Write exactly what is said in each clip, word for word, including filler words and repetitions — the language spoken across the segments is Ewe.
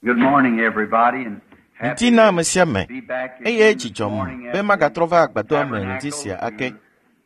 Good morning, everybody, and Ŋdi na ame sia ame be back eye again dzi this dzɔm morning be at magatrɔ the va agbadɔa me ŋdi tabernacle sia ake to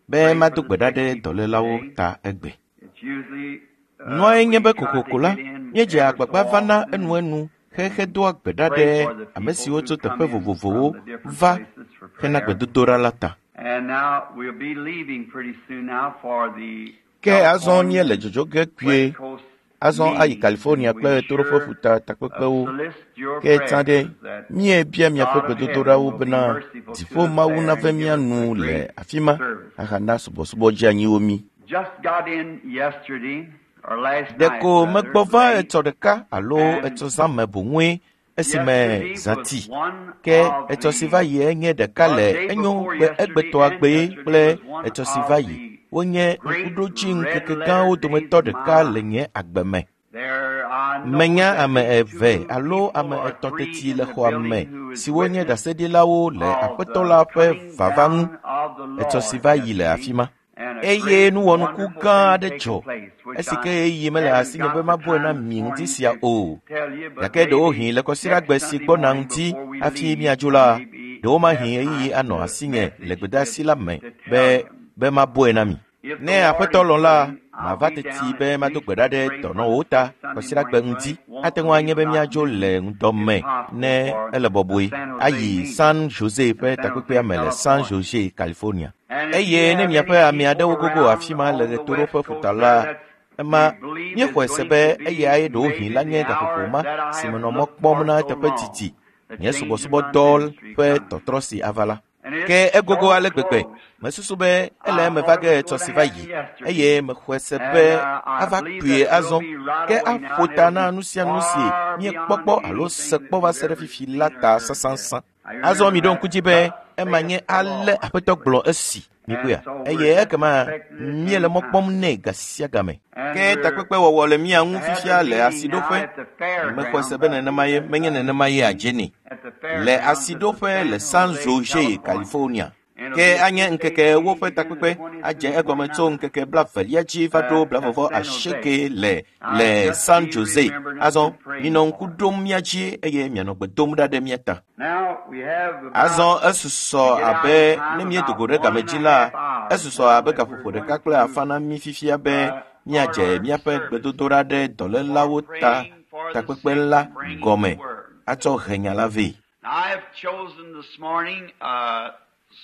be pray for mado the gbe ɖa sick ɖe people dɔlélawo today. ta egbe. It's usually uh, Nua nye we be try to kokoko la, get in míedzea ever so agbagba vana often enuenu xexedoa gbe ɖa pray ɖe for the ame people siwo who tso come teƒe in vovovowo from the different va places for hena prayer. gbedodoɖa la ta. And now we'll be leaving pretty soon now for the Ke azɔ míele California dzodzo ge kpuie West Coast azɔ ayi meeting, California and kple we Ɣetoɖoƒe sure ƒuta uh, takpekpewo. solicit your Ke tsã ɖe prayers that míebia miaƒe God of heaven gbedodoɖawo will be bena merciful to dziƒo us Mawu there nave and mía give us nu a le great afi ma service. ahana subɔsubɔ dzeanyiwo mí. Just got in yesterday, or last night Ɖeko rather, megbɔ va late, etsɔ ɖeka alo and etsɔ zã me boŋue esime yesterday zã was ti. one Ke of etsɔ si the va yie nye ɖeka well, le day enyo before be yesterday egbetɔa and gbee yesterday kple was one etsɔ si of va yi. the Wonye great ŋkuɖodzi red ŋkeke letter gãwo days dometɔ of my ɖeka le life. nye agbe me. There I know Menya that ame there's eve two alo people ame or etɔ̃ three teti in le the xɔa me building who is siwo nye witness ɖaseɖilawo le of Aƒetɔ the la ƒe coming vava ŋu down of the etsɔ si Lord va yi le yesterday, afi ma. and a Eye great nuwɔnuku wonderful gã thing aɖe taken dzɔ place, which esi I ke ɣeyiɣi mele haven't asinye be got the mabɔe na time this mi ŋdi morning sia to o. tell you, but Gake maybe ɖewohĩ le kɔsiɖagbe next si Sunday gbɔna morning ŋuti before we hafi leave, míadzo la, maybe ɖewomahi have ɣeyiɣi time anɔ to asinye le message gbedeasi to, la me to be tell you. be mabɔe na mi. If the Ne Lord Aƒetɔ is lɔ̃ la, willing, I'll mava be teti down be at mado least gbe ɖa to ɖe pray for the dɔnɔwo sick ta Sunday kɔsiɖagbe morning, ŋdi. but it won't Ate ŋu anye leave be without míadzo me, le ŋdɔ if me possible, ne for ele the bɔbɔe San Jose ayi meeting, San Jose the ƒe San Jose, takpekpea me le San California. Jose, California. And if you Eye ne have miaƒe any ame people aɖewo gogo around afi ma le on the Ɣetoɖoƒe West Coast ƒuta there la, that ema we believe is míexɔe se going be to be eyae ɖewohĩ maybe la nye the gaƒoƒo hour ma that I si have menɔ mɔ looked kpɔm for na so eteƒe long, didi, the nye change in my subɔsubɔdɔ ministry ƒe coming. tɔtrɔ si ava la. And Ke it's egogo so ale gbegbe, close. mesusu be ele I eme va thought ge it was etsɔ going si to va happen yi yesterday. eye mexɔe se And be uh, I ava believe kpuie that we'll azɔ. be right Ke away now, aƒo and ta it'll na be nu sia nu si far míekpɔ beyond kpɔ alo anything se that kpɔ va we've se ɖe ever fifi seen la or ta heard yet. sãsãsã. I Azɔ remember miɖo that. ŋku dzi be Thus ema saith nye the ale Lord. Aƒetɔ gblɔ esi mikpɔea And so we're eye just ekema expecting it míele any mɔ kpɔm time. nɛ ga sia game. And Ke we're takpekpe wɔwɔ le mía ŋu to have fifia the le meeting now asiɖoƒe. at the Mexɔe se fairgrounds, be I nenema believe ye that's menye right, nenema ye adze nɛ. at the Le fairgrounds at the asiɖoƒe le San San Jose, Jose, California. California. And it'll Ke be a anye six-day ŋkeke ewo meeting ƒe beginning the takpekpe twentieth adze through the egɔme tso twenty-ninth ŋkeke blavelia dzi va ɖo uh, at blavevɔ San Jose. asieke le Now, le just San be Jose. remembering us Azɔ and praying minɔ ŋku for us. ɖom mía dzi eye mianɔ gbe dom ɖa ɖe mía ta. Now, we have about, Azɔ to esusɔ get out abe in ne time, míedo about go ɖe one game and dzi a la, half hours esusɔ now abe that gaƒoƒo we're ɖeka going kple to afã na mí fifia be uh, start míadze our míaƒe service gbedodoɖa ɖe for dɔlélawo ta praying for the takpekpe sick la and bringing the gɔme word. atsɔ he nya la vɛ. Now, I have chosen this morning a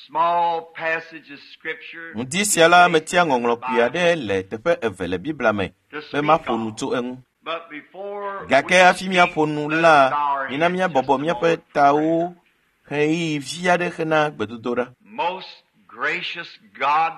small passage of scripture, Ŋdi two sia la places metia in the ŋɔŋlɔ kpui Bible aɖe le teƒe eve le Biblia me to be speak maƒo nu on. tso eŋu. But before Gake we hafi speak, míaƒo nu let us la, bow our mina heads just míabɔbɔ a míaƒe moment for prayer. tawo ɣeyiɣi vi aɖe hena gbedodoɖa. Most gracious God,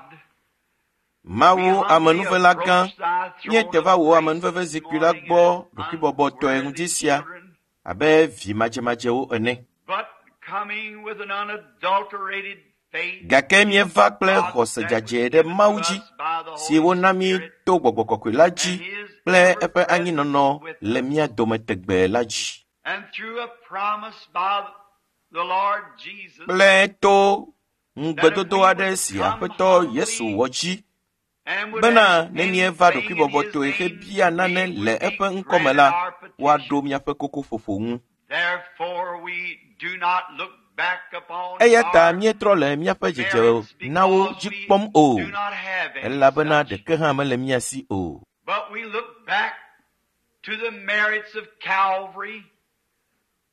we Mawu humbly amenuvela gã, approach thy throne míete of va wò grace amenuveve this zikpui la morning gbɔ as ɖokuibɔbɔtɔe ŋdi unworthy sia children, abe vi madzemadzewo ene. but coming with an unadulterated faith Gake in míeva kple God xɔse that was dzadzɛ ɖe given to Mawu dzi us by the si Holy wona mí Spirit to Gbɔgbɔ Kɔkɔe la and dzi His kple ever eƒe presence anyinɔnɔ with le us, mía dome tegbee la dzi. and through a promise by the Lord Jesus Kple to that if ŋugbedodo we aɖe would si come Aƒetɔ Yesu humbly wɔ dzi and would bena ask ne míeva anything in His ɖokuibɔbɔtɔe name, hebia nane we le would be eƒe ŋkɔme granted la, our woaɖo petition. míaƒe kokoƒoƒo ŋu. Therefore, we do not look back upon Eya ta our míetrɔ le míaƒe dzedze merits nawo because dzi we kpɔm o, do not have any elabena such, ɖeke hã mele mía si o. but we look back to the merits of Calvary,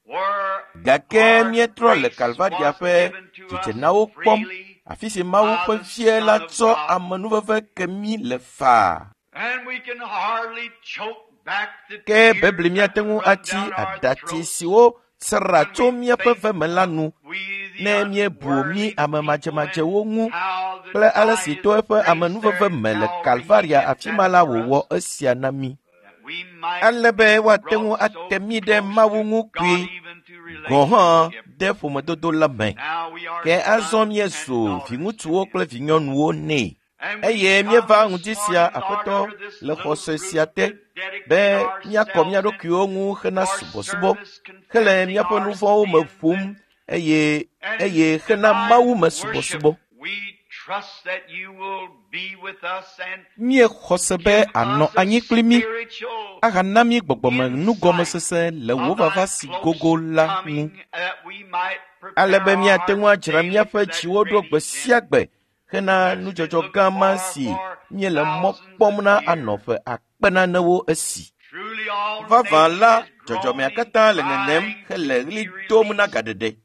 where Gake our míetrɔ le grace Kalvaria was ƒe given to us dzedzenawo kpɔm, freely afi si Mawu by ƒe the Vie la Son of tsɔ God. amenuveve ke mí le faa. And we can hardly choke back the Ke tears bebli that míate ŋu run atsi down our aɖatsi throats siwo sra when tso we míaƒe think ve me la of nu we the ne míebu mí unworthy ame people and madzemadzewo ŋu how the kple ale by si His to eƒe grace there amenuveve at me le Calvary He Kalvaria did afi ma that la for us, wòwɔ esia na mí. that we might Ale be be woate ŋu brought so ate mí ɖe close Mawu to ŋu God kpuie even to gɔ̃ hã relationship. de ƒomedodo la me. Now we are Ke azɔ sons and míezu daughters to viŋutsuwo Him. kple vinyɔnuwo nɛ. And we Eye come míeva this ŋdi sia, morning, Lord, Aƒetɔ, under this le little xɔse roof sia te to be dedicate míakɔ mía ourselves and ɖokuiwo ŋu hena for subɔsubɔ service, hele confessing míaƒe our nu vɔ̃wo me sins ƒom and, eye and eye hena divine Mawu me worship. subɔsubɔ. We trust that you will be with us and Míexɔ se be give ànɔ us a anyi kpli mí spiritual ahana mí gbɔgbɔme nugɔmesese le wò of thy vava si close gogo la ŋu. coming, that we might prepare Ale be our míate ŋu hearts adzra daily míaƒe for that dziwo ɖo great gbe sia event. gbe hena As we nudzɔdzɔ look gã ma for si for míele mɔ thousands kpɔm of na years. anɔ ƒe akpe nanewo esi. Truly all Vavã nature la, is dzɔdzɔmea groaning, katã le ŋeŋem crying hele to ɣli be dom na released. gaɖeɖe.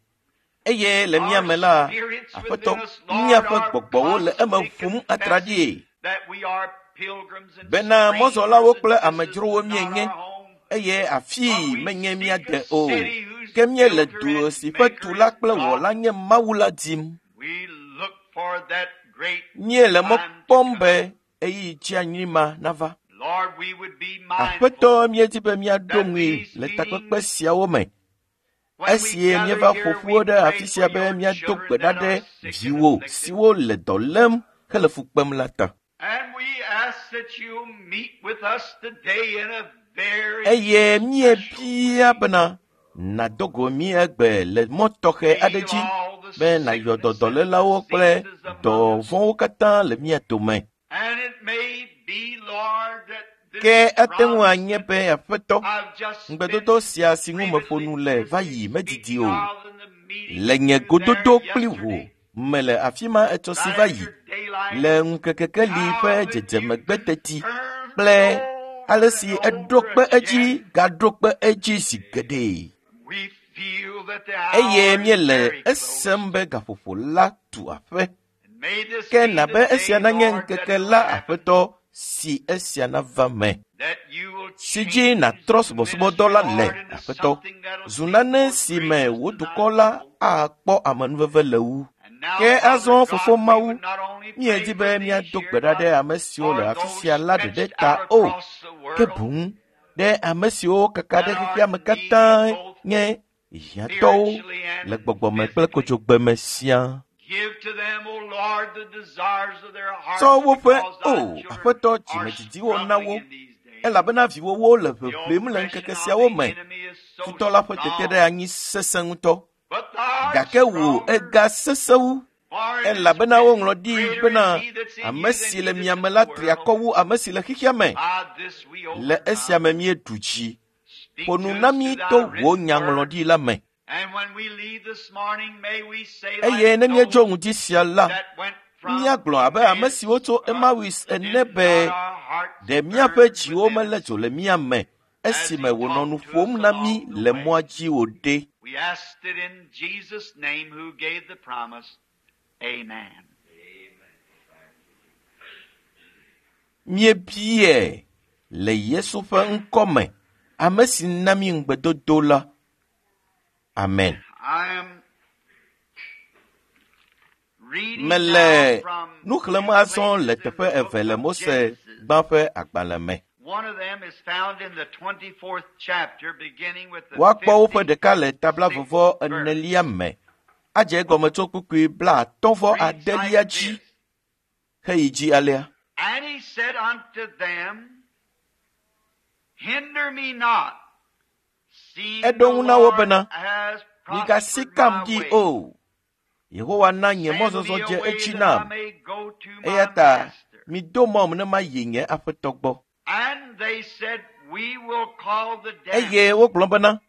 Eye le mía Our me la, spirits Aƒetɔ, within us, Lord, míaƒe are gbɔgbɔwo le eme constantly ƒum confessing atraɖie that we are pilgrims and bena mɔzɔlawo strangers kple and this is amedzrowo not míenye our home. eye afii But we menye seek mía a de o. city whose Ke míele builder du and si ƒe maker tula is kple God. wɔla nye Mawu la dim. We look for that great Míele mɔ time to kpɔm come. be ɣeyiɣi dzianyi ma nava. Lord, we would be mindful Aƒetɔ, míedi be míaɖo that ŋui these le takpekpe meetings, siawo me. when we Esi gather míeva here, ƒo ƒu we ɖe pray afi for sia be your míado children gbe ɖa that ɖe are sick and viwò afflicted. siwo le dɔ lém hele fu kpem la ta. And we ask that you meet with us today in a very Eye special way. míebia bena nàdo go mí egbe le mɔ tɔxɛ aɖe Heal dzi all the be nàyɔ sickness and dɔdɔlélawo kple diseases among us. dɔvɔ̃wo katã le mía dome. And it may be, Lord, that this Ke ate ŋu promise anye that be Aƒetɔ, I've just been ŋugbedodo sia si ŋu meƒo previously nu le va yi medidi speaking o. of in the meeting Le nye with you there gododo kpli wò yesterday, mele afi ma etsɔ si right va yi after daylight, le ŋukekekeli how ƒe that you dzedzemegbe teti confirmed kple over ale and si eɖo over kpe edzi again. gaɖo kpe edzi zi geɖe. We feel that the Eye hour is míele very close. esem be gaƒoƒo la tu aƒe. And may this Ke be na the be esia day, nanye Lord, that ŋkeke it will la happen, Aƒetɔ si esia nava me. that you will Si dzi change nàtrɔ the subɔsubɔdɔ ministry, la le Lord, into Aƒetɔ. something that'll Zu seem nane more si me gracious wò to thy dukɔ la people. akpɔ amenuveve le wu. And now, Ke Father azɔ God, Fofo we Mawu, would not only pray míedi for be these míado here, gbe ɖa but ɖe ame siwo le for afi those sia la ɖeɖe stretched ta out o, across the ke world boŋ ɖe ame siwo kaka ɖe that are xexea me needy katã both nye hiãtɔwo spiritually le and gbɔgbɔme kple physically. kodzogbe me siaa. Give to them, O Lord, the desires of their Tsɔ hearts, woƒe because thy o children Aƒetɔ are dzimedidiwo na struggling wo in these days. elabena viwòwo le The ʋeʋlim le ŋkeke oppression of siawo the me. enemy is so Futɔ la ƒe tete ɖe strong, anyi sesẽ ŋutɔ. but thou art Gake wò stronger. ega sesẽ wu For it is elabena written, woŋlɔ ɖi Greater is bena he that's in ame you than si he le that's mia in me the la tri world. akɔ wu ame si le xexea me. By this we Le esia overcome. me míeɖu dzi. Speak Ƒo nu to na us mí through thy to wò written word. nyaŋlɔɖi la me. And when we leave this morning, may we say Eye like ne míedzo those ŋdi sia la, that went from míagblɔ abe ame Emmaus, siwo tso uh, Emmaus ene did be not our hearts ɖe míaƒe burn dziwo within melé us dzo le mía me as he esime wònɔ nu talked to us ƒom na mí along the le way? mɔa dzi wòɖe. We asked it in Jesus' name who gave the promise. Amen. Míebiae le Yesu ƒe ŋkɔ me, ame si na mí ŋugbedodo la. Amen. I am reading Mele now from nu xlẽm two azɔ le places in teƒe the eve book le of Mose Genesis. gbã ƒe agbalẽ me. One of them is found in the twenty-fourth chapter, beginning with the Woakpɔ woƒe ɖeka le tabla fifty-sixth vɔvɔ verse. enelia me. Adze egɔme tso kpukpui blaatɔ̃ vɔ Reads adelia like dzi this. heyi dzi alea. And he said unto them, Hinder me not, seeing Eɖo the ŋu na wo Lord bena, has Migasi prospered kam my ɖi way. o. Yehowa na nye Send mɔzɔzɔ me dze away edzi that I nam. may go to my Eya ta master. mido mɔm ne mayi nye aƒetɔ gbɔ. And they said, We will call the Eye damsel wogblɔ bena,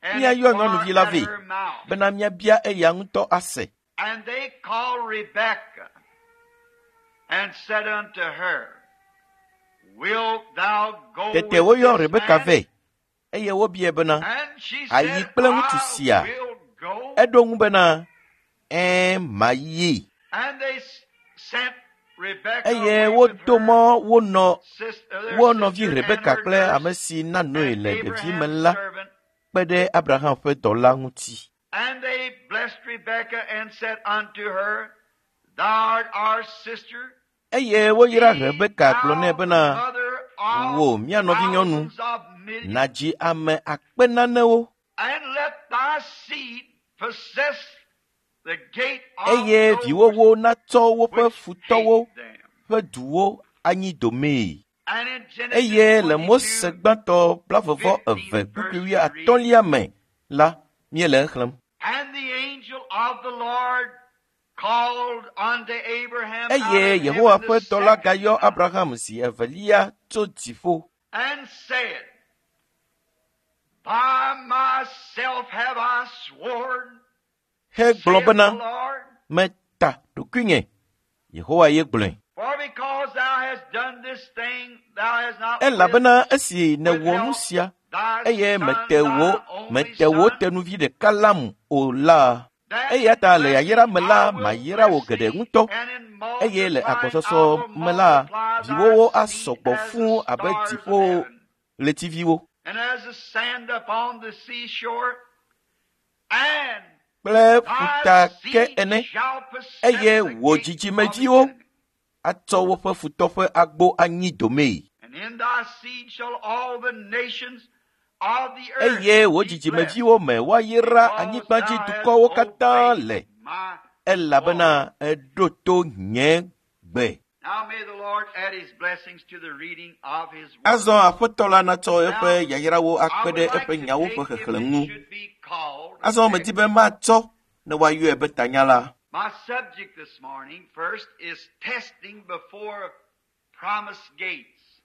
and míayɔ nyɔnuvi inquire la at vɛ her mouth. bena míabia eya ŋutɔ ase. And they called Rebekah and said unto her, Wilt thou go Tete with woyɔ this Rebeka man? vɛ eye wobiae bena, And she Ayi said, kple ŋutsu I sia? will go. Eɖo ŋu bena, Ɛ̃, mayi. And they s- sent Rebekah Eye away with wodo her mɔ wo nɔ sister, their wo nɔvi sister and Rebeka her kple nurse ame si na noe and le ɖevime Abraham's la servant. kpe ɖe Abraham ƒe dɔla ŋuti. And they blessed Rebekah and said unto her, Thou art our sister. Eye woyra Be Rebeka gblɔ thou nɛ the bena, mother of Wò, mía nɔvinyɔnu, thousands of millions, nàdzi ame akpe nanewo and let thy seed possess the gate of eye those viwòwo natsɔ woƒe which futɔwo hate them. ƒe duwo anyi domee. And in Genesis Eye le Mose twenty-two, gbãtɔ blaeve-vɔ eve fifteenth kpukpui verse we read, wuiatɔ̃lia me la, míele exlẽm. And the angel of the Lord called unto Abraham out Eye of Yehowa heaven ƒe the dɔla second gayɔ time Abraham zi evelia tso dziƒo and said, By myself have I sworn, hegblɔ saith the bena, Lord, meta ɖokuinye. Yehowa ye gblɔe. for because thou hast done this thing, thou hast not Elabena esi nèwɔ nu withheld sia thy eye son, mete thy wò only mete wò son, tenuvi ɖeka lam o la, that eya in ta le yayra blessing me la I will mayra wò bless geɖe thee, ŋutɔ and in eye le multiplying I agbɔsɔsɔ will me la multiply thy viwòwo seed asɔ gbɔ as the fũu abe stars of dziƒo heaven, ɣletiviwo and as the sand upon the seashore, and kple thy ƒuta ke seed ene shall possess eye the wò gates of its dzidzimeviwo enemies. atsɔ woƒe futɔ ƒe agbo anyi domee. And in thy seed shall all the nations of the earth Eye wò be blessed, dzidzimeviwo me woayra because anyigbadzi thou hast dukɔwo katã obeyed le my elabena voice. eɖo to nye gbe. Now may the Lord add his blessings to the reading of his word. Azɔ Aƒetɔ la natsɔ Now, eƒe yayrawo I akpe would ɖe like eƒe to nyawo take, ƒe if xexlẽ it ŋu. should be called, Azɔ a medi text. be matsɔ ne woayɔe be tanya la. My subject this morning, first, is testing before promised gates.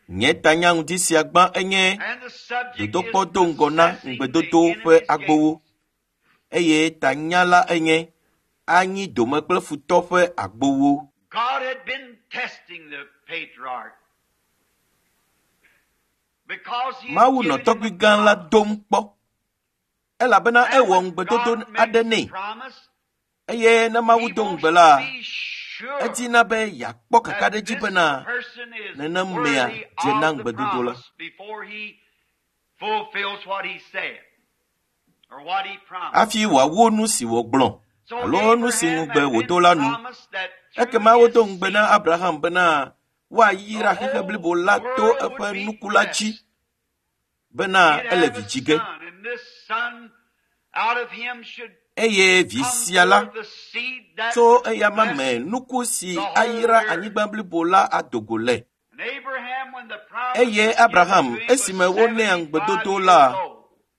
Nye tanya ŋdi sia gbã enye And the subject is dodokpɔ do ŋgɔ na possessing the ŋugbedodo ƒe enemy's agbowo gates. eye tanya la enye anyi dome kple futɔ ƒe agbowo. God had been testing the patriarch because he had Mawu nɔ given him a tɔgbui gã la promise. dom kpɔ elabena And ewɔ when ŋugbedodo God aɖe makes a nɛ promise, eye ne Mawu he do wants ŋugbe to la, be sure edina be yeakpɔ that kakaɖedzi this bena person is nenem mea worthy dze na of the ŋugbedodo la. promise before he fulfills what he said or what he promised. Hafi wòawu nu si wògblɔ So alo nu si Abraham ŋugbe had wòdo been la nu. promised that through Ekema his wodo ŋugbe na seed Abraham bena woayra the xexe whole blibo la to world would eƒe be nuku la dzi blessed. bena He'd ele have vi a dzi ge. son, and this son out of him should Eye vi come sia la forth the seed that tso would eyama bless me nuku si the whole ayra earth. anyigba blibo la ado go le. And Abraham, when the promise Eye was given Abraham to him, was esime wonɛ seventy-five ŋugbedodo years la, old.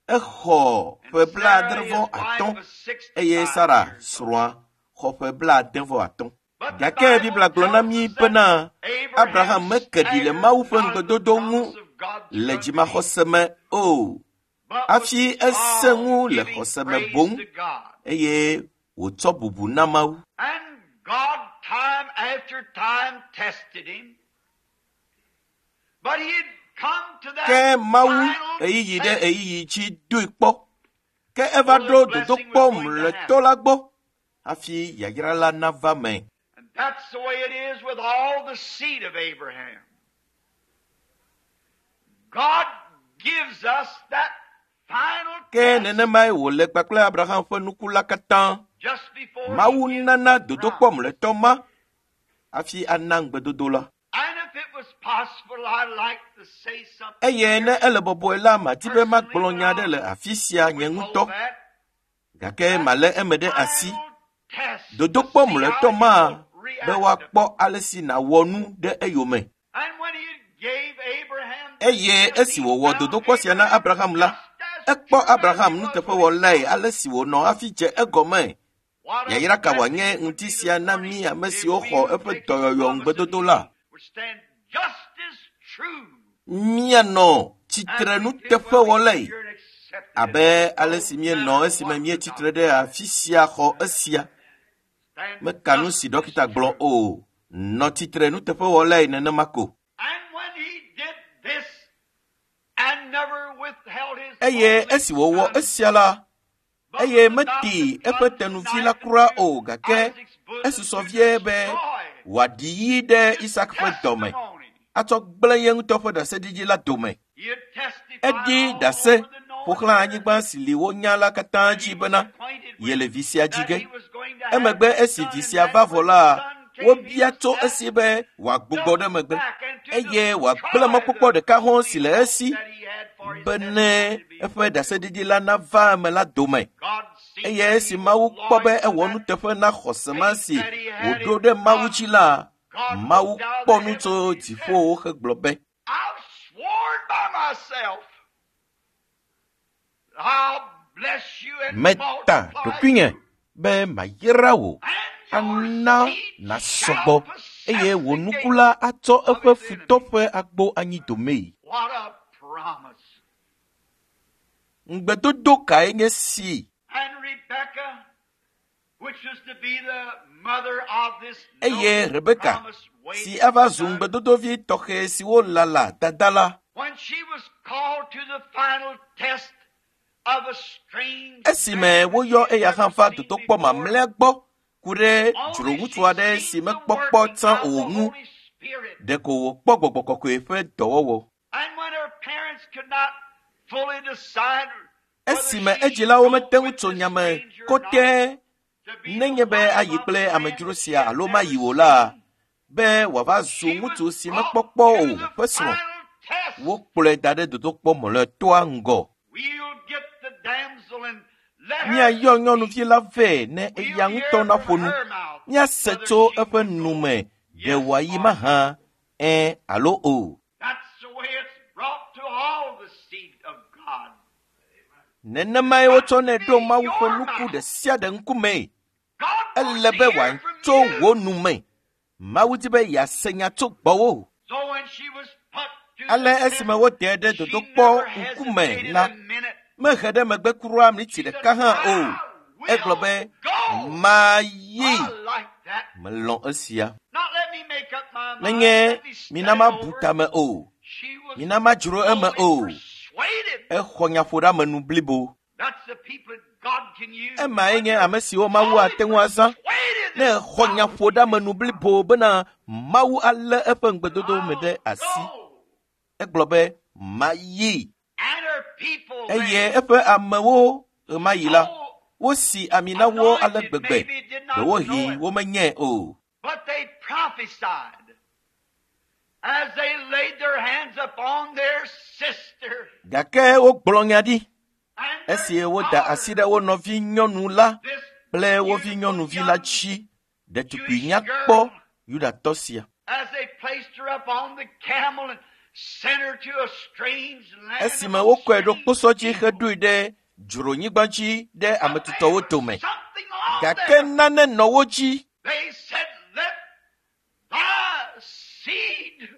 exɔ And ƒe Sarah, blaadre his vɔ wife, atɔ̃ was eye sixty-five Sara years old. srɔ̃a xɔ ƒe blaade vɔ atɔ̃. But the Gake Bible Biblia gblɔ na tells mí us that bena Abraham Abraham meke ɖi le staggered Mawu ƒe not at the ŋugbedodo ŋu promise of God le through unbelief, dzimaxɔse me o. but was Hafi esẽ all ŋu le giving xɔse me praise boŋ to God. eye wòtsɔ bubu na Mawu. And God, time after time, tested him. But he had come to that Ke Mawu final ɣeyiɣi ɖe test ɣeyiɣi dzi doe kpɔ. Ke eva before ɖo the blessing dodokpɔ was going to mlɔetɔ happen. la gbɔ hafi yayra la nava me. And that's the way it is with all the seed of Abraham. God gives us that final Ke test nenemae wòle kpakple Abraham ƒe nuku la katã. just before he Mawu gives nana the dodokpɔ promise. mlɔetɔ ma hafi ana ŋugbedodo la. And if it was possible, I'd like to say something Eye ne here ele bɔbɔe la, madi be personally, magblɔ but nya aɖe I'll le afi sia nye withhold ŋutɔ, that. gake That malé eme ɖe asi. final test to Dodokpɔ see how mlɔetɔ ma you'll be react to it. woakpɔ ale si nàwɔ nu ɖe eyome. And when he gave Abraham the Eye test, esi he wòwɔ found dodokpɔ sia na Abraham Abraham la, just as ekpɔ true as he Abraham was when he nuteƒewɔlae started. ale si wònɔ hafi dze egɔme. What a Yayra ka blessing wòanye it would ŋuti be this sia na morning mí ame if siwo we xɔ would eƒe take his dɔyɔyɔ promise of ŋugbedodo la. healing, would stand just as true Míanɔ as tsitre we did when we stood nuteƒewɔlae here and accepted it, abe ale no si míenɔ matter esime what the míetsitre doctor ɖe afi sia xɔ esia. said. Stand Meka nu just si as ɖɔkita gblɔ true. o. Nɔ tsitre nuteƒewɔlae nenema ko. And when he did this and never withheld his Eye only esi wòwɔ son, esia la, but eye was meti about to eƒe plunge the tenuvi la knife kura into o gake Isaac's bosom esusɔ to vie be destroy wòaɖi yi ɖe his Isak ƒe dɔme testimony. atsɔ gblẽ ye ŋutɔ ƒe ɖaseɖiɖi la dome. He had testified Eɖi all ɖase over the ƒo known xlã earth anyigba si li wonya la katã that dzi he was bena acquainted ye le with, vi sia dzi that ge. he was going to have Emegbe this esi son, vi and sia that va vɔ when the la, son came, he wobia was tso set esi be wòagbugbɔ ɖe double megbe back and to eye wòagblẽ destroy mɔkpɔkpɔ the ɖeka hɔ̃ only si le hope esi that he had for his bene testimony to be eƒe fulfilled. ɖaseɖiɖi la nava eme la dome. God seen Eye that esi he was Mawu kpɔ be loyal to ewɔ that nuteƒe na xɔse ma faith si that he had wòɖo in ɖe Mawu God. dzi la, God Mawu looked out of kpɔ the nu heavens tso and he said, dziƒowo hegblɔ be, I've sworn by myself, I'll bless you and meta multiply ɖokuinye you. be mayra wò, And your ana seed nàsɔgbɔ shall possess eye wò the nuku gate la atsɔ of eƒe his futɔ enemies. ƒe agbo anyi domee. What a promise. Ŋugbedodo kae nye si? And Rebekah, which was to be the mother of this Eye noble Rebeka, promised si waiting ava zu son, ŋugbedodovi tɔxɛ siwo lala dada la, when she was called to the final test of a strange esime man that she woyɔ had eya hã never va seen dodokpɔ before, mamlɛa gbɔ ku ɖe only dzroŋutsu she aɖe si seen the mekpɔ kpɔ working tsã of o the ŋu, Holy Spirit. ɖeko wòkpɔ gbɔgbɔ kɔkɔe ƒe dɔwɔwɔ. And when her parents could not fully decide whether Esime she should edzilawo go mete ŋu with tso this nya me stranger or not, kotɛ to be the nenye be wife ayi of kple a man amedzro that she sia had alo never mayi o la, seen, be wòava zu she ŋutsu was si brought mekpɔ kpɔ to o the ƒe srɔ̃. final test. Wokplɔe da ɖe dodokpɔ mlɔetɔa ŋgɔ. We'll get the damsel and let her Míayɔ speak. nyɔnuvi la vɛ ne We'll eya hear ŋutɔ from naƒo nu. her mouth Míase whether tso she eƒe will nu go. me ɖe Yes wòayi or no. mahã, ẽ alo o. That's the way it's brought to all the seed of God. Nenemae Got wotsɔnɛ to ɖo be Mawu ƒe your nuku mouth. ɖe sia ɖe ŋkumee. God wants Ele to be hear from wòatso you. wò nu me. Mawu di be yease nya tso gbɔwò. So when she was put to Ale the esime test, wodee ɖe she dodokpɔ never ŋkume hesitated la, a minute. mehe ɖe megbe kura mliti She said, ɖeka hã o. I Egblɔ will be, go. mayi. I like that. Melɔ̃ esia. Not let me make up my mind. Menye Let me study mina mabu over. tame o. She was Mina madzro eme fully o. persuaded. Exɔ nyaƒoɖeamenu blibo. That's the people that God can use. Emae When nye you're ame siwo Mawu fully ate ŋu azã. persuaded Ne that exɔ God will keep His nyaƒoɖeamenu promise. blibo bena Mawu alé eƒe ŋugbedodo me I'll ɖe asi. go. Egblɔ be, mayi. And her people Eye then, eƒe amewo ɣemaɣi la, so wosi ami na wo ale anointed, gbegbe. maybe did not know Ɖewohĩ it, womenyae o. but they prophesied as they laid their hands upon their sister Gake wogblɔ nya ɖi and their esi woda asi daughter, ɖe wo nɔvi nyɔnu la this kple wo vi beautiful nyɔnuvi la young dzi. Ɖetugbi Jewish nyakpɔ girl, Yudatɔ sia. as they placed her up on the camel and sent her to a strange land Esime among wokɔe ɖo strange kposɔ dzi people. heɖoe ɖe dzronyigba dzi ɖe But ame there tutɔwo was dome. something on Gake them. nane nɔ wo dzi. They said, Let thy seed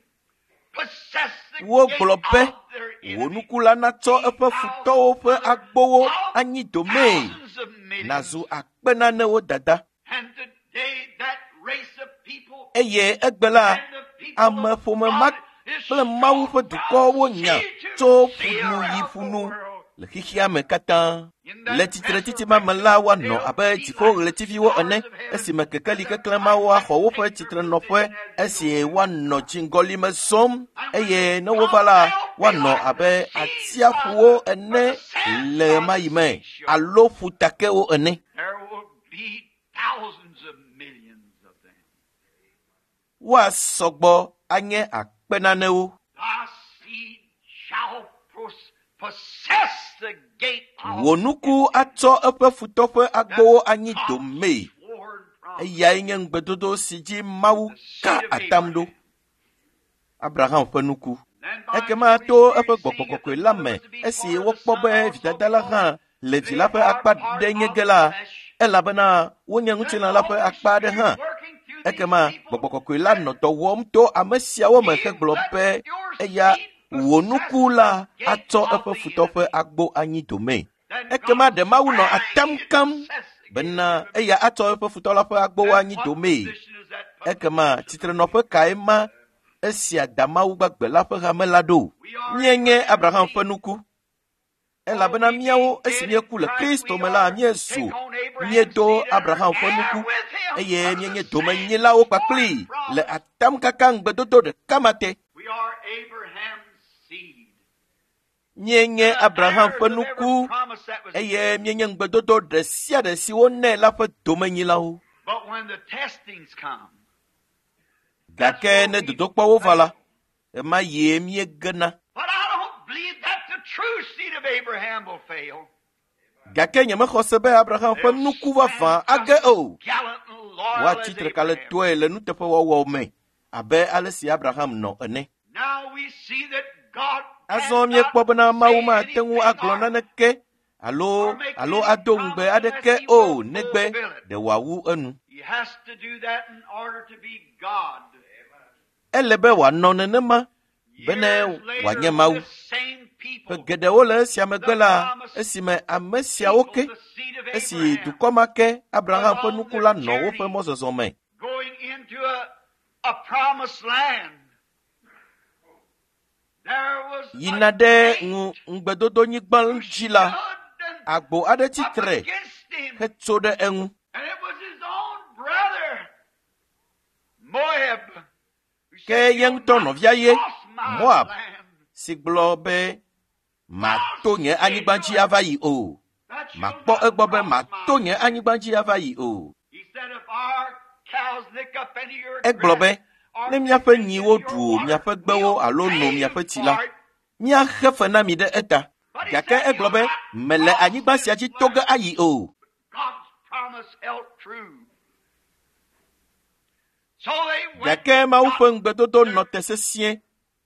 possess the gate Wogblɔ be of their wò enemies. nuku la natsɔ Be eƒe thou futɔwo ƒe mother agbowo of anyi domee. thousands of millions. Nazu akpe nanewo dada. And today that race of people Eye egbe la, and the people of ameƒome ma God is kple Mawu strong ƒe dukɔwo from nya sea to tso sea ƒunu yi around the ƒunu world. le xexea me katã. In Le that tsitretsitsi ma me la, resurrection, woanɔ they'll abe be like the dziƒoɣletiviwo ene stars of heaven esime kekeli and the keklẽ mawo brightness axɔ woƒe take their tsitrenɔƒe position as the esi old woanɔ dziŋgɔli me zɔm And when eye they ne wova come, la, they'll be woanɔ like the abe seas by atsiaƒuwo the, or ene the sands le by the ɣemaɣi me seashore. alo ƒutakewo ene. There will be thousands of millions of them. Woasɔ gbɔ anye akpe nanewo. Thy seed shall pos- possess the gate of Wò nuku its enemies. atsɔ eƒe futɔ ƒe That's agbowo anyi God's domee. sworn promise. Eyae nye ŋugbedodo si dzi Mawu The ka seed of atam ɖo. Abraham. Abraham ƒe nuku. Then by Ekema his Holy to eƒe Spirit, gbɔgbɔ seeing that kɔkɔe the la mother me was to be esi part of the wokpɔ son be also, vidada la because hã le vi they la ƒe are akpa part ɖe nye of ge the la, flesh. elabena wonye Then ŋutilã the la ƒe Holy akpa aɖe Spirit hã. working through these Ekema people gbɔgbɔ kɔkɔe la said, nɔ dɔ wɔm to ame siawo me He hegblɔ let be your eya seed wò possess nuku la the gate atsɔ of eƒe the futɔ ƒe enemy. agbo anyi domee. Then Ekema God ɖe Mawu nɔ swearing atam he'd kam possess the gate of bena the enemy. eya atsɔ eƒe futɔ la ƒe agbowo Then anyi what domee. position is that put the Ekema church of the tsitrenɔƒe living kae God? ma esia da Mawu gbagbe la ƒe hame la ɖo? We are Míenye Abraham's Abraham ƒe seed. nuku. Oh, Elabena we míawo being esi dead in míeku le Christ, Kristo we me la, are míezu take on Abraham's míedo seed and are Abraham ƒe heir nuku with him eye of the míenye same domenyilawo sworn kpakplii le promise. atamkaka ŋugbedodo ɖeka ma te. We are Abraham's seed. Míenye The Abraham heirs ƒe of every nuku promise that was eye given. míenye ŋugbedodo ɖe sia ɖe si wonɛ la ƒe domenyilawo. But when the testings come, that's Gake where ne we dodokpɔwo va la, fail. ɣemaɣie míegena. But I don't believe that the true seed of Abraham will fail. Gake nyemexɔ se be Abraham ƒe They'll nuku vavã stand just age as o. gallant and loyal as Woatsi tre Abraham. kalẽtɔe le nuteƒewɔwɔ me abe ale si Abraham nɔ ene. Now we see that God Azɔ cannot míekpɔ bena Mawu say mate ŋu anything agblɔ or naneke alo alo ado ŋugbe aɖeke o negbe ɖe wòawu enu. He has to do that in order to be God. Ele be wòanɔ nenema bene Years later, wòanye Mawu. the same people, Ƒe geɖewo le esia megbe la, esime ame siawo ke, the seed of esi Abraham, dukɔ ma ke Abraham ƒe nuku la nɔ woƒe mɔzɔzɔ me going into a, a promised land. There was a yina ɖe gate ŋu ŋugbedodonyigba dzi la, stood and agbo aɖe up tsitre against him, hetso ɖe eŋu. and it was his own brother, Moab, who Ke said, ye "You'll ŋutɔ not nɔvia ye, cross my Moab, land. si gblɔ be mato nye anyigba dzi ava yi o. That you'll Makpɔ not egbɔ be cross my mato nye anyigba dzi ava yi o. He said, if our cows lick up any of your Egblɔ be grass or ne míaƒe drink any nyiwo of your ɖu water, miaƒe gbewo we'll alo pay no you miaƒe tsi for la, it. míaxe fe na mi ɖe eta. But he Gake said, egblɔ "You'll be not mele cross anyigba sia this dzi to ge land." ayi o. God's promise held true. So they went Gake Mawu got ƒe ŋugbedodo nɔ te sesĩe.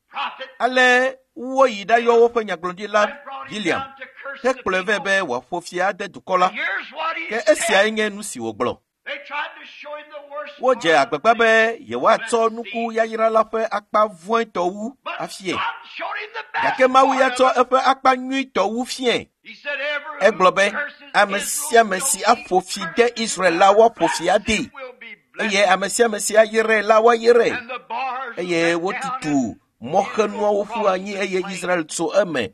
prophet Ale woyi ɖayɔ woƒe nyagblɔɖila and brought him Biliam down to curse the hekplɔe vɛ people. be wòaƒo fia ade dukɔ la. And here's what he Ke said. esiae nye nu si wògblɔ. They tried to show him the worst Wodze part of agbagba the be yewoatsɔ nuku yayra la ƒe akpa vɔ̃etɔ wu But afie. God showed him the best Gake Mawu ya part tsɔ of it. eƒe akpa nyuitɔ wu fiae. He said, "Every Egblɔ who be curses ame Israel sia ame shall si be aƒo fi de cursed. Israel la woaƒo fi adee Blessed will be blessed." eye ame sia ame si ayrae la woayrae. And the bars Eye let down wotutu and mɔxenuawo Israel ƒu crossed anyi the eye plain. Israel tso eme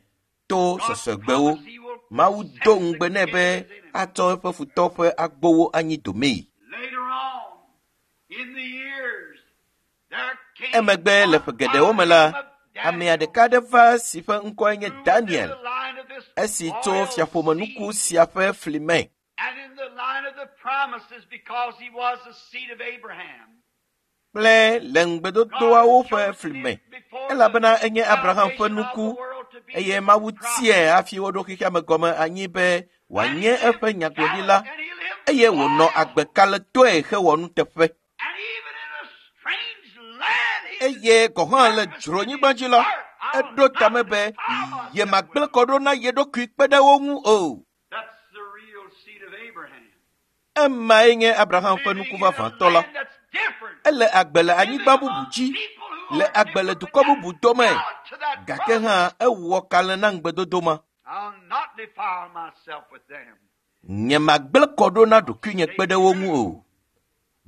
to God's sɔsɔgbewo. promise he will Mawu possess do the ŋugbe nɛ gate be of his enemy. atsɔ eƒe futɔ ƒe agbowo anyi domee. Later on, in the years, there came Emegbe le one ƒe by geɖewo the me la, name of amea Daniel, ɖeka aɖe va si ƒe ŋkɔe nye who was in Daniel, the line of this esi tso royal fiaƒomenuku seed sia ƒe fli me and in the line of the promises because he was the seed of Abraham. kple le God ŋugbedodoawo had ƒe chosen fli him me before the elabena enye Abraham ƒe foundation of the nuku world to be eye his Mawu prophet. tiae hafi woɖo xexea me gɔme anyi be And he wòanye lived eƒe nyagblɔɖila gallant and he lived eye wònɔ loyal. agbe kalẽtɔe hewɔ nuteƒe. And even in a strange land, he Eye gɔ̃ hã le purposed in dzronyigba his dzi la, heart, I will eɖo not tame be defile myself with yemagblẽ them. kɔ ɖo na ye ɖokui kpe ɖe wo ŋu o. That's the real seed of Abraham. Emae nye Abraham ƒe Living nuku in a vavãtɔ la. land that's different. Ele agbe le Living anyigba bubu among dzi, people who le are agbe le different, dukɔ but bubu dome. yet to that Gake promise. hã ewɔ kalẽ na ŋugbedodo ma. I'll not defile myself with them. Nyemagblẽ kɔ ɖo na ɖokuinye Stay kpe ɖe wo ŋu true. o.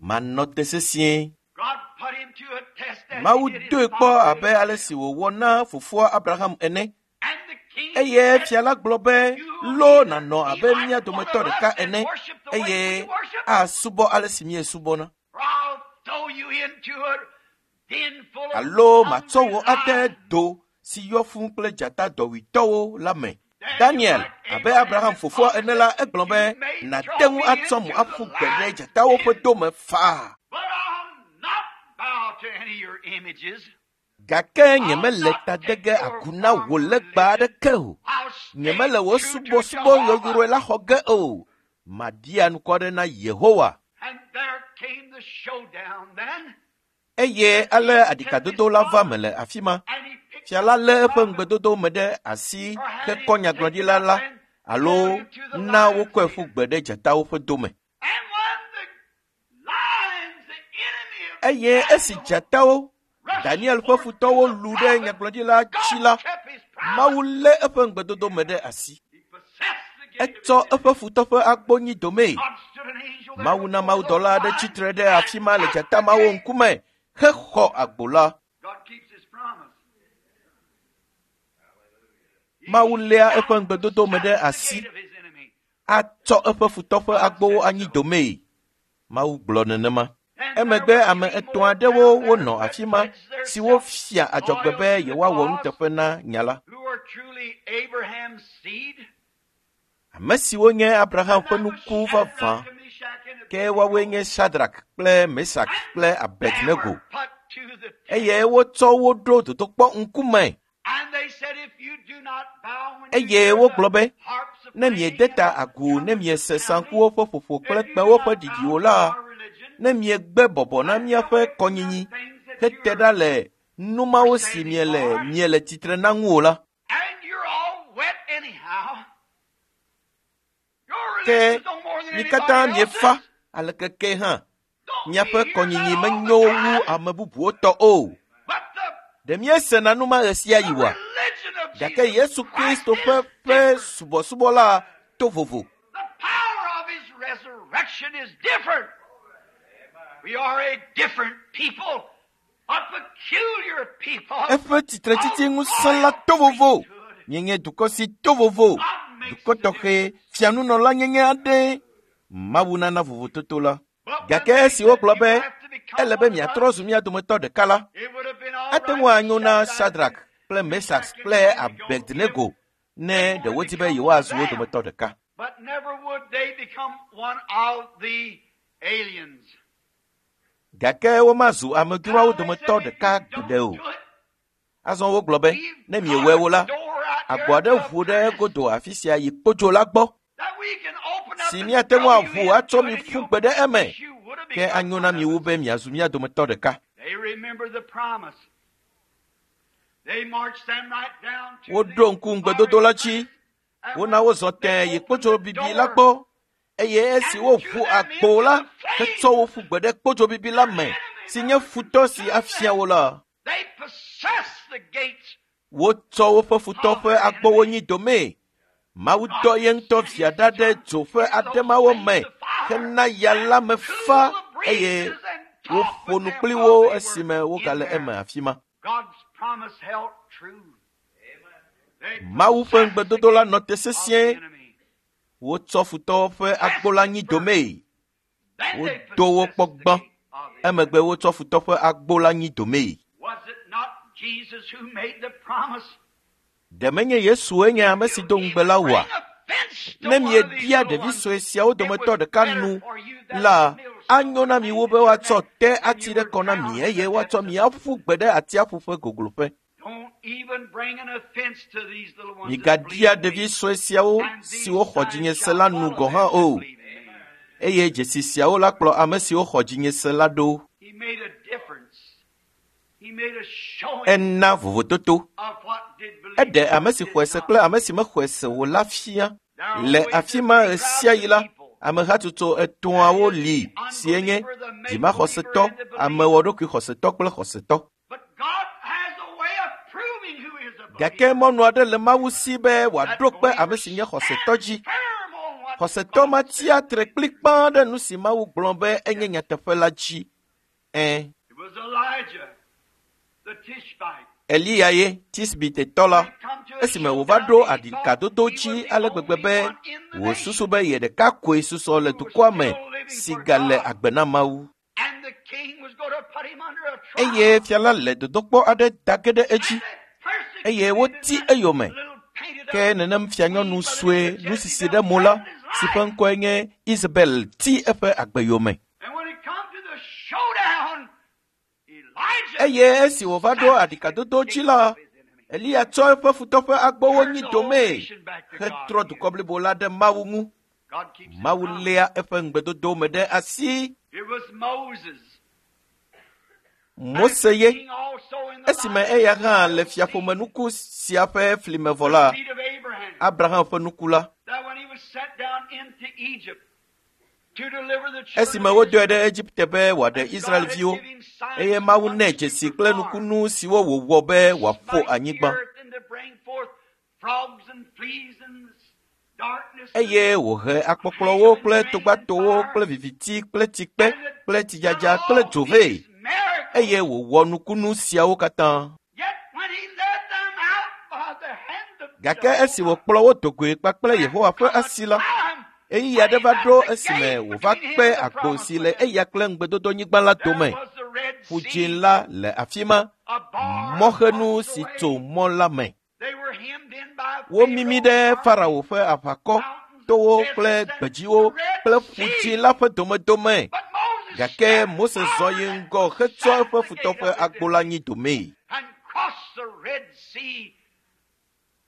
Manɔ te sesĩe. God put him to a test as he Mawu did his doe kpɔ father abe ale Abraham. si wòwɔ na fofoa Abraham ene. And the king Eye said, fia la gblɔ be, You will lo either nànɔ be abe like mía one dometɔ of us ɖeka and ene worship the way we eye worship, asubɔ ale si míesubɔna. or I'll throw you into a den full of Alo matsɔ hungry wò ade lions. do si yɔ fũu kple dzata dɔwuitɔwo la me. Daniel, Daniel, like abe Abraham, Abraham his fofoa father, ene la, said, egblɔ You be, may nàte throw ŋu me atsɔ into mo the aƒu gbe ɖe lion's dzatawo ƒe den, dome faa. but I'll not bow to any of your images. Gake I'll nyemele not ta de take ge your agu na form wò of legba religion. aɖeke o. I'll stay Nyemele wò true to subɔsubɔ Jehovah. yɔyrɔe la xɔ ge o. Maɖia ŋkɔ ɖe na Yehowa. And there came the showdown then, Eye the ale king took his aɖikadodo la va me promise le afi ma. and he picked Fia up la the lé eƒe prophet ŋugbedodo me ɖe asi or had hekɔ him taken nyagblɔɖila up la and alo thrown into the na lion's wokɔe ƒu den. gbe ɖe dzatawo ƒe dome. And when the lions, the enemy of Eye esi Daniel, dzatawo, rushed Daniel ƒe forth to futɔwo the lu ɖe prophet, nyagblɔɖila dzi God la, kept his Mawu promise. lé eƒe ŋugbedodo me ɖe asi. He possessed the gate of his Etsɔ enemy. eƒe futɔ ƒe agbo nyi domee. God stood an angel there Mawu na before those mawudɔla aɖe lions tsitre ɖe and afi ma le got dzata the mawo gate. ŋkume hexɔ agbo la. God keeps his promise. Mawu He léa eƒe shall ŋugbedodo me possess ɖe the asi gate of his enemy. atsɔ eƒe futɔ ƒe God agbowo said anyi so. domee. Mawu gblɔ nenema. And there Emegbe were ame three etɔ̃ more aɖewo down there wonɔ who had afi ma pledged siwo themselves fia adzɔgbe loyal be to the yewoawɔ cause, nuteƒe na nya la. who were truly Abraham's seed. Ame siwo nye Abraham And ƒe that was nuku vavã Shadrach and Meshach and ke woawoe Abednego. nye Shadrach kple Mesak And kple they Abednego were put to the eye test. wotsɔ wo ɖo dodokpɔ ŋkume And they said, if you do not bow when you eye hear the wogblɔ be harps of ne playing miede and ta the agu ne trumpets of miese sounding, saŋkuwo ƒe ƒoƒo kple if you do kpẽwo ƒe not bow ɖiɖiwo to la, our religion ne miegbe bɔbɔ na and míaƒe away from the kɔnyinyi things that hete you're ɖa le nu mawo are si standing miele for, miele tsitre na ŋu o la, and you're all wet anyhow, Gake mi katã miefa aleke ke hã. Miaƒe kɔnyinyi menyo wu ame bubuwo tɔ o. Ɖe míesena nu ma ɣe sia ɣi oa? Gake Yesu Kristo ƒe ƒe subɔsubɔ la to vovo. The power of his resurrection is different. We are a different people, a peculiar people. Eƒe tsitretsitsi ŋusẽ la to vovo. Míenye dukɔ si to vovo. Dukɔ tɔxɛ fianunɔla nyenye aɖe. Mawu nana vovototo la. Gake esi wogblɔ be ele be miatrɔ zu mía dometɔ ɖeka la, It would have been all ate ŋu right anyo na Shadrach, Shadrach kple Mesax kple Abednego ne ɖe wodi be yewoazu wo dometɔ ɖeka. But never would they become one of the aliens. Gake womazu amedzroawo dometɔ ɖeka gbeɖe o. Azɔ wogblɔ be ne miewɔe wo la, agbo aɖe ʋu ɖe godo afi sia yi kpodzo la gbɔ si míate ŋu aʋu atsɔ mi ƒu gbe ɖe eme. Ke anyo na mi wu be miazu mía dometɔ ɖeka. They remember the promise. They marched them right down to Woɖo ŋku ŋugbedodo la dzi. Wona wozɔ tẽe yi kpodzo bibi la gbɔ eye esi woʋu agbo la hetsɔ wo ƒu gbe ɖe kpodzo bibi la me si nye futɔ si afia wo la. They possessed the gates Wotsɔ woƒe futɔ ƒe agbowo nyi domee. Mawu dɔ ye ŋutɔ via ɖa ɖe dzo ƒe ademawo me hena ya la me fa eye woƒo nu kpli wo esime wogale eme afi ma. God's promise held true. They Mawu ƒe ŋugbedodo la nɔ te of the sesĩe. enemy. Wotsɔ futɔwo ƒe agbo la nyi domee. Then they Wodo wo kpɔ possessed the gbã. gate of the Emegbe wotsɔ futɔ ƒe agbo la nyi domee. Was it not Jesus who made the promise? Ɖe menye Yesue nye ame si do ŋugbe la oa? Bring offense to Ne one of these miebia little ɖevi ones, sue siawo it dometɔ was ɖeka better nu for you that la, the millstone anyo na mi wu be hanged woatsɔ your te neck ati and ɖe you kɔ na were mi drowned eye in the woatsɔ depths mi of aƒu gbe ɖe atsiaƒu ƒe gogloƒe. Don't even bring an offense to these little ones that Migaɖia believe in ɖevi me. sue siawo And these siwo xɔ signs dzinye se shall la nu follow gɔ̃ hã them that o. believe in me. Eye dzesi siawo la kplɔ ame siwo xɔ dzinye se la ɖo. He made a difference. He made a showing Ena vovototo. of what did believe Eɖe and ame what si did xɔe se not. kple ame si mexɔe se o la fia. There are Le always afi the ma three ɣe sia crowds ɣi of la, people. amehatsotso etɔ̃awo li sie nye dzimaxɔsetɔ, amewɔɖokuixɔsetɔ kple xɔsetɔ. But God has a way of proving who is a Gake believer. mɔnu aɖe le Mawu si be That wòaɖo kpe believer ame si nye xɔsetɔ dzi. stands firm on what Xɔsetɔ God ma says. tsia tre kplikpaa ɖe nu si Mawu gblɔ be enye nyateƒe la dzi. Ɛ̃, It was Elijah, the Tishbite. Eliya ye Tisbitetɔ la, He come to a esime wòva showdown ɖo and he thought aɖikadodo he dzi was the ale gbegbe only be one in the wòsusu nation be ye ɖeka koe susɔ le who was dukɔa me still living si for gale God. agbe na Mawu. And the king was going to put him under a trial. Eye fia la le dodokpɔ aɖe da ge ɖe edzi And they eye persecuted him woti in that eyome. little painted Ke up nenem fianyɔnu queen by the sue name of nusisi Jezebel ɖe mo la threatened his si ƒe life. ŋkɔe nye Isabel ti eƒe agbe yome. And when it come to the showdown, Elijah Eye esi wòva ɖo smashed the aɖikadodo dzi gate la, of his enemy. Eliya tsɔ eƒe futɔ ƒe agbowo Turned nyi the whole domee nation back to God hetrɔ again. dukɔ blibo la ɖe Mawu ŋu. God keeps his Mawu promise. léa eƒe ŋugbedodo me ɖe asi. It was Moses. As Mose ye king also in the esime line eya of hã the le royal seed, fiaƒomenuku sia ƒe flime vɔ the la, seed of Abraham, Abraham ƒe nuku la, that when he was sent down into Egypt to deliver the children esime of wodɔe Israel, ɖe Egipte be wòaɖe and God had Israelviwo, given him signs eye and Mawu nɛ wonders to dzesi kple perform. nukunu siwo wòwɔ be To wòaƒo smite the anyigba. earth and to bring forth frogs and fleas and darkness and Eye wòhe akpɔkplɔwo hail and kple rain and togbatowo fire, kple viviti kple tsikpe and had kple done tsidzadza kple all dzo vɛ. these miracles. Eye wòwɔ nukunu siawo katã. Yet when he led them out by the hand of Gake esi Jehovah, wòkplɔ wo do goe kpakple there Yehowa ƒe come a asi la, time ɣeyiɣi when aɖe he va left ɖo the esime gate wòva between him kpe and the agbo promised si le land. eya kple ŋugbedodonyigba la There dome. was the Red Ƒu Sea, dzĩ la le afi ma, a bar mɔxenu across the si way. tso mɔ la me. They were hemmed in by Womimi Pharaoh's ɖe army, Farao ƒe aʋakɔ, mountains, towo kple deserts, and the gbedziwo Red kple ƒu dzĩ Sea. la ƒe domedome. But Moses Gake stepped Mose zɔ forward yi and ŋgɔ hetsɔ possessed eƒe the futɔ gate ƒe of his agbo la enemy nyi domee. and crossed the Red Sea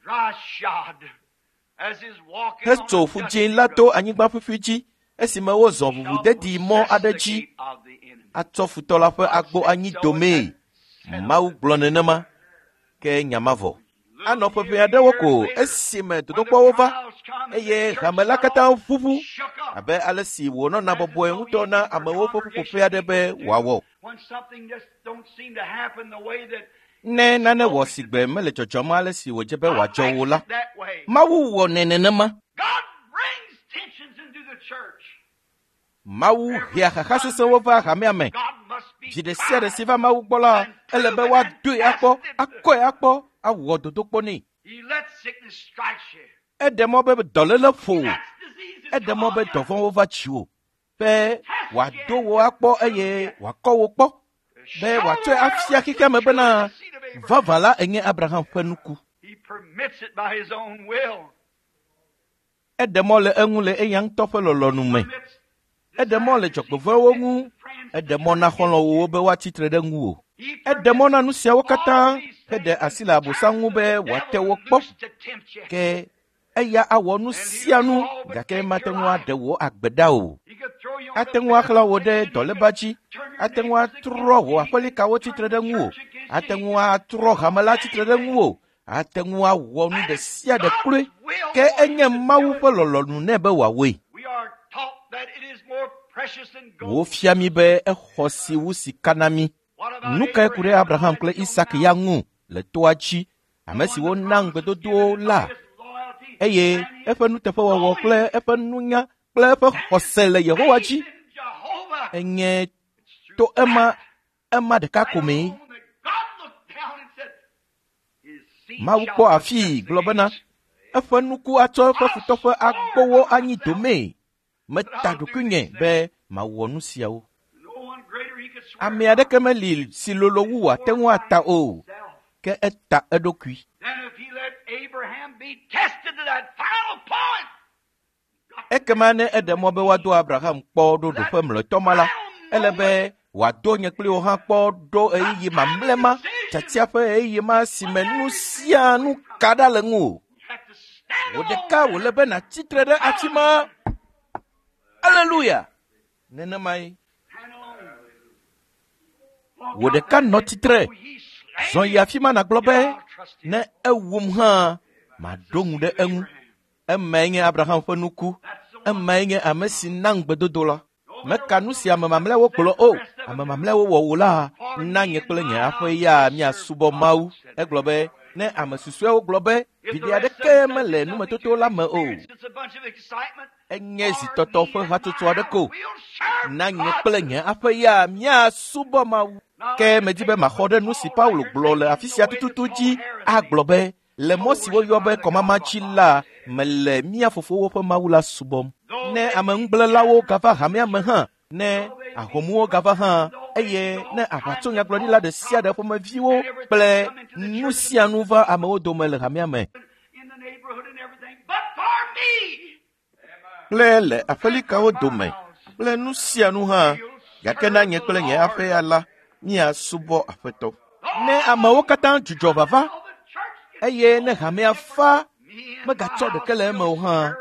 dry shod as his walking on Hetso a ƒu dzĩ dusty la to road anyigba ƒuƒui dzi esime wozɔ shall ʋuʋudedi mɔ possess aɖe the dzi gate of the enemy. atsɔ futɔ la ƒe God agbo said anyi so, and domee. that settled Mawu it. gblɔ nenema ke nya ma vɔ. Little Anɔ ƒeƒe aɖewo ko esime dodokpɔwo va eye hame la katã ʋuʋu abe ale si wònɔna bɔbɔe ŋutɔ na amewo ƒe ƒuƒoƒe aɖe be wòawɔ. Ne nane wɔ si gbe mele dzɔdzɔm ale si wòdze be wòadzɔ o la, Mawu wɔnɛ nenema. Mawu hea xaxa sesẽwo va hamea me. Dzi ɖe sia ɖe si va Mawu gbɔ la, ele be woadoe akpɔ, akɔe akpɔ, awɔ dodokpɔ nɛ. Eɖe mɔ be dɔléle ƒo wò. Eɖe mɔ be dɔvɔ̃wo va dziwò be wòado wò akpɔ eye wòakɔ wò kpɔ be wòatsɔe afia xexea me bena vavã la enye Abraham ƒe nuku. Eɖe mɔ le eŋu le eya ŋutɔ ƒe lɔlɔ̃nu me. Eɖe mɔ le dzɔgbevɔ̃ewo ŋu. Eɖe mɔ na xɔlɔ̃wòwo be woatsi tre ɖe ŋuwò. Eɖe mɔ na nu siawo katã heɖe asi le Abosam ŋu be wòate wo kpɔ. Ke eya awɔ nu sia nu gake mate ŋu aɖe wò agbe ɖa o. Ate ŋu axlã wò ɖe dɔléba dzi. Ate ŋu atrɔ wò aƒelikawo tsitre ɖe ŋuwò. Ate ŋu atrɔ hame la tsitre ɖe ŋuwò. Ate ŋu awɔ nu ɖe sia ɖe kloe. Ke enye Mawu ƒe lɔlɔ̃nu nɛ be wòawɔe. Wofia mí be exɔ si wu sika na mí. Nu kae ku ɖe Abraham kple Isak ya ŋu le toa dzi, ame siwo na ŋugbedodowo la, eye eƒe nuteƒewɔwɔ kple eƒe nunya kple eƒe xɔse le Yehowa dzi enye to ema ema ɖeka ko mee. Mawu kpɔ afii gblɔ bena eƒe nuku atsɔ eƒe futɔ ƒe agbowo anyi domee. Meta ɖokuinye be mawɔ nu siawo. Ame aɖeke meli si lolo wu wòate ŋu ata o, ke eta eɖokui. Ekema ne eɖe mɔ be woado Abraham kpɔ ɖo ɖoƒe mlɔetɔ ma la, ele be wòado nye kpli wò hã kpɔ ɖo ɣeyiɣi mamlɛ ma, tiatia ƒe ɣeyiɣi ma si me nu sia nu ka ɖa le ŋuwò. Wò ɖeka wòle be nàtsi tre ɖe afi ma. Aleluya! Nenemae. Wò ɖeka nɔ tsitre. Zɔ yi afi ma nàgblɔ be, ne ewum hã, maɖo ŋu ɖe eŋu. Emae nye Abraham ƒe nuku. Emae nye ame si na ŋugbedodo la. Meka nu si ame mamlɛawo gblɔ o. Ame mamlɛawo wɔ wò la, na nye kple nye aƒe ya míasubɔ Mawu. Egblɔ be, ne ame susɔeawo gblɔ be, viɖe aɖeke mele numetoto la me o. Enye zitɔtɔ ƒe hatsotso aɖe ko. Na nye kple nye aƒe ya míasubɔ Mawu. Ke medi be maxɔ ɖe nu si Paulo gblɔ le afi sia tututu dzi agblɔ be, le mɔ si woyɔ be kɔmama dzi la, mele mía fofowo ƒe Mawu la subɔm. Ne ameŋugblẽlawo gava hamea me hã, ne ahomuwo gava hã, eye ne aʋatsonyagblɔɖila ɖe sia ɖe ƒomeviwo kple nu sia nu va amewo dome le hamea me kple le aƒelikawo dome kple nu sia nu hã, gake na nye kple nye aƒe ya la, míasubɔ Aƒetɔ. Ne amewo katã dzudzɔ vava eye ne hamea fa megatsɔ ɖeke le eme o hã,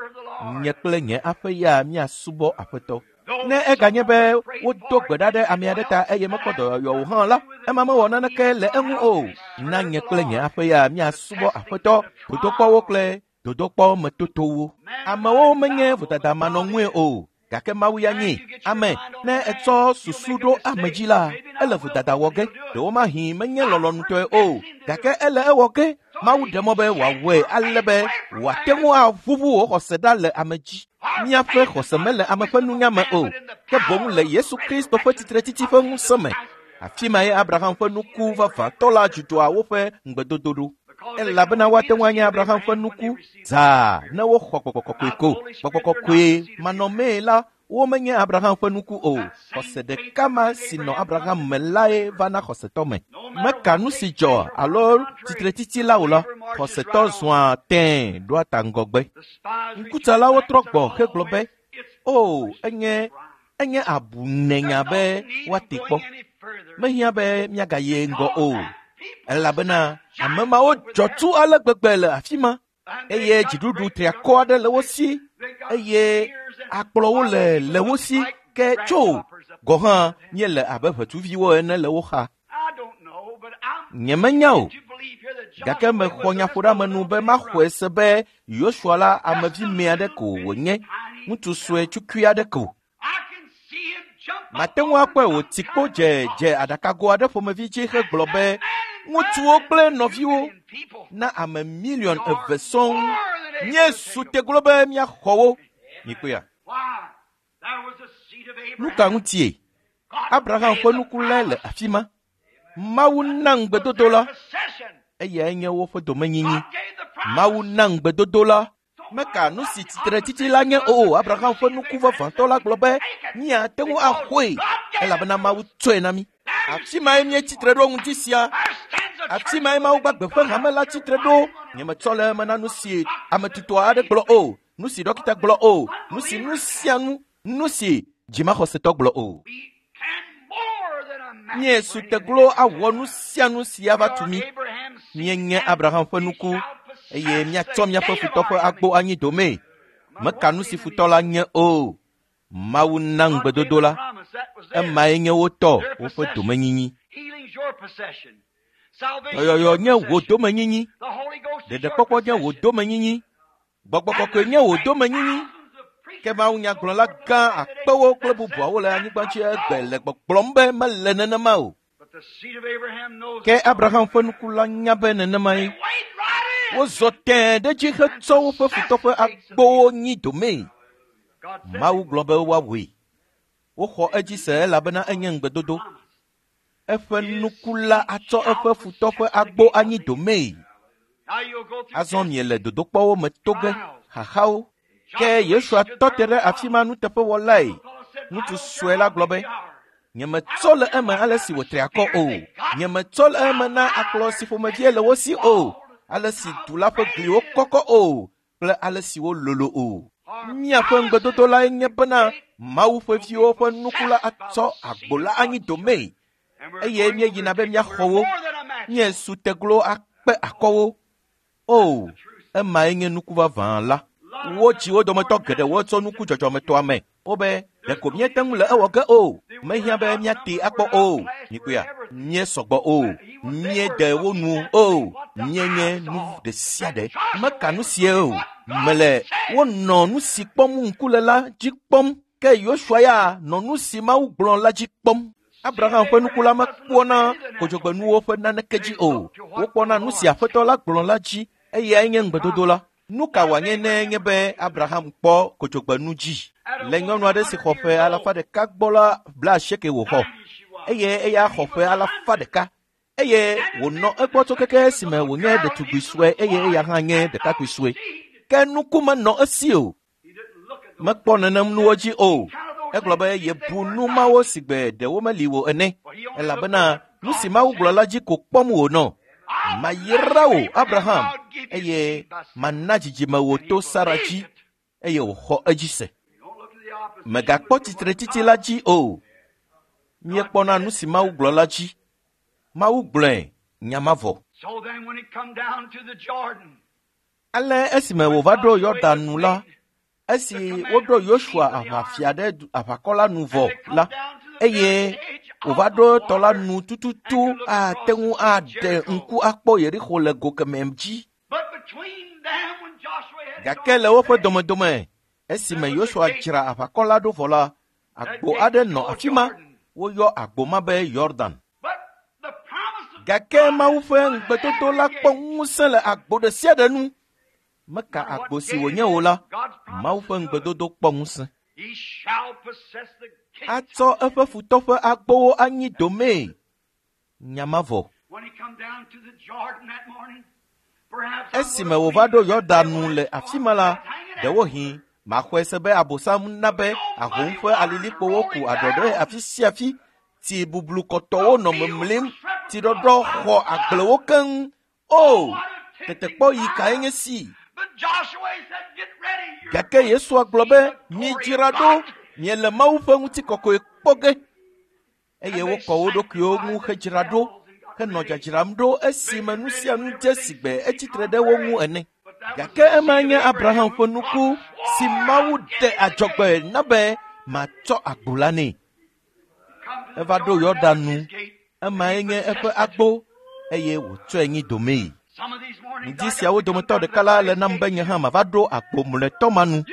nye kple nye aƒe ya míasubɔ Aƒetɔ. Ne eganye be wodo gbe ɖa ɖe ame aɖe ta eye mekpɔ dɔyɔyɔ o hã la, ema mewɔ naneke le eŋu o. Na nye kple nye aƒe ya míasubɔ Aƒetɔ, dodokpɔwo kple dodokpɔ metotowo. Amewo menye vodadamanɔŋue o, gake Mawu ya nye ame. Ne etsɔ susu ɖo ame dzi la, ele vodada wɔ ge. Ɖewomahi menye lɔlɔ̃nutɔe o, gake ele ewɔ ge. Mawu ɖe mɔ be wòawɔe ale be wòate ŋu aʋuʋu wò xɔse ɖa le ame dzi. Míaƒe xɔse mele ame ƒe nunya me o, ke boŋ le Yesu Kristo ƒe tsitretsitsi ƒe ŋusẽ me. Afi mae Abraham ƒe nuku vavãtɔ la dzudzɔa woƒe ŋugbedodo ɖo. Elabena woate ŋu anye Abraham ƒe nuku zaa ne woxɔ Gbɔgbɔ Kɔkɔe ko. Gbɔgbɔ Kɔkɔe manɔmee la, womenye Abraham ƒe nuku o. Xɔse ɖeka ma si nɔ Abraham me lae va na xɔsetɔ me. Meka nu si dzɔ alo tsitretsitsi la o la, xɔsetɔ zɔa tẽe ɖoa ta ŋgɔgbe. Ŋkutsalawo trɔ gbɔ hegblɔ be, o, enye enye abunenya be woate kpɔ. Mehiã be míagayi ŋgɔ o. Elabena ame mawo dzɔ tu ale gbegbe le afi ma eye dziɖuɖu triakɔ aɖe le wo si eye akplɔwo le le wo si ke tso gɔ hã míele abe ʋetsuviwo ene le wo xa. Nyemenya o, Gake mexɔ nyaƒoɖeamenu be maxɔe se be Yosua la amevi me aɖe ko wònye, ŋutsu sue tukui aɖe ko. Mate ŋu akpɔe wòti kpo dze dze aɖakago aɖe ƒomevi dzi hegblɔ be ŋutsuwo kple nɔviwo na ame miliɔn eve sɔŋ míesu teglo be míaxɔ wo. Mikpɔea? Nu ka ŋutie? Abraham ƒe nuku lae le afi ma. Mawu na ŋugbedodo la, eyae nye woƒe domenyinyi. Mawu na ŋugbedodo la. Meka nu si tsitretsitsi la nye o. Abraham ƒe nuku vavãtɔ la gblɔ be míate ŋu axɔe elabena Mawu tsɔe na mí. Afi mae míetsitre ɖo ŋuti sia. Afi mae Mawu gbagbe ƒe hame la tsitre ɖo. Nyemetsɔ le eme na nu si ame tutɔ aɖe gblɔ o, nu si ɖɔkita gblɔ o, nu si nu sia nu, nu si dzimaxɔsetɔ gblɔ o. Míesu teglo awɔ nu sia nu si ava tu mí. Míenye Abraham ƒe nuku eye míatsɔ míaƒe futɔ ƒe agbo anyi domee. Meka nu si futɔ la nye o. Mawu na ŋugbedodo la. Emae nye wo tɔ, woƒe domenyinyi. Dɔyɔyɔ nye wò domenyinyi. Ɖeɖekpɔkpɔ nye wò domenyinyi. Gbɔgbɔ kɔkɔe nye wò domenyinyi. Ke Mawu nyagblɔla gã akpewo kple bubuawo le anyigba dzi egbe le gbɔgblɔm be mele nenema o. Ke Abraham ƒe nuku la nya be nenemae. Wozɔ tẽe ɖe edzi hetsɔ woƒe futɔ ƒe agbowo nyi domee. Mawu gblɔ be woawɔe. Woxɔ edzi se elabena enye ŋugbedodo. Eƒe nuku la atsɔ eƒe futɔ ƒe agbo anyi domee. Azɔ miele dodokpɔwo me to ge, xaxawo. Ke Yosua tɔ te ɖe afi ma nuteƒewɔlae. Ŋutsu sue la gblɔ be, nyemetsɔ le eme ale si wòtri akɔ o. Nyemetsɔ le eme na akplɔ si ƒomevie le wo si o, ale si du la ƒe gliwo kɔkɔ o kple ale si wololo o. Míaƒe ŋugbedodo lae nye bena Mawu ƒe viwo ƒe nuku la atsɔ agbo la anyi domee eye míeyina be míaxɔ wo. Míesu teglo akpe akɔ wo. O, emae nye nuku vavã la. Wodzi wo dometɔ geɖewo tso nuku dzɔdzɔmetɔa me. Wobe ɖeko míete ŋu le ewɔ ge o. Mehiã be míatee akpɔ o. Mikpɔea? Míesɔgbɔ o. Míede wo nu o. Míenye nu ɖe sia ɖe. Meka nu sie o. Mele wonɔ nu si kpɔm ŋku le la dzi kpɔm. Ke Yosua ya nɔ nu si Mawu gblɔ la dzi kpɔm. Abraham ƒe nuku la mekpɔna kodzogbenuwo ƒe naneke dzi o. Wokpɔna nu si Aƒetɔ la gblɔ la dzi eyae nye ŋugbedodo la. Nu ka wòanye ne nye be Abraham kpɔ kodzogbenu dzi? Le nyɔnu aɖe si xɔ ƒe alafa ɖeka gbɔ la blaasieke wòxɔ eye eya xɔ ƒe alafa ɖeka eye wònɔ egbɔ tso keke esime wònye ɖetugbui sue eye eya hã nye ɖekakpui sue. Ke nuku menɔ esi o. Mekpɔ nenem nuwo dzi o. Egblɔ be yebu nu mawo si gbe ɖewo meli o ene elabena nu si Mawu gblɔ la dzi ko kpɔm wònɔ. Mayra wò Abraham eye mana dzidzime wò to Sara dzi eye wòxɔ edzi se. Mègakpɔ tsitretsitsi la dzi o. Míekpɔna nu si Mawu gblɔ la dzi. Mawu gblɔe nya mavɔ. Ale esime wòva ɖo Yɔdan nu la, esi woɖo Yosua aʋafia ɖe aʋakɔ la nu vɔ la, eye wòva ɖo tɔ la nu tututu ate ŋu aɖe ŋku akpɔ Yerixo le go kemɛ dzi. Gake le woƒe domedome, esime Yosua dzra aʋakɔ la ɖo vɔ la, agbo aɖe nɔ afi ma. Woyɔ agbo ma be Yɔdan. Gake Mawu ƒe ŋugbedodo la kpɔ ŋusẽ le agbo ɖe sia ɖe nu. Meka agbo si wònye o la, Mawu ƒe ŋugbedodo kpɔ ŋusẽ. Atsɔ eƒe futɔ ƒe agbowo anyi domee. Nya mavɔ. Esime wòva ɖo Yɔdan nu le afi ma la, ɖewohĩ maxɔe se be Abosam na be ahom ƒe alilikpowo ku aɖɔ ɖe afi sia afi. Tsi bublu kɔtɔwo nɔ memlim, tsiɖɔɖɔ xɔ agblewo keŋ. O, tetekpɔ yi kae nye si? Gake Yesua gblɔ be, midzra ɖo, miele Mawu ƒe ŋutikɔkɔe kpɔ ge. Eye wokɔ wo ɖokuiwo ŋu hedzra ɖo, henɔ dzadzram ɖo esime nu sia nu dze si gbe etsitre ɖe wo ŋu ene. Gake ema nye Abraham ƒe nuku si Mawu ɖe adzɔgbe na be matsɔ agbo la nɛ. Eva ɖo Yɔdan nu, emae nye eƒe agbo eye wòtsɔe nyi domee. Ŋdi siawo dometɔ ɖeka la le nam be nye hã mava ɖo agbo mlɔetɔ ma nu.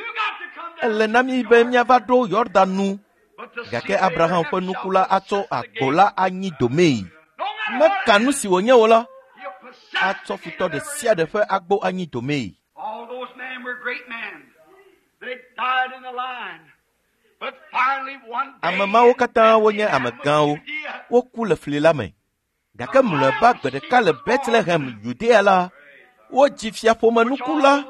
Ele na mí be míava ɖo Yɔdan nu. Gake Abraham ƒe nuku la atsɔ agbo la anyi domee. Meka nu si wònye o la, atsɔ futɔ ɖe sia ɖe ƒe agbo anyi domee. All those men were great men. They died in the line. But finally one day Ame mawo katã wonye amegãwo. Woku le fli la me. Gake mlɔeba gbe ɖeka le Betlehem, Yudea la, wodzi fiaƒomenuku la,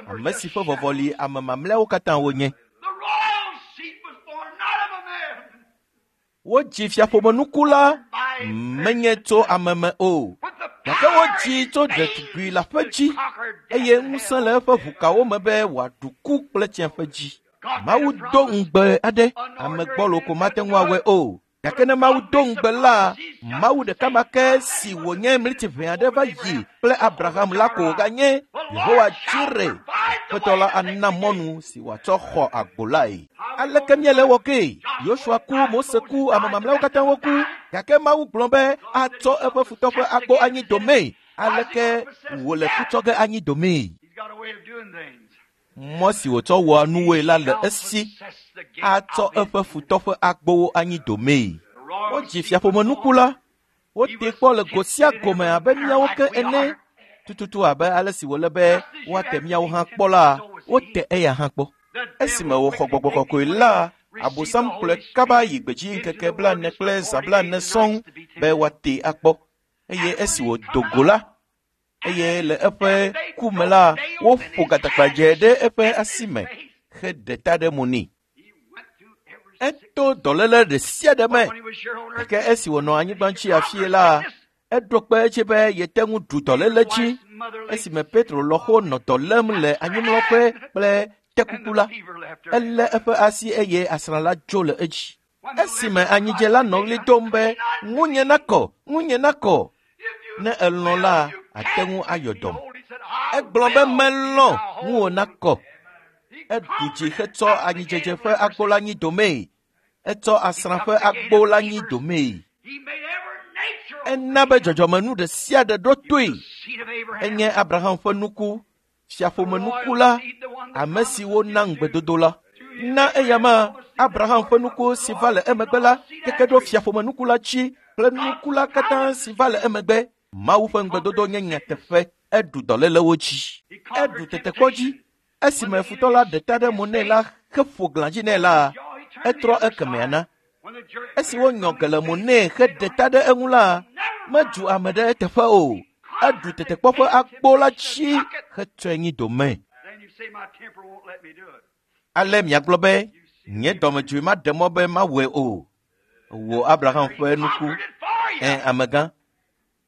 ame si ƒe vɔvɔli ame mamlɛawo katã wonye. The royal seed was born not of a man, Wodzi fiaƒomenuku la menye tso ame me o, but the gake power wodzii in tso his ɖetugbui veins la ƒe to dzi conquer death eye and ŋusẽ hell. le eƒe ʋukawo me be wòaɖu ku kple tsiẽƒe dzi. Mawu do ŋugbe aɖe, ame gbɔlo ko mate ŋu awɔe o. Gake ne Mawu do ŋugbe la, Mawu ɖeka ma ke si wònye mliti ʋɛ aɖe va yi kple Abraham la ko wòganye Yehowa Jireh. Aƒetɔ la ana mɔnu si wòatsɔ xɔ agbo lae. Aleke míele wɔ gee? Yosua ku, Mose ku, ame mamlɛawo katã woku. Gake Mawu gblɔ be atsɔ eƒe futɔ ƒe agbo anyi domee. Aleke wòle kutsɔ ge anyi domee? He's got a way of doing things. Mɔ si wòtsɔ wɔa nuwoe la le Shall esi possess the gate atsɔ of his eƒe futɔ ƒe agbowo anyi domee. The royal Wodzi seed was fiaƒomenuku born. la, wotee kpɔ le go sia go me abe míawo ke ene. Tututu abe ale si wòle be woate míawo hã kpɔ la, wote eya hã kpɔ. The Esime devil wòxɔ quickly gbɔgbɔ taking kɔkɔe away, la, received the Abosam Holy kplɔe Spirit kaba yi gbedzi into ŋkeke the blaene wilderness kple for zã forty blaene days and sɔŋ nights to be be tempted. wòatee akpɔ. Eye esi wòdo go la, eye le eƒe ku me la, woƒo gatagbadze ɖe eƒe asi me heɖe ta ɖe mo nɛ. He went through every sickness. Eto dɔléle ɖe sia ɖe me. But when he was here on earth, Gake esi wònɔ anyigba dzi afie la, eɖo kpe edzi be yete ŋu ɖu dɔléle dzi. wife's mother lay Esime Petro lɔ̃xo nɔ dɔ lém le anyimlɔƒe kple and tekuku the la, fever left her. elé eƒe asi eye asrã la dzo le edzi. When the Esime leper anyidze la cried, nɔ ɣli dom be, ŋunye nakɔ, ŋunye nakɔ. If you Ne elɔ̃ la, will, you ate can ŋu ayɔ be dɔm. whole. He said, I Egblɔ be will be melɔ̃ thou ŋuwò whole. nakɔ. He Eɖu dzi conquered hetsɔ at the anyidzedze gate of ƒe agbo leprosy. la nyi domee. Etsɔ asrã He ƒe took the gate agbo of la nyi fevers. domee. He made every nature Ena be obey him. dzɔdzɔmenu ɖe sia ɖe ɖo He toe. was the seed of Abraham, Enye Abraham ƒe nuku, the fiaƒomenuku royal la, seed, the one the ame promise si was wona given to. ŋugbedodo la. Through him, Na eya Abraham ma all the seed that Abraham ƒe followed nuku the si va royal le seed and emegbe all la the seed keke ɖo after him. fiaƒomenuku la dzi kple nuku la katã si va le emegbe. Mawu ƒe ŋugbedodo nye nyateƒe. Eɖu dɔlélewo dzi. He Eɖu conquered tetekpɔ dzi. temptation. When Esime the futɔ enemy la ɖe ta struck ɖe his mo nɛ face, la heƒo glã dzi nɛ la, jaw, he turned the etrɔ other ekemɛa side. na. When the jerk Esi hair wonyɔ from ge his le mo face nɛ stayed heɖe on ta him, ɖe eŋu la, he never medu bowed. ame ɖe eteƒe o. He Eɖu conquered the tetekpɔ ƒe gate of agbo la temptation dzi and took it. hetsɔe nyi dome. Then you say, my temper won't let me do it. Ale miagblɔ be, You see nye dɔmedzoe maɖe mɔ be mawɔe o. Wò Abraham He ƒe nuku, conquered it for you. ẽ amegã.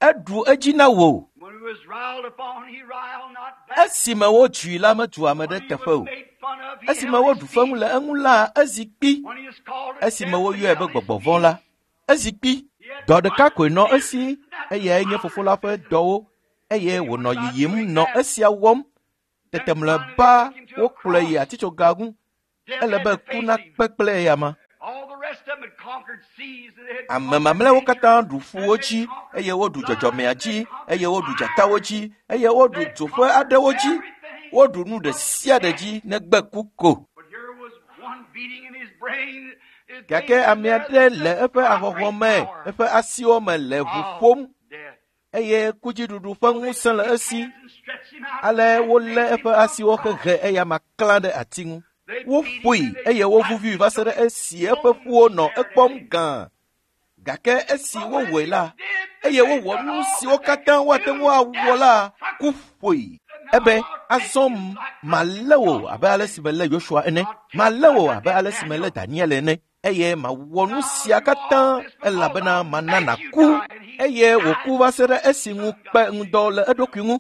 Eɖu edzi na wò. When he was riled upon, he riled not back. Esime wodzui la, medu ame ɖe When he teƒe was o. made fun of, he Esime held his woɖu feŋu peace. le eŋu la, ezi kpi. When he was called a Esime devil, he woyɔe be held his gbɔgbɔ vɔ̃ la, peace. ezi kpi. He had Dɔ ɖeka one koe nɔ business, esi, and that's eyae nye the fofo la ƒe father's business. dɔwo eye He wònɔ was not yiyim doing nɔ that. esia wɔm. Then Tete finally they mlɔeba took him to a wokplɔe yi cross. atitsoga ŋu. Death Ele had be to ku face him. nakpe kple eyama. All the rest of them had conquered seas and they had Ame conquered mamlɛawo nature katã ɖu ƒuwo and they dzi had conquered eye woɖu lions dzɔdzɔmea and they dzi conquered eye woɖu dzatawo fire. dzi eye woɖu They dzoƒe conquered aɖewo dzi. everything Woɖu nu ɖe but sia ɖe death. dzi negbe ku ko. But here was one beating in his brain, his Gake veins ame there, aɖe the le eƒe ahɔhɔ̃ conquering me, power eƒe asiwo me le ʋu of ƒom death. eye kudziɖuɖu ƒe So they ŋusẽ took le his esi. hands and stretched him out Ale and wolé nailed him eƒe to a asiwo cross. hehe eyama klã ɖe ati ŋu. They beat him Woƒoe and they eye slapped wovuvui him va se till ɖe his esi eƒe bones ƒuwo nɔ stared at ekpɔm him. gãa. Gake esi But when wowɔe they la, did, eye they wowɔ done nu all siwo that they katã could woate do. ŋu awɔ Death la, took ku it. ƒoe. Now Ebe I'll take azɔ you like I malé did wò abe Joshua. ale si melé Yosua ene, I'll take malé you wò like I abe did ale si melé Daniel. Daniel ene, eye mawɔ nu Now sia I'll do all katã this because elabena I'll mana make you nàku. die. And he Eye wòku died. va se ɖe esi ŋu Son kpe God ŋudɔ le eɖokui ŋu.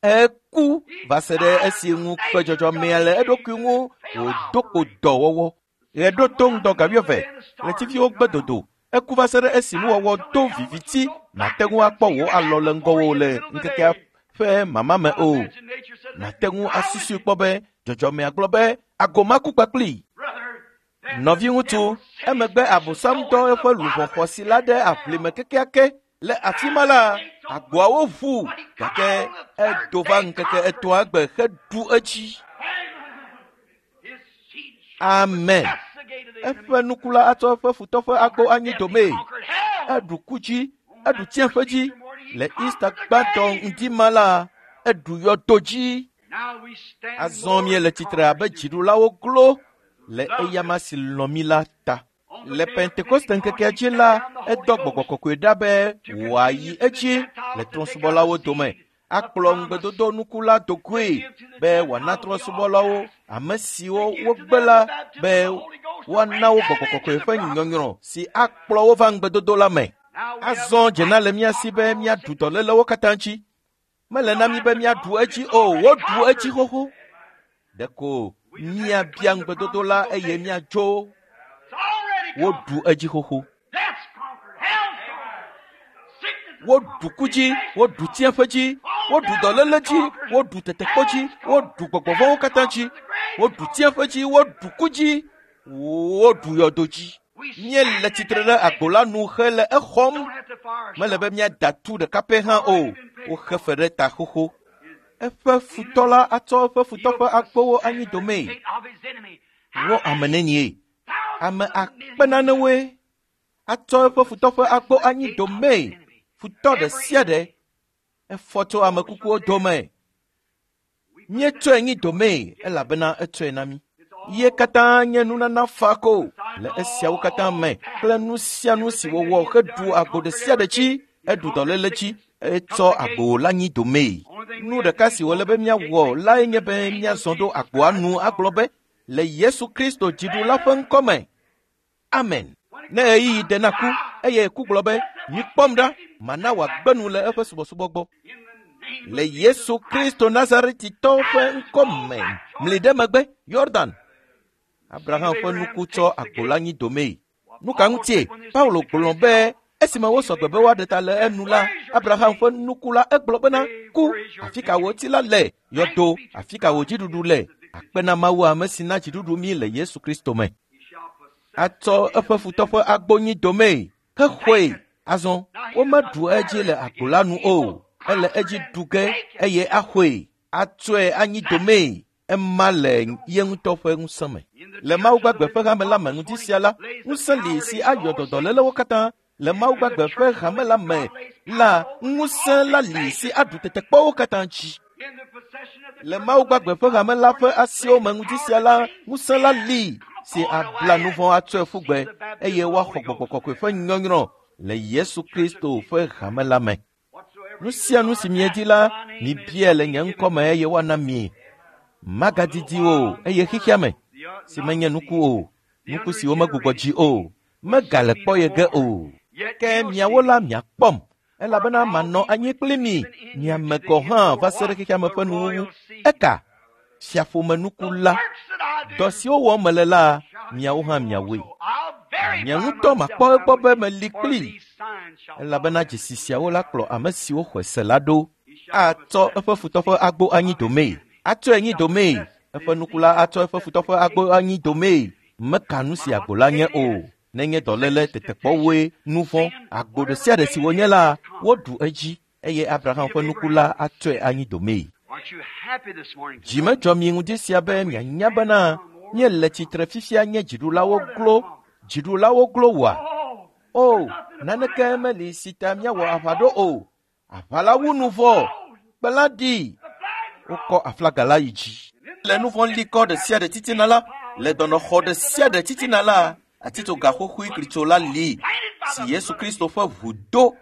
Eku He va se ɖe died esi the ŋu kpe nature dzɔdzɔmea God le gave eɖokui to ŋu this fail wòdo kpo offering. dɔwɔwɔ. Ɣe ɖo to ŋdɔ Somewhere out ga in the middle of the wuieve, day and the stars ɣletiviwo had gbe gone out. dodo. Eku va se ɖe esi Died nuwɔwɔ till do the helmets viviti was so black nàte you ŋu couldn't akpɔ see wò your alɔ hand le before ŋgɔwò you in the le middle of the ŋkekea day. ƒe mama me I o. imagine nature said, Let Nàte me ŋu die with asusui him. kpɔ be dzɔdzɔmea gblɔ be agomaku kpakplii. Brother, then the Nɔviŋutsu, devil sent his emegbe precious Abosam soul dɔ into eƒe the luʋɔ bottomless xɔasi pit la of ɖe aʋlime hell. kekeake Le afi ma la, agboawo ʋu gake edo va ŋkeke etɔ̃a gbe heɖu edzi. Amen. Eƒe nuku la atsɔ eƒe futɔ ƒe agbo anyi domee. Eɖu ku dzi, eɖu tsiẽƒe dzi. Le Easter gbãtɔ ŋdi ma la, eɖu yɔdo dzi. Azɔ míele tsitre abe dziɖulawo glo le eyama si lɔ̃ mí la ta. Le Pentekoste ŋkekea dzi la, edɔ gbɔgbɔ kɔkɔe ɖa be wòayi edzi le trɔ̃subɔlawo dome akplɔ ŋugbedodo nuku la do goe be wòana trɔ̃subɔlawo ame siwo wogbe la be woana wo gbɔgbɔ kɔkɔe ƒe nyɔnyrɔ si akplɔ wo va ŋugbedodo la me. Azɔ dzena le mía si be míaɖu dɔlélewo katã dzi. Mele na mí be míaɖu edzi o, woɖu edzi xoxo. Ɖeko míabia ŋugbedodo la eye míadzo. Woɖu edzi xoxo. Woɖu ku dzi, woɖu tsiẽƒe dzi, woɖu dɔléle dzi, woɖu tetekpɔ dzi, woɖu gbɔgbɔvɔ̃wo katã dzi, woɖu tsiẽƒe dzi, woɖu ku dzi, woɖu yɔdo dzi. Míele tsitre ɖe agbo la nu hele exɔm. Mele be míada tu ɖeka pɛ hã o. Woxe fe ɖe ta xoxo. Eƒe futɔ la atsɔ eƒe futɔ ƒe agbowo anyi domee. Wo ame nenie? Ame akpe nanewoe atsɔ eƒe futɔ ƒe agbo anyi domee. Futɔ ɖe sia ɖe efɔ tso ame kukuwo dome. Míetsɔe nyi domee elabena etsɔe na mí. Ye katã nye nunana fa ko le esiawo katã me kple nu sia nu si wòwɔ heɖu agbo ɖe sia ɖe dzi, eɖu dɔléle dzi, etsɔ agbo la nyi domee. Nu ɖeka si wòle be míawɔ lae nye be míazɔ ɖo agboa nu agblɔ be le Yesu Kristo dziɖula ƒe ŋkɔme. Amen. Ne ɣeyiɣi de na ku eye ku gblɔ be mikpɔm ɖa, mana wòagbe nu le eƒe subɔsubɔ gbɔ. Le Yesu Kristo Nazaretitɔwo ƒe ŋkɔme, mli ɖe megbe, Yordan. Abraham ƒe nuku tsɔ agbo la nyi domee. Nu ka ŋutie? Paulo gblɔ be esime wosɔ gbe be woaɖe ta le enu la, Abraham ƒe nuku la egblɔ bena ku, afi ka wò ti la le? Yɔdo, afi ka wò dziɖuɖu le? Akpe na Mawu ame si na dziɖuɖu mí le Yesu Kristo me. Atsɔ eƒe futɔ ƒe agbo nyi domee hexɔe. Azɔ womeɖu edzi le agbo la nu o. Ele edzi ɖu ge eye axɔe. Atsɔe anyi domee. Ema le ye ŋutɔ ƒe ŋusẽ me. Le Mawu gbagbe ƒe hame la me ŋuti sia la, ŋusẽ li si ayɔ dɔdɔlélewo katã. Le Mawu gbagbe ƒe hame la me la, ŋusẽ la li si aɖu tetekpɔwo katã dzi. Le Mawu gbagbe ƒe hame la ƒe asiwo me ŋuti sia la, ŋusẽ la li si abla nu vɔ̃ atsɔe ƒu gbe eye woaxɔ gbɔgbɔ kɔkɔe ƒe nyɔnyrɔ le Yesu Kristo ƒe hame la me. Nu sia nu si miedi la, mibia le nye ŋkɔme eye woana mi. Magadidi o eye xexea me si menye nuku o, nuku si womegbugbɔ dzi o, megale kpɔ ye ge o. Ke miawo la miakpɔm elabena manɔ anyi kpli mi, miame gɔ̃ hã va se ɖe xexea me ƒe nuwuwu. Eka fiaƒomenuku la, dɔ siwo wɔm mele la, miawo hã miawoe. Nye ŋutɔ makpɔ egbɔ be meli kpli elabena dzesi siawo la kplɔ ame siwo xɔe se la ɖo. Atsɔ eƒe futɔ ƒe agbo anyi domee. Atsɔe nyi domee. Eƒe nuku la atsɔ eƒe futɔ ƒe agbo anyi domee. Meka nu si agbo la nye o. Nenye dɔléle, tetekpɔwoe, nu vɔ̃, agbo ɖe sia ɖe si wònye la, woɖu edzi eye Abraham ƒe nuku la atsɔe anyi domee. Dzi medzɔ mi ŋdi sia be mianya bena míele tsitre fifia nye dziɖulawo glo, dziɖulawo glo woa? O, naneke meli si ta míawɔ aʋa ɖo o. Aʋa la wu nu vɔ, kpe la ɖi. Wokɔ aflaga la yi dzi. Le nu vɔ̃ likɔ ɖe sia ɖe titina la, le dɔnɔxɔ ɖe sia ɖe titina la, atitsoga xoxoe klitso la li si Yesu Kristo ƒe ʋu do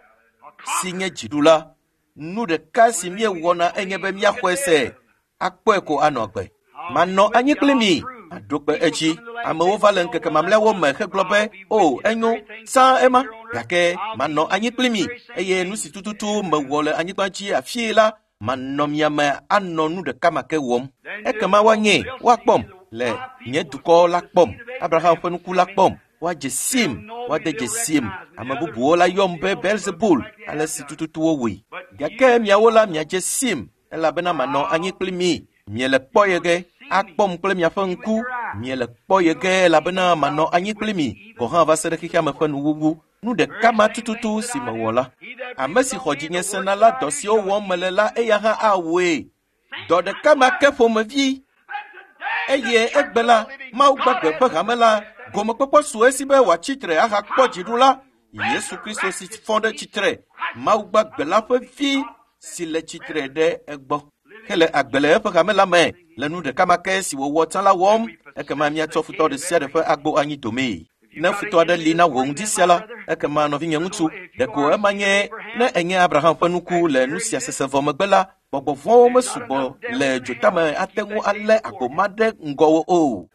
si nye dziɖula. Nu ɖeka si míewɔna enye be míaxɔe se, akpɔe ko anɔ agbe. Manɔ anyi kpli mi, aɖo kpe edzi. Amewo va le ŋkeke mamlɛawo me hegblɔ be, o, enyo, sã ema, gake manɔ anyi kpli mi eye nu si tututu mewɔ le anyigba dzi afii la, manɔ mia me anɔ nu ɖeka ma ke wɔm. Ekema woanye, woakpɔm le nye dukɔ la kpɔm, Abraham ƒe nuku la kpɔm, woadze sim, woade dze sim. Ame bubuwo la yɔm be Belzebul, ale si tututu wowɔe. Gake miawo la miadze sim, elabena manɔ anyi kpli mi. Miele kpɔ ye ge, akpɔm kple miaƒe ŋku. Miele kpɔ ye ge elabena manɔ anyi kpli mi gɔ̃ hã va se ɖe xexea me ƒe nuwuwu. Nu ɖeka ma tututu si mewɔ la. Ame si xɔ dzinye sena la dɔ siwo wɔm mele la eya hã awɔe. Dɔ ɖeka ma ke ƒomevi. Eye egbe la, Mawu gbagbe ƒe hame la, gomekpɔkpɔ su esi be wòatsi tre ahakpɔ dziɖula Yesu Kristo si fɔ ɖe tsitre, Mawu gbagbe la ƒe vi si le tsitre ɖe egbɔ. Hele agbe le eƒe hame la me le nu ɖeka ma ke si wòwɔ tsã la wɔm, ekema míatsɔ futɔ ɖe sia ɖe ƒe agbo anyi domee. Ne futɔ aɖe li na wò ŋdi sia la, ekema nɔvinye ŋutsu, ɖeko ema nye ne enye Abraham ƒe nuku le nu sia sese vɔ megbe la, gbɔgbɔ vɔ̃wo mesugbɔ le dzotame ate ŋu alé agbo ma ɖe ŋgɔwò o.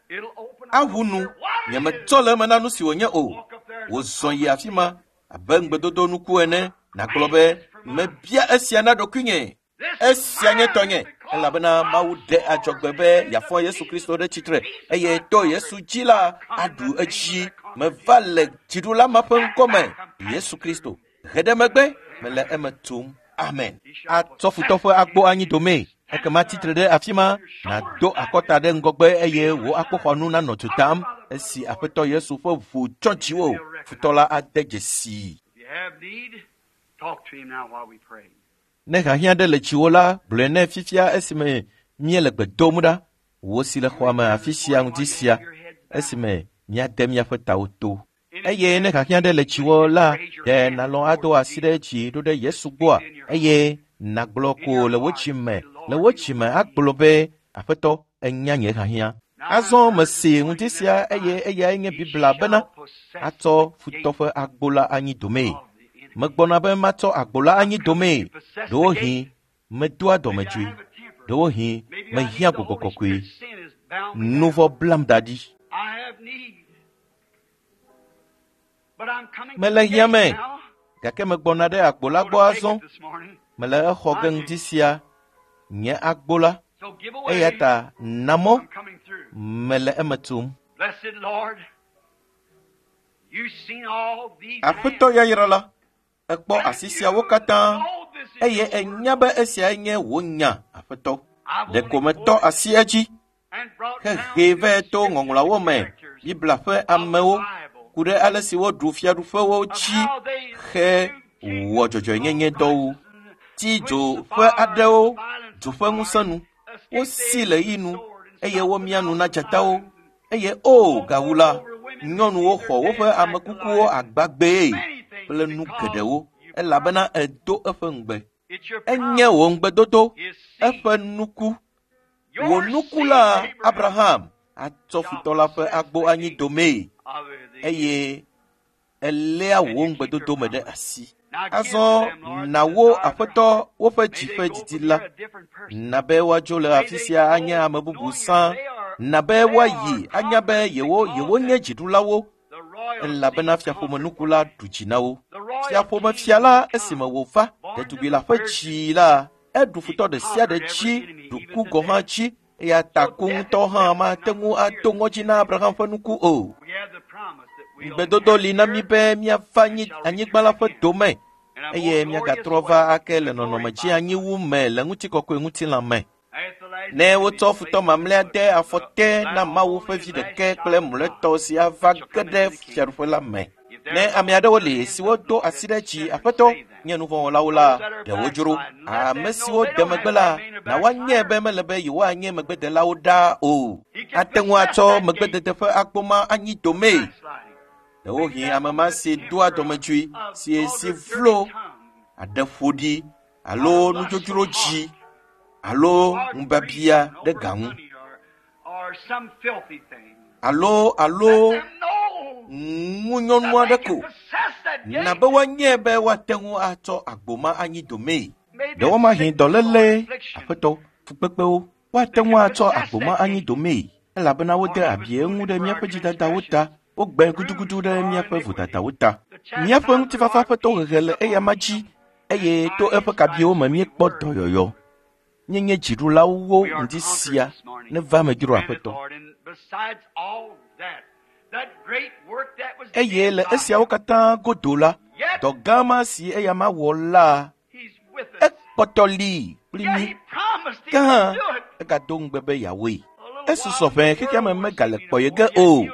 Aʋu nu, nyemetsɔ le eme na nu si wònye o. Wòzɔ yi afi ma abe ŋugbedodo nuku ene, nàgblɔ be, mebia esia na ɖokuinye. Esia nye tɔnye, elabena Mawu ɖe adzɔgbe be yeafɔ Yesu Kristo ɖe tsitre eye to Yesu dzi la aɖu edzi. Meva le dziɖula ma ƒe ŋkɔme, Yesu Kristo. He ɖe megbe, mele eme tum. Amen. Atsɔ futɔ ƒe agbo anyi domee. Ekema tsitre ɖe afi ma, nàdo akɔta ɖe ŋgɔgbe eye wò akpoxɔnu nanɔ du tam. Esi Aƒetɔ Yesu ƒe ʋu tsɔ dziwò, futɔ la ade dzesii. Ne hiahiã ɖe le dziwò la, gblɔe nɛ fifia esime míele gbe dom ɖa. Wò si le xɔa me afi sia ŋdi sia, esime míade míaƒe tawo to. Eye ne hiahiã ɖe le dziwò la, ɖe nàlɔ̃ ado asi ɖe dzi ɖo ɖe Yesu gbɔa? Eye nàgblɔ ko le wò dzime, le wò dzime agblɔ be, Aƒetɔ, enya nye hiahiã. Azɔ mese ŋdi sia eye eyae nye Biblia bena atsɔ futɔ ƒe agbo la anyi domee. Megbɔna be matsɔ agbo la anyi domee. Ɖewohĩ medoa dɔmedzoe. Ɖewohĩ mehiã gbɔgbɔ kɔkɔe. Nu vɔ̃ blam da ɖi. Mele hiã me, gake megbɔna ɖe agbo la gbɔ azɔ. Mele exɔ ge ŋdi sia, nye agbo la. Eya ta na mɔ, mele eme tum. Aƒetɔ yayra la, ekpɔ asi siawo katã eye enya be esiae nye wò nya, Aƒetɔ. Ɖeko metɔ asi edzi hehee vɛ to ŋɔŋlɔawo me, Biblia ƒe amewo ku ɖe ale si woɖu fiaɖuƒewo dzi he wɔ dzɔdzɔenyenye dɔwo. Ti dzo ƒe aɖewo dzo ƒe ŋusẽ nu, wosi le ɣi nu eye womia nu na dzatawo. Eye o gawu la, nyɔnuwo xɔ woƒe amekukuwo agbagbee kple nu geɖewo elabena edo eƒe ŋugbe. Enye wò ŋugbedodo, eƒe nuku. Wò nuku la, Abraham, atsɔ futɔ la ƒe agbo anyi domee eye eléa wò ŋugbedodo me ɖe asi. Azɔ na wo Aƒetɔ woƒe dzi ƒe didi la. Na be woadzo le afi sia anye ame bubu sã. Na be woayi anya be yewo yewonye dziɖulawo elabena fiaƒomenuku la ɖu dzi na wo. Fiaƒomefia la esime wòva ɖetugbi la ƒe dzi la, eɖu futɔ ɖe sia ɖe dzi, ɖu ku gɔ̃ hã dzi. Eya ta ku ŋutɔ hã mate ŋu ado ŋɔdzi na Abraham ƒe nuku o. Ŋugbedodo li na mí be míava anyigba la ƒe dome eye míagatrɔ va ake le nɔnɔme dzi anyiwu me le ŋutikɔkɔe ŋutilã me. Ne wotsɔ futɔ mamlɛa de afɔ te na Mawu ƒe vi ɖeke kple mlɔetɔ si ava ge ɖe fiaɖuƒe la me. Ne ame aɖewo li siwo do asi ɖe dzi, Aƒetɔ, nye nuvɔ̃wɔlawo la, ɖe wodzro. Ame siwo de megbe la, na woanye be mele be yewoanye megbedelawo ɖaa o. Ate ŋu atsɔ megbedede ƒe agbo ma anyi domee. Ɖewohĩ ame ma si doa dɔmedzoe, si si vlo, aɖe ƒo ɖi alo nudzodzro dzi alo ŋubiabia ɖe ga ŋu alo alo ŋunyɔnu aɖe ko. Na be woanye be woate ŋu atsɔ agbo ma anyi domee. Ɖewomahi dɔléle, Aƒetɔ, fukpekpewo, woate ŋu atsɔ agbo ma anyi domee elabena wode abi eŋu ɖe míaƒe dzidadawo ta. Wogbe gudugudu ɖe míaƒe vodadawo ta. Míaƒe ŋutifafa ƒe tohehe le eyama dzi eye to eƒe kabiwo me míekpɔ dɔyɔyɔ. Míenye dziɖulawo ŋdi sia neva me dzro Aƒetɔ. Eye le esiawo katã godo la, dɔ gã ma si eyama wɔ la, ekpɔtɔ li kpli mí. Ke hã, egado ŋugbe be yeawɔe. Esusɔ ʋɛ xexea me megale kpɔye ge o.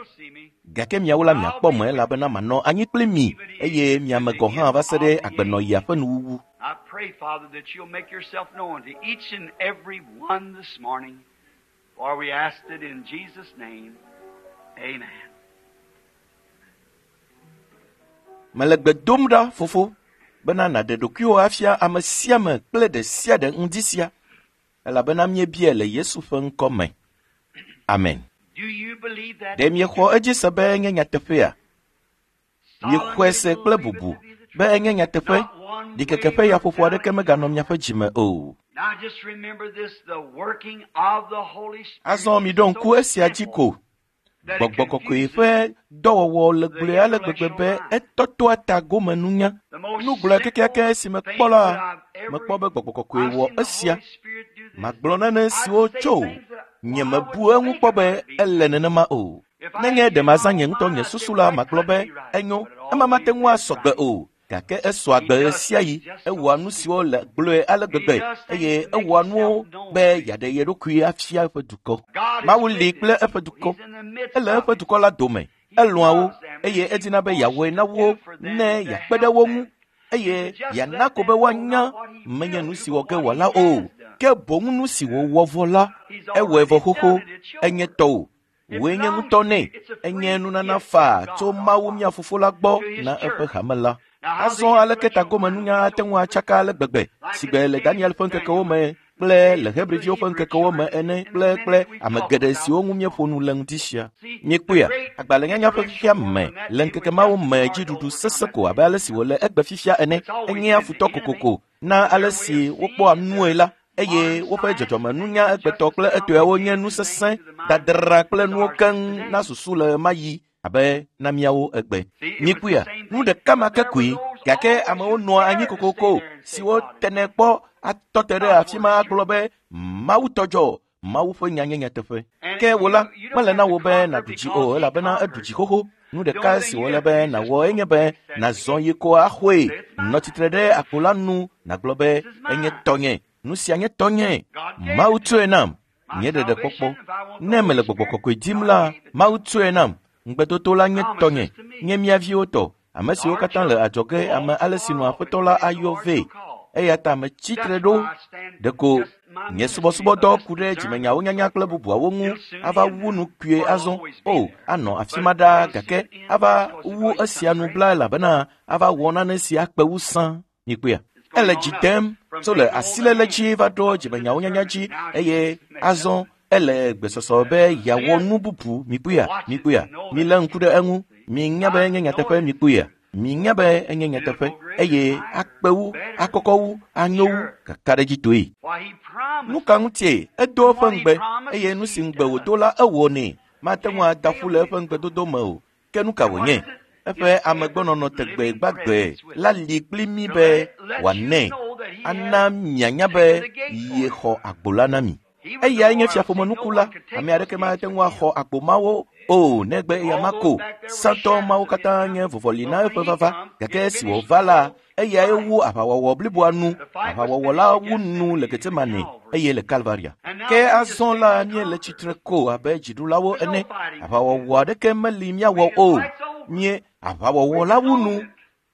Gake miawo la miakpɔ me elabena manɔ anyi kpli mi eye miame gɔ̃ hã va se ɖe agbenɔɣia ƒe nuwuwu. I pray, Father, that you'll make yourself known to each and every one this morning, for we ask it in Jesus' name. Amen. Mele gbe dom ɖa, fofo, bena nàɖe ɖokuiwò afia ame sia ame kple ɖe sia ɖe ŋdi sia, elabena míebia le Yesu ƒe ŋkɔ me. Amen. Do you believe that? Ɖe miexɔ edzi se be enye nyateƒea? Miexɔe se kple bubu be enye nyateƒe? Ɖikeke ƒe yaƒoƒo aɖeke meganɔ miaƒe dzime o. Now just remember this, the working of the Holy Spirit. Azɔ miɖo ŋku esia dzi ko. that it Gbɔgbɔ kɔkɔe confuses ƒe dɔwɔwɔ le gblɔe ale gbegbe be etɔtɔa ta gome nunya. the most Nu gblɔe kekeake si simple mekpɔ thing la, that I've ever mekpɔ be gbɔgbɔ kɔkɔe I've wɔ seen the esia. Holy Spirit do this. Magblɔ nane siwo I'd say tso things that nye I mebu wouldn't eŋu think kpɔ be about it being ele nenema o. If I Nenye had ɖe mazã my nye ŋutɔ mind, nye I'd say, susu well, la, that magblɔ couldn't be be right. enyo, But it ema mate always ŋu is asɔ gbe right. o. Gake esɔ agbe He does ɣe sia ɣi, things just so ewɔa nu siwo le gblɔe ale He gbegbe does things eye to make ewɔa himself nuwo known be to you. yeaɖe ye ɖokui afia eƒe dukɔ. God is Mawu li with kple his eƒe people. dukɔ. He's in the midst Ele of eƒe it. dukɔ la dome. He Elɔ̃a wo loves them and eye he edina be wants yeawɔe to na wo do for them ne and to yeakpe ɖe help wo them. ŋu And eye to just yeana let ko be them know woanya not what he menye will nu do, si but wɔ ge what he wòala o, has done. ke boŋ nu si wòwɔ vɔ la, He's ewɔe vɔ already xoxo, done it. It's enye yours. tɔwò. It Wòe nye belongs ŋutɔ to nɛ, you. It's a enye free nunana gift faa from tso God our Mawu Father mía fofo la gbɔ to his na eƒe church. hame la. Now, how the Azɔ aleke intellectual tagome mind nunya is ate so ŋu atsaka ale gbegbe like si in gbe the le days Daniel of ƒe ŋkekewo Daniel, me the kple days le of the Hebriviwo ƒe Hebrew ŋkekewo me children, ene and the kple minute kple we ame talked geɖe about siwo this ŋu míeƒo morning. nu le ŋdi sia. See, the Míekpɔea, great agbalẽnyanya ƒe intellectual fifia world me in that le day ŋkeke was mawo just me hard to dziɖuɖu overcome sesẽ that ko day. abe ale si wòle egbe fifia ene. It's always Enyea been the futɔ enemy kokoko na and ale their way si of wokpɔa seeing and nue their la eye modern woƒe science dzɔdzɔmenunya is just egbetɔ as kple etɔewo nye complicated nu and things sesẽ to the mind dadra kple as nuwo ours is keŋ today. na susu le ɣe ma ɣi abe na míawo egbe. See, it was the Míekpɔea, same nu thing. ɖeka ma But ke there were koe those gake always amewo who nɔa anyi dared to stay kokoko there and say siwo God is tenɛ right. kpɔ atɔ te ɖe God's afi word ma is agblɔ true. be Mawu tɔ dzɔ, Mawu ƒe nya nye nyateƒe. And Ke wò la, you, you don't mele have na to wò be conquer nàɖu dzi o because he elabena eɖu conquered. dzi xoxo. Nu The ɖeka only si thing you wòle have be to do is just nàwɔ go enye be and accept the nàzɔ gift. yi ko axɔe. Say, it's Nɔ mine. tsitre ɖe akpo la nu nàgblɔ be This is enye mine. tɔnye. Nu sia nye tɔnye. God gave Mawu it to tsɔe me. nam. My Nye salvation, ɖeɖekpɔkpɔ. if I want the Ne Holy mele gbɔgbɔ Spirit, kɔkɔe dim God la, gave it to me. Mawu tsɔe nam. Ŋugbedodo la nye tɔnye, Promises to me. nye mía viwo tɔ, ame siwo Our katã le children, adzɔge ame all ale si far nu off, as Aƒetɔ la many as the ayɔ Lord vɛ. shall call. Eya ta metsi tre That's ɖo. why I stand Ɖeko just my nye ministry subɔsubɔdɔ of this ku ɖe discernment dzimenyawo and nyanya so kple forth. bubuawo ŋu It'll soon ava end wu now, nu kpuie for it'll azɔ. always be O, there. anɔ afi But ma it's ɖaa pretty gake soon end ava because it's wu going to esia some nu great. bla elabena ava wɔ nane si akpe wu sã. Mikpɔea, It's ele going dzi on up dem from tso le taking hold of asiléle hand dzi va ɖo up to the dzimenyawo nyanya discernment. dzi Now it's eye just mixed up. azɔ ele gbesɔsɔ be See yeawɔ it? nu bubu. Mikpɔea, Watch it mikpɔea, and know that milé it's ŋku true. ɖe eŋu. See? Minya be I enye know nyateƒe it is mikpɔea. true. Minya be enye It'll nyateƒe go greater, eye higher, akpe wu, better. akɔkɔ wu, anyo wu, Sure. kakaɖedzitɔe. Why, he Nu promised ka it. ŋutie edo And eƒe what he ŋugbe eye promised, nu si he ŋugbe does. wòdo la ewɔnɛ. Mate ŋu Can't ada fail ƒu le you. eƒe ŋugbedodo me o. Ke nu ka And what wònye? is it? Eƒe It's ever amegbɔnɔnɔ tegbe living gbagbe presence with la us. li kpli mí To be let, let you wòanɛ know that he ana has mianya be taken the gate for you. yexɔ agbo la na mi. He was the Eyae nye royal seed. No fiaƒomenukula. one could take Ame those aɖeke gates mate but ŋu axɔ him. agbo mawo o negbe eya All ma those ko. back there were Sãtɔ shadows mawo of his katã nye coming. vɔvɔli na But eƒe when he vava. come, Gake it esi finished wòva the la, whole eyae fight. wu aʋawɔwɔ bliboa nu. The fight was Aʋawɔwɔ finished la at wu nu Gethsemane le and at Getsemane Calvary. eye le Kalvaria. And now Ke we just azɔ stand la as míele conquerors. tsitre ko abe dziɖulawo There's no ene. fighting to do. Aʋawɔwɔ aɖeke meli míawɔ We, the o. fight's over. Mie aʋawɔwɔ We la wu disowned nu. it.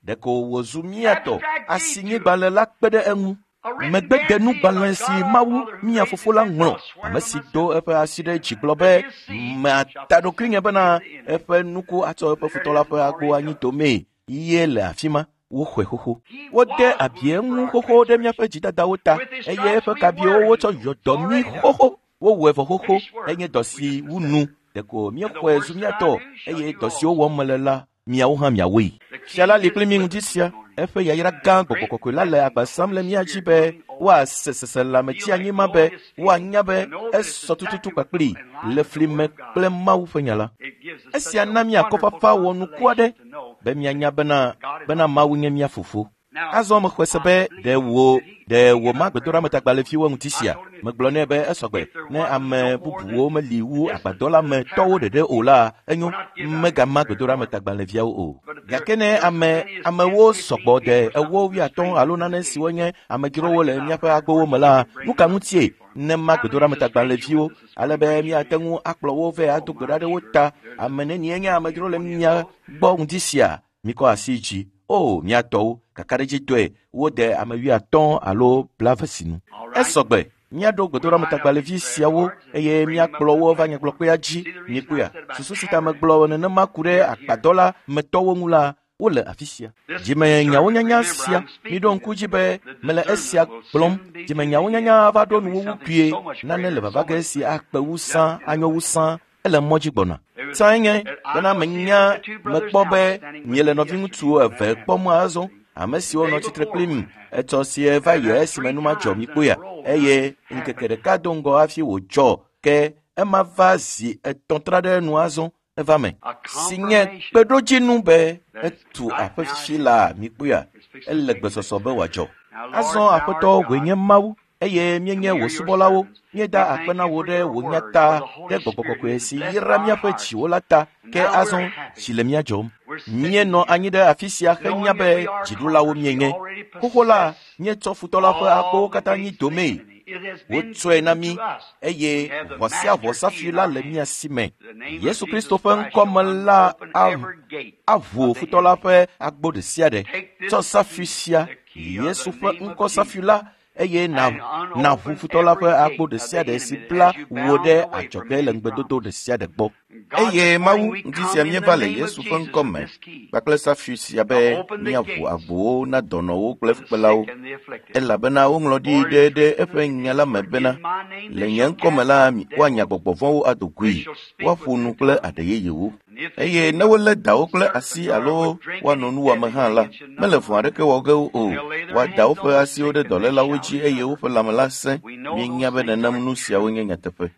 Ɖeko wòzu mía tɔ. Abstract deed to it. Asinyigbalẽ la kpe ɖe eŋu. A written guarantee of Megbedenugbalẽ si God our Mawu Father who mía raised fofo his la hand, ŋlɔ, I'll swear ame by si do myself eƒe asi ɖe dzi gblɔ that be his seed mata shall ɖokuinye possess bena the enemy. eƒe nuku atsɔ eƒe There futɔ it la is, ƒe agbo already anyi done. domee. Ye le afi ma woxɔe xoxo. He Wode was abi wounded for eŋu our xoxo ɖe míaƒe transgressions. dzidadawo ta With his eye stripes eƒe we kabiwo were wotsɔ healed. yɔ It's dɔ mí already done. xoxo. Wowɔe vɔ xoxo Finished work. enye dɔ We si just wu accept nu. it. Ɖeko And the míexɔe works zu that mía I tɔ do shall eye you dɔ siwo also wɔm do. mele la miawo hã miawɔe. The Fia la King li is kpli mí with ŋdi us sia. this morning. Eƒe yayra gã The gbɔgbɔ great kɔkɔe la le blessing agba of the sam le Holy mía dzi Spirit be moving over us. woase seselãme Feel tsi that anyi ma be glorious feeling woanya be to know that it's esɔ tututu exactly what's kpakpli in line le with the fli Word me of God. kple Mawu ƒe nya la. It gives us such Esia a na mí wonderful akɔfafa wɔnuku aɖe consolation to know be míanya bena God is bena our Mawu nye mía fofo. Azɔ mexɔe se be ɖe wò ɖe wò ma gbedoɖametagbalẽviwo ŋuti sia. Megblɔ nɛ be esɔgbe ne ame bubuwo meli wu agbadɔ la me tɔwo ɖeɖe o la, enyo megama gbedoɖametagbalẽviawo o. Gake ne ame amewo sɔgbɔ de ewo wuiatɔ̃ alo nane siwo nye amedzrowo le míaƒe agbowo me la, nu ka ŋutie ne ma gbedoɖametagbalẽviwo ale be míate ŋu akplɔ wo vɛ ado gbe ɖa ɖe wo ta. Ame nenie nye amedzro le mía gbɔ ŋuti sia? Mikɔ asi dzi. O, mía tɔwo, kakaɖedzitɔe wode ame wuiatɔ̃ alo blaeve sinu. Esɔgbe míaɖo gbedoɖametagbalẽvi siawo eye míakplɔ wo va nyagblɔkpea dzi. Mikpɔea, susu si ta megblɔ nenema ku ɖe agbadɔ la me tɔwo ŋu la, wole afi sia. Dzimenyawo nyanya sia, miɖo ŋku dzi be mele esia gblɔm. Dzimenyawo nyanya va ɖo nuwuwu kpuie. Nane le vava ge si akpe wu sã, anyo wu sã, ele mɔ dzi gbɔna. Sãe nye bena menya mekpɔ be miele nɔviŋutsu eve kpɔm azɔ, ame siwo nɔ tsitre kplim etsɔ sie va yi esime nu madzɔ mi kpɔea, eye ŋkeke ɖeka do ŋgɔ hafi wòdzɔ ke ema va zi etɔ̃ tra ɖe nu azɔ eva me si nye kpeɖodzinu be etu aƒe fifi la mi kpɔea, ele gbesɔsɔ be wòadzɔ. Azɔ Aƒetɔ wòe nye Mawu eye míenye wò subɔlawo. Míeda akpe na wò ɖe wò nya ta, ɖe gbɔgbɔ kɔkɔe si yra míaƒe dziwo la ta. Ke azɔ tsi le mía dzɔm. Míenɔ anyi ɖe afi sia henya be dziɖulawo míenye. Xoxo la, míetsɔ futɔ la ƒe agbowo katã nyi domee. Wotsɔe na mí eye ʋɔ sia ʋɔ safi la le mía si me. Yesu Kristo ƒe ŋkɔme la aʋu futɔ la ƒe agbo ɖe sia ɖe. Tsɔ safi sia, Yesu ƒe ŋkɔ safi la, eye na naʋu futɔ la ƒe agbo ɖe sia ɖe si bla wò ɖe adzɔge le ŋugbedodo ɖe sia ɖe gbɔ. Eye Mawu ŋdi sia míeva le Yesu ƒe ŋkɔ me kpakple safi sia be míaʋu agbowo na dɔnɔwo kple fukpelawo, elabena woŋlɔ ɖi ɖe ɖe eƒe nya la me bena, le nye ŋkɔ me la woanya gbɔgbɔ vɔ̃wo ado goe, woaƒo nu kple aɖe yeyewo. Eye ne wolé dawo kple asi alo woano nuwɔame hã la, mele vɔ̃ aɖeke wɔ ge o. Woada woƒe asiwo ɖe dɔlélawo dzi eye woƒe lãme la sẽ. Míenya be nenem nu siawo nye nyateƒe.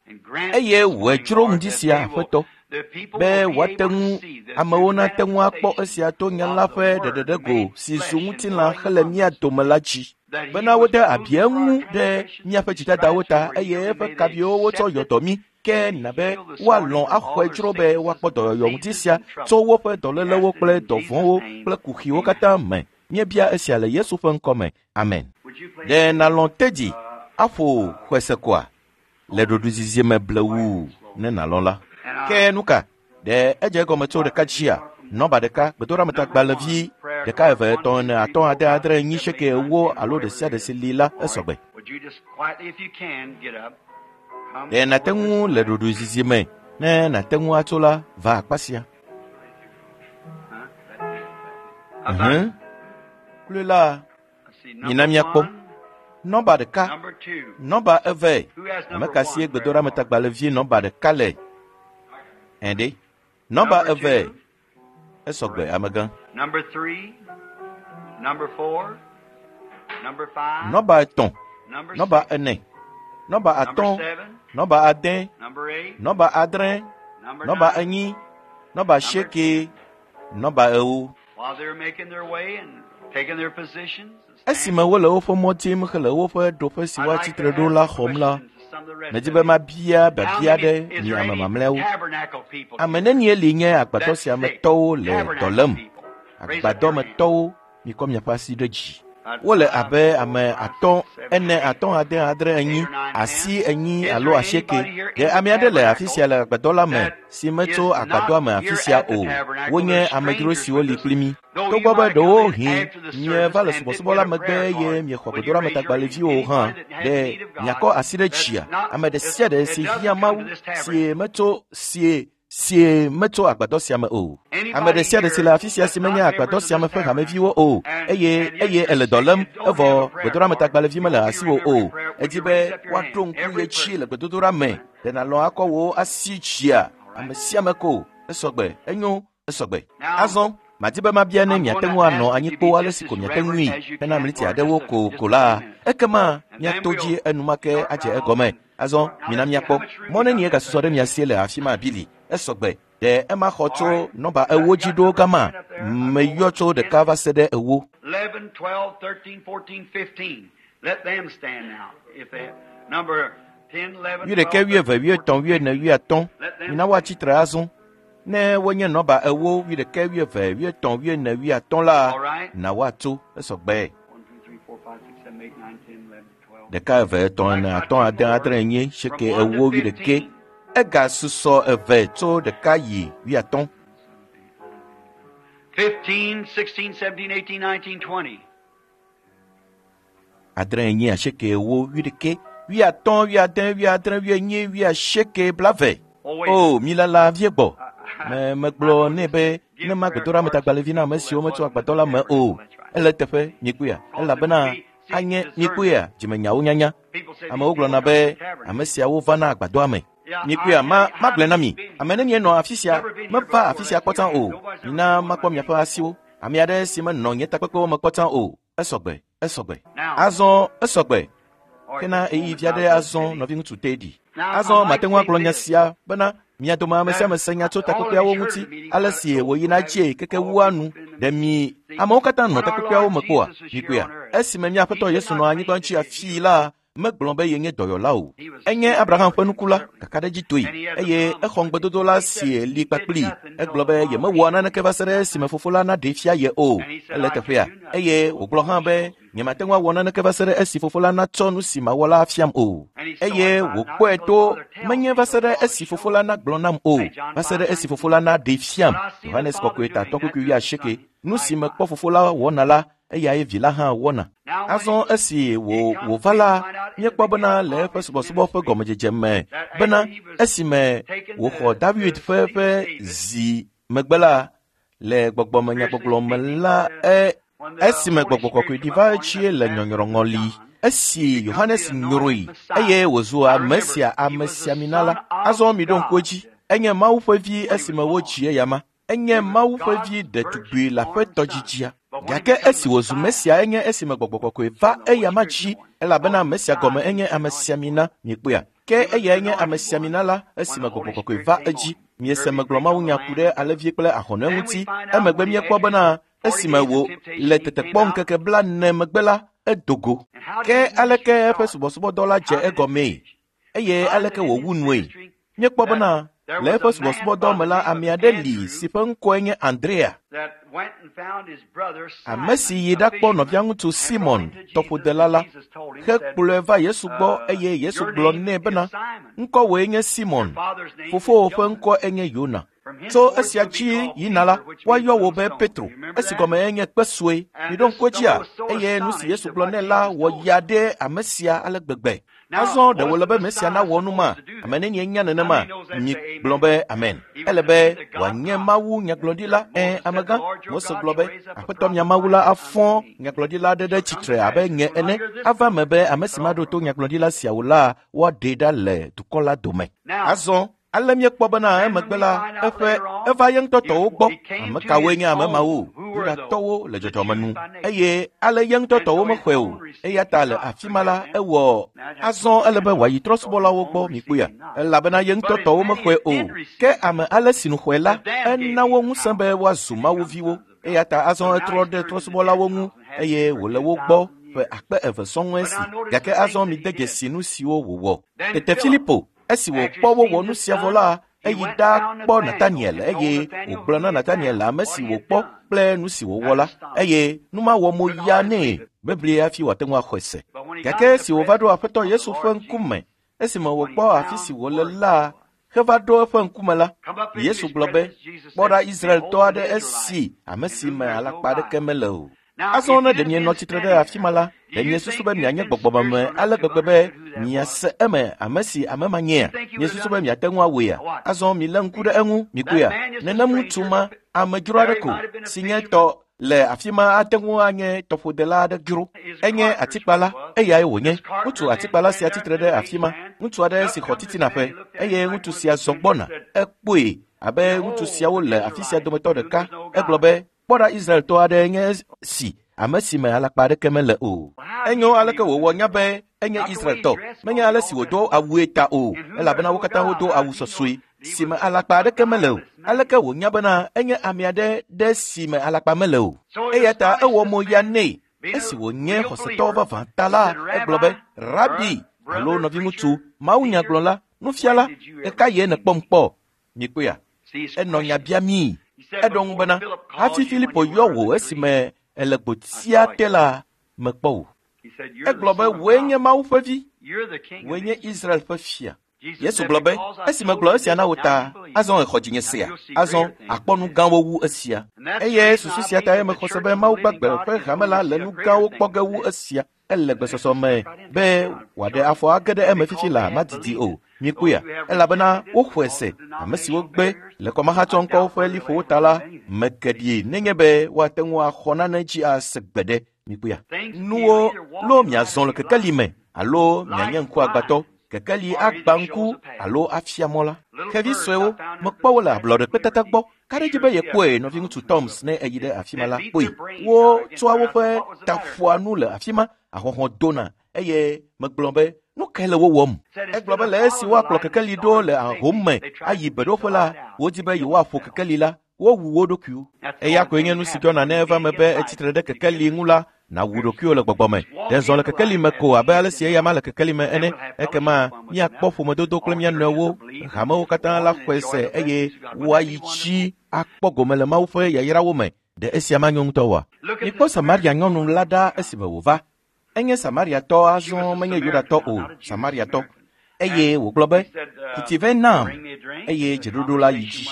Eye wòe dzro ŋdi sia, Aƒetɔ, be wòate ŋu amewo nate ŋu akpɔ esia to nya la ƒe ɖeɖeɖego si zu ŋutilã hele mía dome la dzi, bena wode abi eŋu ɖe míaƒe dzidadawo ta eye eƒe kaviwo wotsɔ yɔ dɔ mí. Ke na be woalɔ̃ axɔe dzro be woakpɔ dɔyɔyɔ ŋuti sia tso woƒe dɔlélewo kple dɔvɔ̃wo kple kuxiwo katã me. Míebia esia le Yesu ƒe ŋkɔ me. Amen. Ɖe nalɔ̃ tedzi aƒo xɔesekoa le ɖoɖoezizi me blewu ne nalɔ̃ la. Ke nu ka? Ɖe edze egɔme tso ɖeka dzia? Nɔba ɖeka, gbedoɖametagbalẽvi ɖeka eve etɔ̃ ene atɔ̃ ade adre enyi seke ewo alo ɖe sia ɖe si li la esɔgbe. Ɖe nàte ŋu le ɖoɖoezizi me ne nàte ŋu atso la va akpa sia. Uhũ. Kloe la, mina míakpɔ. Nɔba ɖeka, nɔba eve. Ame ka sie gbedoɖametagbalẽvi nɔba ɖeka le? Ɛ̃ ɖe. Nɔba eve. Esɔgbe amegã. Nɔba etɔ̃, nɔba ene, nɔba atɔ̃, nɔba ade, nɔba adre, nɔba enyi, nɔba asieke, nɔba ewo. Esime wole woƒe mɔ dim hele woƒe ɖoƒe si woatsi tre ɖo la xɔm la, medi be mabia biabia ɖe mi ame mamlɛawo. Ame nenie li nye agbadɔ sia me tɔwo le dɔ lém? Agbadɔmetɔwo, mikɔ miaƒe asi ɖe dzi. Wole abe ame atɔ̃, ene, atɔ̃, ade, adre, enyi, asi enyi alo asieke. Ɖe ame aɖe le afi sia le agbadɔ la me si metso agbadɔa me afi sia o. Wonye amedzro siwo li kpli mí. Togbɔ be ɖewohĩ mieva le subɔsubɔ la megbe eye miexɔ gbedoɖametagbalẽviwo o hã, ɖe miakɔ asi ɖe dzia? Ame ɖe sia ɖe si hiã Mawu si metso sie sie metso agbadɔ sia me o. Ame ɖe sia ɖe si le afi sia si menye agbadɔ sia me ƒe hameviwo o, eye eye ele dɔ lém evɔ gbedoɖametagbalẽvi mele asiwò o. Edi be woaɖo ŋku ye dzi le gbedodoɖa me. Ɖe nàlɔ̃ akɔ wò asi dzia? Ame sia ame ko. Esɔgbe, enyo, esɔgbe. Azɔ madi be mabia ne miate ŋu anɔ anyi kpoo ale si ko miate ŋui hena mliti aɖewo ko ko la, ekema miato dzi enumake adze egɔme. Azɔ mina míakpɔ mɔ nenie gasusɔ ɖe mia sie le afi ma bili. Esɔgbe. Ɖe ema xɔ tso nɔba ewo dzi ɖo gama? Meyɔ tso ɖeka va se ɖe ewo. eleven, twelve, thirteen, fourteen, fifteen. Let them stand now. If they number ten, eleven, Wuiɖeke, wuieve, wuietɔ̃, wuiene, wuiatɔ̃. Mina woatsi tre azɔ. Ne wonye nɔba ewo, wuiɖeke, wuieve, wuietɔ̃, wuiene, wuiatɔ̃ la, na woatso esɔgbe. One, two, three, four, five, six, seven, eight, nine, ten, eleven, twelve. Ɖeka, eve, etɔ̃, ene, atɔ̃, ade, adre, enyi, asieke, ewo, wuiɖeke. Egasusɔ eve tso ɖeka yi wuiatɔ̃. Fifteen, sixteen, seventeen, eighteen, nineteen, twenty. Adre, enyi, asieke, ewo, wuiɖeke, wuiatɔ̃, wuiade, wuiadre, wuienyi, wuiasieke, blaeve. Oh, wait. O, mi lala vie gbɔ. Me megblɔ nɛ be ne ma gbedoɖa metagbalẽvi na ame siwo metso agbadɔ la me o. Ele teƒe mikpɔea elabena anye mikpɔea dzimenyawo nyanya. People say Amewo these people gblɔna come be to the tabernacle. ame siawo vana agbadɔa me. Mikpɔea ma magblɔe na mi. Ame nenie nɔ afi sia meva afi sia kpɔ tsã o. Mina makpɔ miaƒe asiwo. Ame aɖe si menɔ nye takpekpewo me kpɔ tsã o. Esɔgbe, esɔgbe. Azɔ esɔgbe. All right, Kena this eyi moment vi aɖe now, azɔ Teddy. nɔviŋutsu Teddy. Now, Azɔ I mate might ŋu agblɔ say nya this. sia bena mia dome ame sia ame se nya tso takpekpeawo ŋuti ale si wòyina dzie keke wua nu ɖe mi amewo katã nɔ takpekpeawo me kpɔa mikpɔea esime mía Aƒetɔ Yesu nɔ anyigba ŋuti afii la megblɔ be yenye dɔyɔla o. Enye Abraham ƒe nuku la kakaɖedzitɔe eye exɔ ŋugbedodo la si li kpakpli. Egblɔ be yemewɔa naneke va se ɖe esime fofo la naɖee fia ye o. Ele teƒea eye wògblɔ hã be nyemate ŋu awɔ naneke va se ɖe esi fofo la natsɔ nu si mawɔ la afiam o. Eye wòkpɔe to menye va se ɖe esi fofo la nagblɔ nam o, va se ɖe esi fofo la naɖee fiam. Yohanes kɔkɔe tatɔ kpukpui wuiasieke. Nu si mekpɔ fofo la wɔna la, eyae vi la hã wɔna. Now, when Azɔ esi wò wòva la, míekpɔ bena le eƒe subɔsubɔ ƒe gɔmedzedze me bena esime wòxɔ David ƒe ƒe zi megbe la, le gbɔgbɔmenyagbɔgblɔ me la, e when the esime Holy gbɔgbɔ kɔkɔe Spirit ɖi came va upon him etsie at le the baptism of nyɔnyrɔŋɔli, John, esi become Yohanes the nyrɔe anointed Messiah. eye wòzu Now ame remember, sia he was the amesiamina la. Son of Azɔ miɖo ŋku God edzi, enye Mawu ƒe vi when he was esime born. wodzi eyama. Enye He was Mawu ƒe God's vi ɖetugbui le virgin-born aƒetɔ son. dzidzia. But when he Gake became esi wòzu Messiah, Mesia enye esime gbɔgbɔ kɔkɔe va when the Holy eyama Spirit dzi came on, elabena because Mesia gɔme Messiah enye means anointed amesiamina one. mikpɔea. Ke He was the eyae nye anointed one amesiamina la when esime the gbɔgbɔ Holy kɔkɔe Spirit va came on edzi. him. Miese Here he megblɔ preached on the mawunya ku Lamb. ɖe alẽvi kple ahɔnɛ Then we ŋuti. find out Emegbe when he míekpɔ entered bena forty esime days of wò temptation, le he came tetekpɔ out. ŋkeke blaene megbe la, edo go. And how did Ke his ministry aleke eƒe start? subɔsubɔdɔ la dze How did it egɔmee? finish? Eye Find that aleke in his wòwu nue? ministry Míekpɔ that bena there le was eƒe a man subɔsubɔdɔ by me the la, name of ame aɖe li Andrew si ƒe ŋkɔe nye Andrea. that went and found his brother Ame si Simon, yi a ɖakpɔ fisherman, nɔviaŋutsu and brought Simon, him to Jesus. tɔƒodela And la, Jesus told him, said, hekplɔe va Yesu gbɔ uh, eye Yesu Your gblɔ name nɛ is bena, Simon. ŋkɔwòe nye Your Simon, father's name is fofowò ƒe Jonah. ŋkɔ enye Yona. From Tso henceforth esia you'll be dzi called yina la, Peter, which means woayɔ wò little be stone. Do Petro, you remember esi that? gɔme enye kpe sue. And Miɖo this ŋku edzia stone was so eye nu si astonished Yesu at gblɔ what nɛ la Jesus wɔ told ya him. ɖe ame sia ale gbegbe. Now, Azɔ ɖe was wòle the be Mesia Messiah nawɔ nu ma? supposed to do Ame that? nenie nya How nenema? many knows that's Mi the gblɔ amen? be amen. He was Ele to be be the God wòanye prophet. Mawu nyagblɔɖila. Moses Ẽ said, The amegã. Lord your Mose God gblɔ shall be raise up a Aƒetɔ mia prophet Mawu la like afɔ unto me. nyagblɔɖila aɖe ɖe Shall come to tsitre pass abe if nye you will not ene. hear this Ava me prophet, be ame si cut off maɖo from to among nyagblɔɖila sia o la, woaɖee ɖa le dukɔ la dome. Now, Azɔ ale míekpɔ bena then when emegbe we la, find out eƒe later on, eva ye ŋutɔ he, tɔwo gbɔ. he came Ame to kawoe his nye ame mawo? own. Who were those? Yudatɔwo le The dzɔdzɔme Jews nu. by nature. Eye ale ye ŋutɔ And tɔwo so his mexɔe o. own received Eya ta him le not. afi ma Forget la, them. ewɔ Now it has to azɔ ele be happen. wòayi So his trɔ̃subɔlawo own gbɔ received mikpɔea him not. elabena ye ŋutɔ But as tɔwo many mexɔe as o. did Ke receive him, ame ale si nu xɔe la, to them gave ena he wo the ŋusẽ power be woazu to Mawu become viwo. sons of God. Eya ta azɔ So now etrɔ he's ɖe turned to the trɔ̃subɔlawo ŋu Gentiles and has eye been for wòle two wo gbɔ thousand ƒe years. akpe eve sɔŋ But esi. now notice Gake the azɔ things that mide he did. dzesi nu siwo wòwɔ. Then Tete Philip, Filipo, esi after wòkpɔ he wowɔ seen nu this sia vɔ done, la, he eyi went ɖa found kpɔ Nathanael Nataniel and told eye Nathanael wògblɔ who na he had Nataniel found, ame what si he had wòkpɔ done. kple nu si wòwɔ That la astonished eye nu ma wɔ mo Could ya hardly nɛ believe it. bebli hafi wòate ŋu axɔe se. But when he got Gake in the esi wòva ɖo presence Aƒetɔ of the Yesu ƒe Lord Jesus, ŋkume, esime when he wòkpɔ afi si found wòle where he la was, heva ɖo eƒe ŋkume la, come up into Yesu his gblɔ be, presence, Jesus kpɔ said, ɖa Israeltɔ Behold an aɖe Israelite, esi ame in si whom me there is no alakpa aɖeke guile. mele o. Now, Azɔ if ne you'd ɖe have been mienɔ tsitre ɖe standing afi ma there, la, do ɖe you miesusu think be you'd mianye been gbɔgbɔmeme spiritual enough ale to have gbegbe be understood who that was? miase eme ame si ame ma nyea? You think you would have Miesusu done be it? miate ŋu awɔea? What? Azɔ milé ŋku ɖe eŋu, That mikpɔea? man just a Nenem ŋutsu stranger. ma, amedzro There aɖe he ko might have been a si nye fisherman. tɔ le afi ma ate ŋu anye tɔƒodela aɖe dzro. He's a Enye carpenter's what he atikpala, was. eyae wònye. This Ŋutsu carpenter man atikpala sia standing there, tsitre ɖe middle-aged afi ma. man. Ŋutsu aɖe Up si xɔ comes this titina man, ƒe he looked at eye him like ŋutsu one of sia these zɔ strangers, gbɔna. said, Ekpɔe abe ŋutsu Behold siawo an le afi sia Israelite dometɔ in whom ɖeka. there's no Egblɔ guile. be, kpɔ ɖa Israeltɔ aɖe nye si ame si me alakpa aɖeke mele o. Well, how did Enyo he know he aleke was an wòwɔ nya Israelite? be enye Not the way he Israeltɔ. dressed, Menye because ale they si all wòdo dressed alike. awue ta o, In whom there's elabena wo no katã guile. wodo How awu did he know sɔsɔe he si was me alakpa a aɖeke mele o. guileless Aleke wònya bena enye ame aɖe ɖe si me alakpa mele o. Eya ta ewɔ mo ya nɛ. Esi wònye xɔsetɔ vavã ta la, egblɔ be, Rabi, alo nɔviŋutsu, mawunyagblɔla, nufiala, ɣeka ye nèkpɔm kpɔ? Mikpɔea? Enɔ nya biamii. Eɖo ŋu bena, hafi Filipo yɔ wò esime ele gbotia te la, mekpɔ wò. Egblɔ be, wòe nye Mawu ƒe vi, wòe nye Israel ƒe fia. Yesu gblɔ be, esi megblɔ esia na wò ta, azɔ exɔ dzinye sea, azɔ akpɔ nu gãwo wu esia. Eye susu sia tae mexɔ se be Mawu gbagbe ƒe hame la le nu gãwo kpɔ ge wu esia. Ele gbesɔsɔ me be wòaɖe afɔ age ɖe eme fifi la madidi o. Mikpɔea? Elabena woxɔe se, ame siwo gbe le kɔmahatsɔŋkɔwo ƒe liƒowo ta la, meke ɖi nenye be woate ŋu axɔ nane dzi ase gbeɖe. Mikpɔea? Nuwo lo miazɔ le kekeli me alo mianye ŋkuagbãtɔ. Kekeli agba ŋku alo afia mɔ la. Xevi suewo, mekpɔ wo le ablɔɖekpetata gbɔ. Ka ɖe dzi be yekpɔe nɔviŋutsu Toms ne eyi ɖe afi ma la kpɔe. Wotsɔa woƒe taƒoa nu le afi ma, ahɔhɔ̃ dona eye megblɔ be, nu kae le wo wɔm? Egblɔ be le esi woakplɔ kekeli ɖo le ahom me ayi beɖoƒe la, wodi be yewoaƒo kekeli la, wowu wo ɖokuiwo. Eya koe nye nu si dzɔna ne eva me be etsitre ɖe kekeli ŋu la, nàwu ɖokuiwò le gbɔgbɔ me. Ɖe zɔ le kekeli me ko abe ale si eya ma le kekeli me ene. Ekema míakpɔ ƒomedodo kple mía nɔewo. Hamewo katã la xɔe se eye woayi tsi akpɔ gome le Mawu ƒe yayrawo me. Ɖe esia manyo ŋutɔ oa? Mikpɔ Samaria nyɔnu la ɖa esime wòva. Enye Samariatɔ azɔ menye Yudatɔ o, Samariatɔ. Eye wògblɔ be, ku vɛ nam, eye dzeɖoɖo la yi dzi.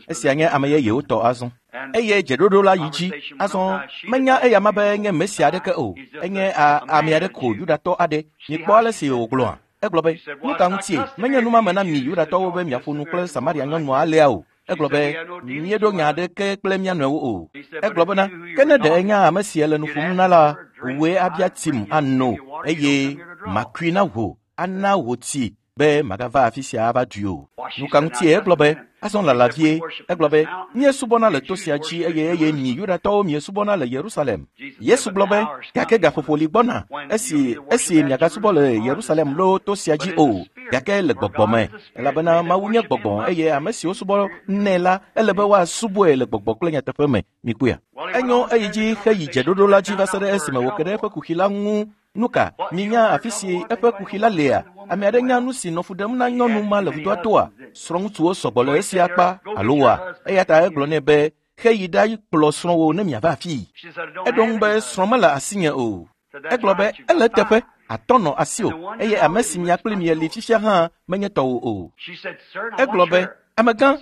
Esia nye ame yeyewo tɔ azɔ. Eye dzeɖoɖo la yi dzi. Azɔ menya eya ma be nye Mesia aɖeke o. Enye ame aɖe ko Yudatɔ aɖe. Mikpɔ ale si wògblɔa. Egblɔ be, nu ka ŋutie? Menye numame na mi Yudatɔwo be miaƒo nu kple Samaria nyɔnua alea o. Egblɔ be, míeɖo nya aɖeke kple mía nɔewo o. Egblɔ bena, ke ne ɖe enya ame si le nu ƒom na la, wòe abia tim ano eye makui na wò, ana wò tsi be magava afi sia ava dui o. Nu ka ŋutie egblɔ be, azɔ lala vie. Egblɔ be, míesubɔna le to sia dzi eye eye mi Yudatɔwo miesubɔna le Yerusalem. Yesu gblɔ be, gake gaƒoƒo li gbɔna esi esi miagasubɔ le Yerusalem loo to sia dzi o, gake le gbɔgbɔ me, elabena Mawu nye gbɔgbɔ eye ame siwo subɔ nɛ la, ele be woasubɔe le gbɔgbɔ kple nyateƒe me. Mikpɔea? Enyo eyi dzi heyi dzeɖoɖo la dzi va se ɖe esime wòke ɖe eƒe kuxi la ŋu. Nu ka? Minya afi si eƒe kuxi la lea? Ame aɖe nya nu si nɔ fu ɖem na nyɔnu ma le vudoa toa? Srɔ̃ŋutsuwo sɔgbɔ le esia akpa alo wɔa? Eya ta egblɔ nɛ be, heyi ɖa kplɔ srɔ̃wò ne miava afii. Eɖo ŋu be, srɔ̃ mele asinye o. Egblɔ be, ele eteƒe, atɔ̃ nɔ asiwò eye ame si mia kpli mieli fifia hã menye tɔwò o. Egblɔ be, amegã,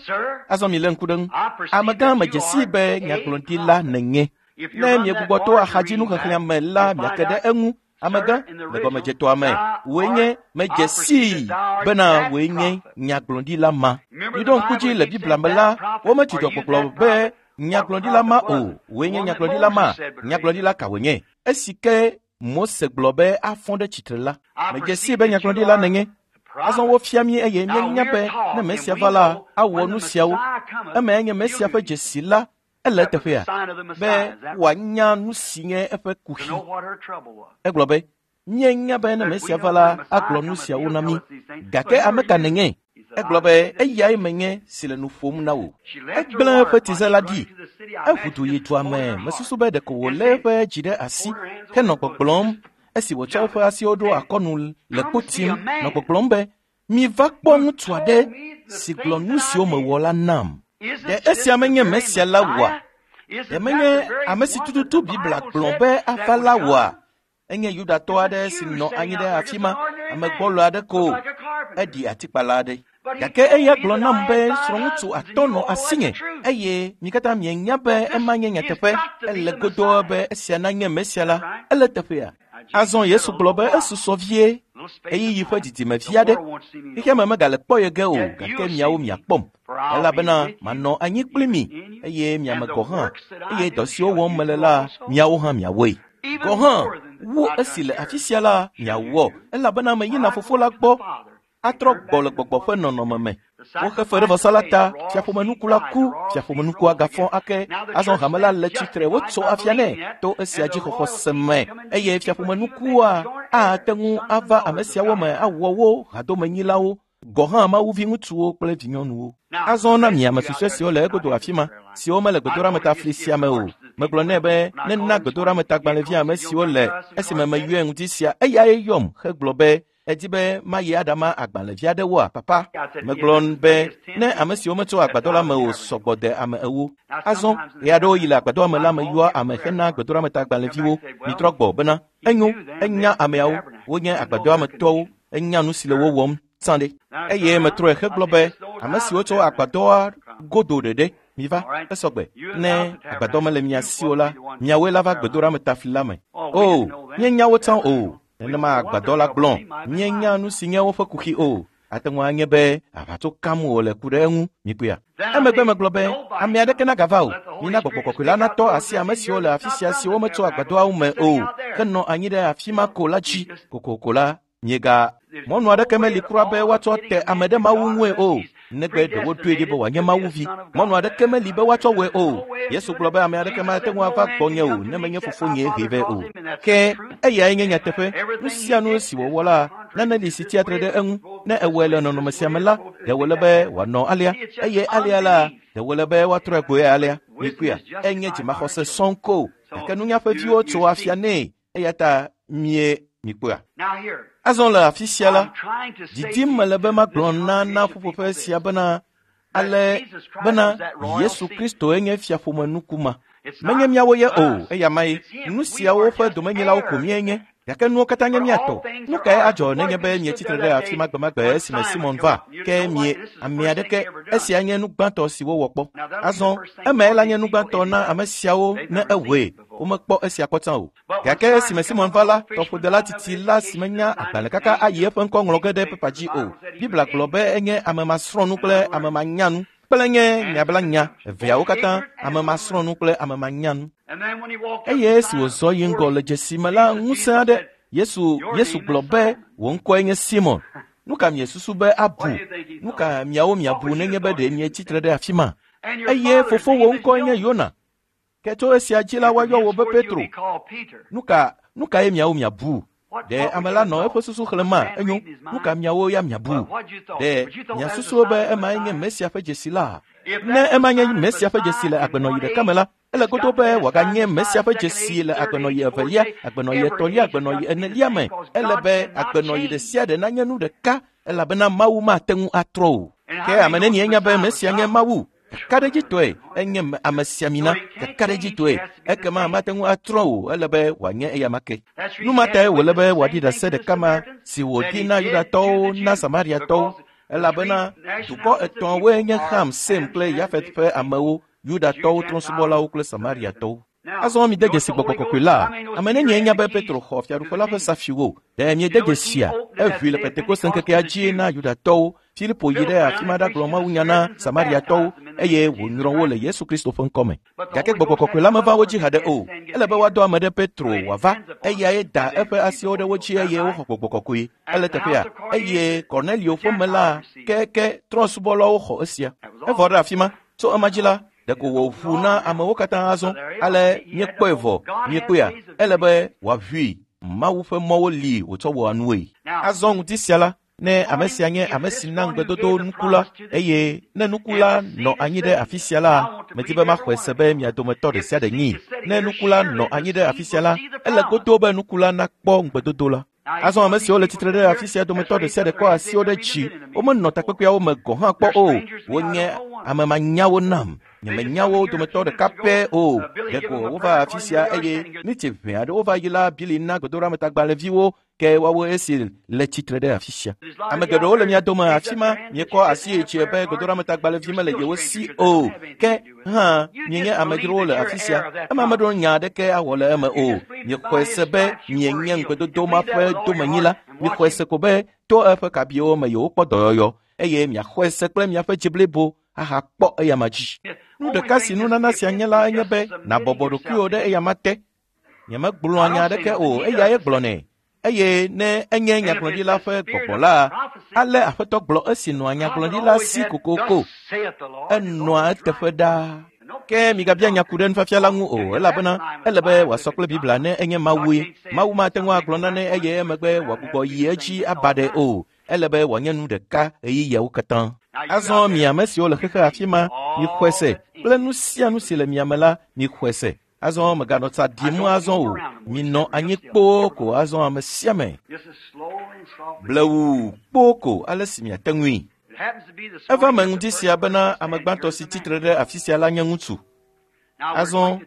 azɔ milé ŋku ɖe ŋu. Amegã medze sii be nyagblɔɖila nènye. Ne miegbugbɔ to axadzinuxexlẽa me la, miake ɖe eŋu. Amegã, le gɔmedzetɔa me, wòe nye medze sii bena wòe nye nyagblɔɖila ma. Miɖo ŋku dzi le Biblia me la, womedzudzɔ gbɔgblɔ be nyagblɔɖila ma o. Wòe nye nyagblɔɖila ma. Nyagblɔɖila ka wònye? Esi ke Mose gblɔ be afɔ ɖe tsitre la, medze sii be nyagblɔɖila nènye. Azɔ wofia mí eye míenya be ne Mesia va la, awɔ nu siawo. Emae nye Mesia ƒe dzesi la. Ele eteƒea be wòanya nu si nye eƒe kuxi. Egblɔ be, míenya be ne Mesia va la, agblɔ nu siawo na mí. Gake ame ka nènye? Egblɔ be, eyae menye si le nu ƒom na wò. Egblẽ eƒe tize la ɖi. Eʋu du yi dua me. Mesusu be ɖeko wòlé eƒe dzi ɖe asi henɔ gbɔgblɔm esi wòtsɔ eƒe asiwo ɖo akɔnu le kpo tim nɔ gbɔgblɔm be, miva kpɔ ŋutsu aɖe si gblɔ nu siwo mewɔ la nam. Ɖe esia menye Mesia la wɔa? Ɖe menye ame si tututu Biblia gblɔ be ava la wɔa? Enye Yudatɔ aɖe si nɔ anyi ɖe afi ma, ame gbɔlo aɖe ko, eɖi atikpala aɖe. Gake eya gblɔ nam be srɔ̃ŋutsu atɔ̃ nɔ asinye eye mi katã mienya be ema nye nyateƒe. Ele godoo be esia nanye Mesia la. Ele teƒea. Azɔ Yesu gblɔ be esusɔ vie ɣeyiɣi ƒe didime vi aɖe. Xexea me megale kpɔ ye ge o, gake miawo miakpɔm. Elabena manɔ anyi kpli mi eye miame gɔ̃ hã, eye dɔ siwo wɔm mele la, miawo hã miawɔe. Gɔ̃ hã, wu esi le afi sia la, miawɔ, elabena meyina Fofo la gbɔ atrɔ gbɔ le gbɔgbɔ ƒe nɔnɔme me. Woxe fe ɖe vɔsa la ta, fiaƒomenuku la ku, fiaƒomenukua gafɔ ake. Azɔ hame la le tsitre, wotso afia nɛ to esia dzixɔxɔ se me eye fiaƒomenukua ate ŋu ava ame siawo me awɔ wo hadomenyilawo Gɔ hã Mawu viŋutsuwo kple vinyɔnuwo. Azɔ na mi ame susɔe siwo le egodo afi ma, siwo mele gbedoɖametafli sia me o. Megblɔ nɛ be nena gbedoɖametagbalẽvi ame siwo le esime meyɔe ŋuti sia, eyae yɔm hegblɔ be edi be mayi aɖama agbalẽvi aɖewoa, papa. Megblɔ be ne ame siwo metso agbadɔ la me o sɔgbɔ de ame ewo. Azɔ ɣe aɖewo yi le agbadɔa me la meyɔa ame hena gbedoɖametagbalẽviwo. Mitrɔ gbɔ bena enyo, enya ameawo, wonye agbadɔa me tɔwo, enya nu si le wo wɔm tsã ɖe. Eye metrɔe hegblɔ be ame siwo tso agbadɔa godo ɖeɖe, miva, esɔgbe. Ne agbadɔ mele mia si o la, miawoe la va gbedoɖametafli la me. O, míenya wo tsã o. Nenema agbadɔ la gblɔ, míenya nu si nye woƒe kuxi o. Ate ŋu anye be aʋatso kam wòle ku ɖe eŋu, mikpɔea. Emegbe megblɔ be ame aɖeke nagava o. Mina gbɔgbɔ kɔkɔe la natɔ asi ame siwo le afi sia siwo metso agbadɔawo me o, henɔ anyi ɖe afi ma ko la dzi. Kokoko la, miega mɔnu aɖeke meli kura be woatsɔ te ame ɖe Mawu ŋue o, negbe ɖe woɖoe ɖi be wòanye Mawu vi. Mɔnu aɖeke meli be woatsɔ wɔe o. Yesu gblɔ be ame aɖeke mate ŋu ava gbɔnye o ne menye fofonye hee vɛ o. Ke eyae nye nyateƒe. Nu sia nu si wòwɔ la, nane li si tsia tre ɖe eŋu. Ne ewɔe le nɔnɔme sia me la, ɖe wòle be wòanɔ alea, eye alea la, ɖe wòle be woatrɔe gboe alea. Mikpɔea, enye dzimaxɔse sɔŋ ko, gake nunya ƒe viwo tso afia nɛ, eya ta mie mikpɔea. Azɔ le afi sia la, didim mele be magblɔ na na ƒuƒoƒe sia bena ale bena Yesu Kristoe nye fiaƒome nukuma. Menye míawo ye o, eya mae. Nu siawo ƒe domenyilawo ko míenye, gake nuwo katã nye mía tɔ. Nu kae adzɔ nenye be mietsi tre ɖe afi ma gbemagbe esime Simon va, ke mie ame aɖeke, esia nye nu gbãtɔ si wowɔ kpɔ. Azɔ, emae la nye nu gbãtɔ na ame siawo ne ewɔe, womekpɔ esia kpɔ tsã o. Gake esime Simon va la, tɔƒodela titi la si menya agbalẽ kaka ayi eƒe ŋkɔ ŋlɔ ge ɖe pepa dzi o. Biblia gblɔ be enye ame masrɔ̃nu kple ame manyanu kple nye nyablanya eveawo katã, ame masrɔ̃nu kple ame manyanu. Eye esi wòzɔ yi ŋgɔ le dzesi me la, ŋusẽ aɖe Yesu Yesu gblɔ be wò ŋkɔe nye Simon. Nu ka miesusu be abu? Nu ka miawo miabu nenye be ɖe mietsi tre ɖe afi ma? Eye fofowò ŋkɔe nye Yona. Ke tso esia dzi la woayɔ wò be Petro. Nu ka nu kae miawo miabu? Ɖe ame la nɔ eƒe susu xlẽma? Enyo, nu ka miawo ya miabu? Ɖe miasusu be emae nye Mesia ƒe dzesi la? Ne ema nye Mesia ƒe dzesi le agbenɔɣi ɖeka me la, ele godo be wòaganye Mesia ƒe dzesi le agbenɔɣi evelia, agbenɔɣi etɔ̃lia, agbenɔɣi enelia me. Ele be agbenɔɣi ɖe sia ɖe nanye nu ɖeka, elabena Mawu mate ŋu atrɔ o. Ke ame nenie nya be Mesia nye Mawu? Kakaɖedzitɔe enye amesiamina, kakaɖedzitɔe ekema mate ŋu atrɔ o, ele be wòanye eyama ke. Nu ma tae wòle be wòaɖi ɖase ɖeka ma si wòdi na Yudatɔwo na Samariatɔwo, elabena dukɔ etɔ̃woe nye Ham, Sem kple Yafet ƒe amewo, Yudatɔwo, trɔ̃subɔlawo kple Samariatɔwo. Azɔ mide dzesi gbɔgbɔ kɔkɔe la. Ame nenie nya be Petro xɔ fiaɖuƒe la ƒe safiwo? Ɖe miede dzesia? Eʋui le Pentekoste ŋkekea dzi na Yudatɔwo. Filipo yi ɖe afi ma ɖagblɔ mawunya na Samariatɔwo eye wònyrɔ wo le Yesu Kristo ƒe ŋkɔme. Gake gbɔgbɔ kɔkɔe la meva wo dzi haɖe o. Ele be woadɔ ame ɖe Petro wòava, eyae da eƒe asiwo ɖe wo dzi eye woxɔ gbɔgbɔ kɔkɔe. Ele teƒea, eye Kornelio ƒe me la keke trɔ̃subɔlawo xɔ esia. Evɔ ɖe afi ma. Tso ema dzi la, ɖeko wòʋu na amewo katã azɔ. Ale míekpɔe vɔ, míekpɔea, ele be wòaʋui. Mawu ƒe mɔwo li wòtsɔ wɔa nue. Azɔ ŋuti sia la, ne ame sia nye ame si na ŋugbedodo nuku la, eye ne nuku la nɔ anyi ɖe afi sia la, medi be maxɔe se be mia dometɔ ɖe sia ɖe nyi. Ne nuku la nɔ anyi ɖe afi sia la, ele godo be nuku la nakpɔ ŋugbedodo la. Azɔ ame siwo le tsitre ɖe afi sia dometɔ ɖe sia ɖe kɔ asiwo ɖe dzi, womenɔ takpekpeawo me gɔ̃ hã kpɔ o. Wonye ame manyawo nam. Nyemenya wo dometɔ ɖeka pɛ o. Ɖeko wova afi sia eye nitsi ʋɛ aɖewo va yi la, Bili na gbedoɖametagbalẽviwo ke woawo esi le tsitre ɖe afi sia. Ame geɖewo le mia dome afi ma, miekɔ asi yi dzi be gbedoɖametagbalẽvi mele yewo si o. Ke hã mienye amedzrowo le afi sia. Ema meɖo nya aɖeke awɔ le eme o. Miexɔe se be mienye ŋugbedodo ma ƒe domenyila. Miexɔe se ko be to eƒe kabiwo me yewokpɔ dɔyɔyɔ eye miaxɔe se kple miaƒe dzi blibo ahakpɔ eyama dzi. Nu ɖeka si nunana sia nye la enye be nàbɔbɔ ɖokuiwò ɖe eyama te. Nyemegblɔa nya aɖeke o, eyae gblɔnɛ. Eye ne enye nyagblɔɖila ƒe gbɔgbɔ la, ale Aƒetɔ gblɔ esi nɔa nyagblɔɖila si kokoko. Enɔa eteƒe ɖaa. Ke migabia nya ku ɖe nufiafia la ŋu o, elabena ele be wòasɔ kple Biblia ne enye Mawue. Mawu mate ŋu agblɔ nane eye emegbe wòagbugbɔ yi edzi aba ɖe o. Ele be wòanye nu ɖeka ɣeyiɣiawo katã. Azɔ mi ame siwo le xexe afi ma, mixɔe se kple nu sia nu si le mia me la, mixɔe se. Azɔ mèganɔ tsa ɖim azɔ o. Minɔ anyi kpoo ko azɔ ame sia ame. Blewu kpoo ko ale si miate ŋui. Eva me ŋdi sia bena ame gbãtɔ si tsitre ɖe afi sia la nye ŋutsu. Azɔ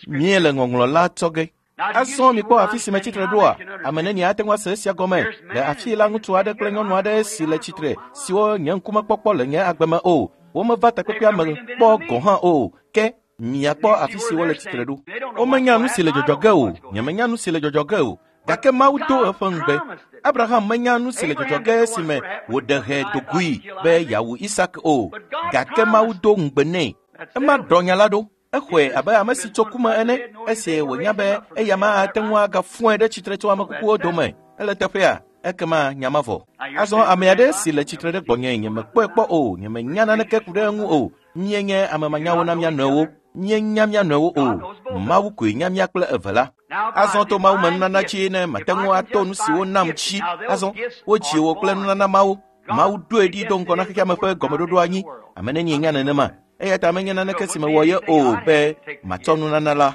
míele ŋɔŋlɔ la tsɔ ge. Azɔ mikpɔ afi si metsitre ɖoa? Ame neni ate ŋu ase esia gɔme. Le afi la ŋutsu aɖe kple nyɔnu aɖe si le tsitre siwo nye ŋkumekpɔkpɔ le nye agbe me o. Womeva takpekpea me kpɔ gɔ̃ hã o. Ke miakpɔ afi si wole tsitre ɖo. Womenya nu si le dzɔdzɔ ge o. Nyemenya nu si le dzɔdzɔ ge o. Gake Mawu do eƒe ŋugbe. Abraham menya nu si le dzɔdzɔ ge esime wòɖe hɛ dogoe be yeawu Isak o. Gake Mawu do ŋugbe nɛ. Ema ɖɔ nya la ɖo. Exɔe abe ame si tso ku me ene esi wònya be eya ma ate ŋu agafɔe ɖe tsitre tso ame kukuwo dome. Ele teƒea, ekema nya ma vɔ. Azɔ ame aɖe si le tsitre ɖe gbɔnye nyemekpɔe kpɔ o, nyemenya naneke ku ɖe eŋu o. Míenye ame manyawo na mía nɔewo. Míenya mía nɔewo o. Mawu koe nya mía kple eve la. Azɔ to Mawu me nunana dzi ne mate ŋu ato nu siwo nam dzi. Azɔ wodzi wò kple nunana mawo. Mawu ɖoe ɖi do ŋgɔ na xexea me ƒe gɔmeɖoɖo anyi. Ame nenie nya nenema? Eya ta menye naneke si mewɔ ye o be matsɔ nunana la.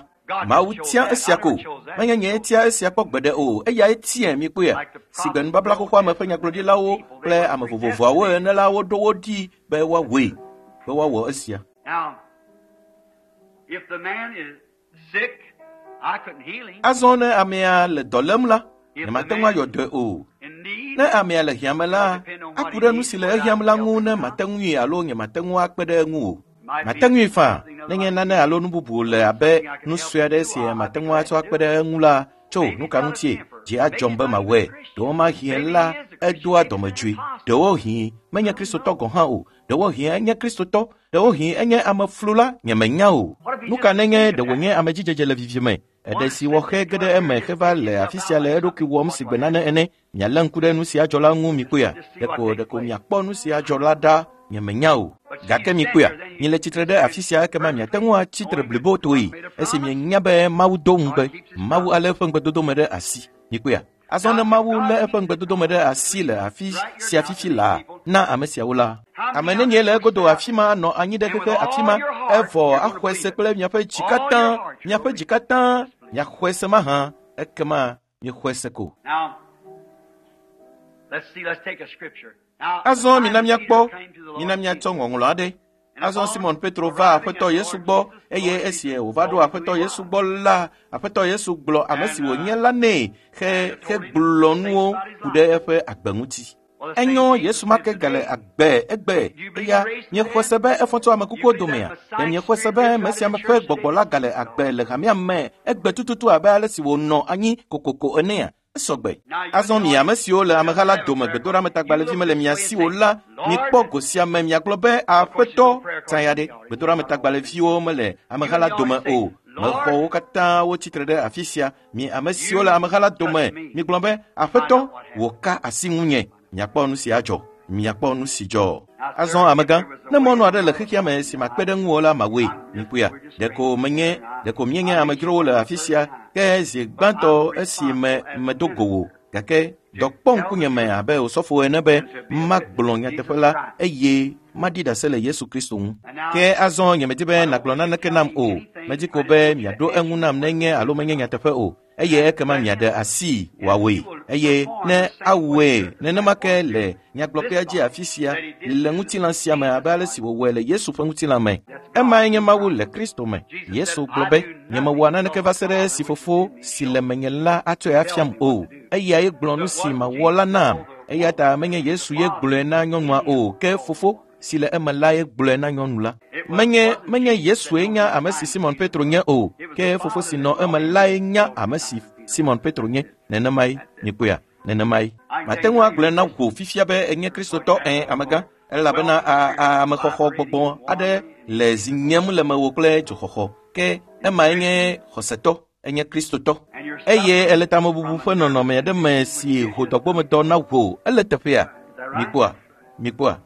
Mawu tia esia ko. Menye nye tia esia kpɔ gbeɖe o. Eyae tiae mikpɔea. Si gbe nubabla xoxoa me ƒe nyagblɔɖilawo kple ame vovovoawo ene la woɖo wo ɖi be woawɔe, be woawɔ esia. Azɔ ne amea le dɔ lém la, nyemate ŋu ayɔ dɔe o. Ne amea le hiãme la, aku ɖe nu si le ehiãm la ŋu ne mate ŋui alo nyemate ŋu akpe ɖe eŋu o. Mate ŋui faa nenye nane alo nu bubu le abe nu sue aɖe si mate ŋu atsɔ akpe ɖe eŋu la, tso nu ka ŋutie dzi adzɔm be mawɔe. Ɖewomahi la edoa dɔmedzoe. Ɖewohĩ menye Kristotɔ gɔ̃ hã o. Ɖewohĩ enye Kristotɔ. Ɖewohĩ enye ameflula, nyemenya o. Nu ka nenye ɖe wònye amedzidzedze le vivime? Eɖe si wɔxe ge ɖe eme heva le afi sia le eɖokui wɔm si gbe nane ene. Mialé ŋku ɖe nu sia dzɔ la ŋu mikpɔea? Ɖeko ɖeko miakpɔ nu sia dzɔ la ɖa, nyemenya o. Gake mikpɔea? Miele tsitre ɖe afi sia ekema miate ŋu atsi tre blibotoe esi mienya be Mawu do ŋugbe. Mawu alé eƒe ŋugbedodo me ɖe asi. Mikpɔea? Azɔ ne Mawu lé eƒe ŋugbedodo me ɖe asi le afi sia fifi laa na ame siawo la, ame nenie le egodo afi ma nɔ anyi ɖe xexe afi ma evɔ axɔe se kple miaƒe dzi katã, miaƒe dzi katã, miaxɔe se mahã, ekema miexɔe se ko. Azɔ mina míakpɔ, mina míatsɔ ŋɔŋlɔ aɖe. Azɔ Simon Petro va Aƒetɔ Yesu gbɔ eye esi wòva ɖo Aƒetɔ Yesu gbɔ la, Aƒetɔ Yesu gblɔ ame si wònye la nɛ he hegblɔ nuwo ku ɖe eƒe agbe ŋuti. Enyo Yesu ma ke gale agbe egbe eya miexɔe se be efɔ tso ame kukuwo domea? Ɖe miexɔe se be Mesia ƒe gbɔgbɔ la gale agbe le hamea me egbe tututu abe ale si wònɔ anyi kokoko enea? Esɔgbe. Azɔ mi ame siwo le ameha la dome gbedoɖametagbalẽvi mele mia si o la, mikpɔ go sia me miagblɔ be Aƒetɔ tsaya ɖe. Gbedoɖametagbalẽviwo mele ameha la dome o. Mexɔ wo katã wotsi tre ɖe afi sia. Mi ame siwo le ameha la dome, migblɔ be Aƒetɔ, wò ka asi ŋunye. Miakpɔ nu si adzɔ. Miakpɔ nu si dzɔ. Azɔ amegã, ne mɔnu aɖe le xexea me si makpe ɖe ŋuwò la mawɔe. Mikpɔea? Ɖeko menye, ɖeko míenye amedzrowo le afi sia ke zi gbãtɔ esi me medo go wò. Gake dɔ kpɔ ŋkunye me abe osɔfo ene be magblɔ nyateƒe la eye maɖi ɖase le Yesu Kristo ŋu. Ke azɔ nyemedi be nàgblɔ naneke nam o. Medi ko be miaɖo eŋu nam nenye alo menye nyateƒe o. Eye ekema miaɖe asi wòawɔe. Eye ne awɔe nenema ke le nyagblɔƒea dzi afi sia le ŋutilã sia me abe ale si wòwɔe le Yesu ƒe ŋutilã me. Emae nye Mawu le Kristo me. Yesu gblɔ be, nyemewɔa naneke va se ɖe esi fofo si le menye la atsɔe afiam o. Eyae gblɔ nu si mawɔ la nam. Eya ta menye Yesu ye gblɔe na nyɔnua o, ke fofo si le eme la ye gblɔe na nyɔnu la. Menye menye Yesue nya ame si Simon Petro nye o, ke fofo si nɔ eme lae nya ame si Simon Petro nye. Nenemae, mikpɔea? Nenemae. Mate ŋu agblɔe na wò fifia be enye Kristotɔ ẽ amegã, elabena a amexɔxɔ gbɔgbɔ aɖe le zi nyem le mewò kple dzoxɔxɔ. Ke emae nye xɔsetɔ, enye Kristotɔ. Eye ele tamebubu ƒe nɔnɔme aɖe me si ho dɔgbɔmedɔ na wò. Ele teƒea? Mikpɔa? Mikpɔa?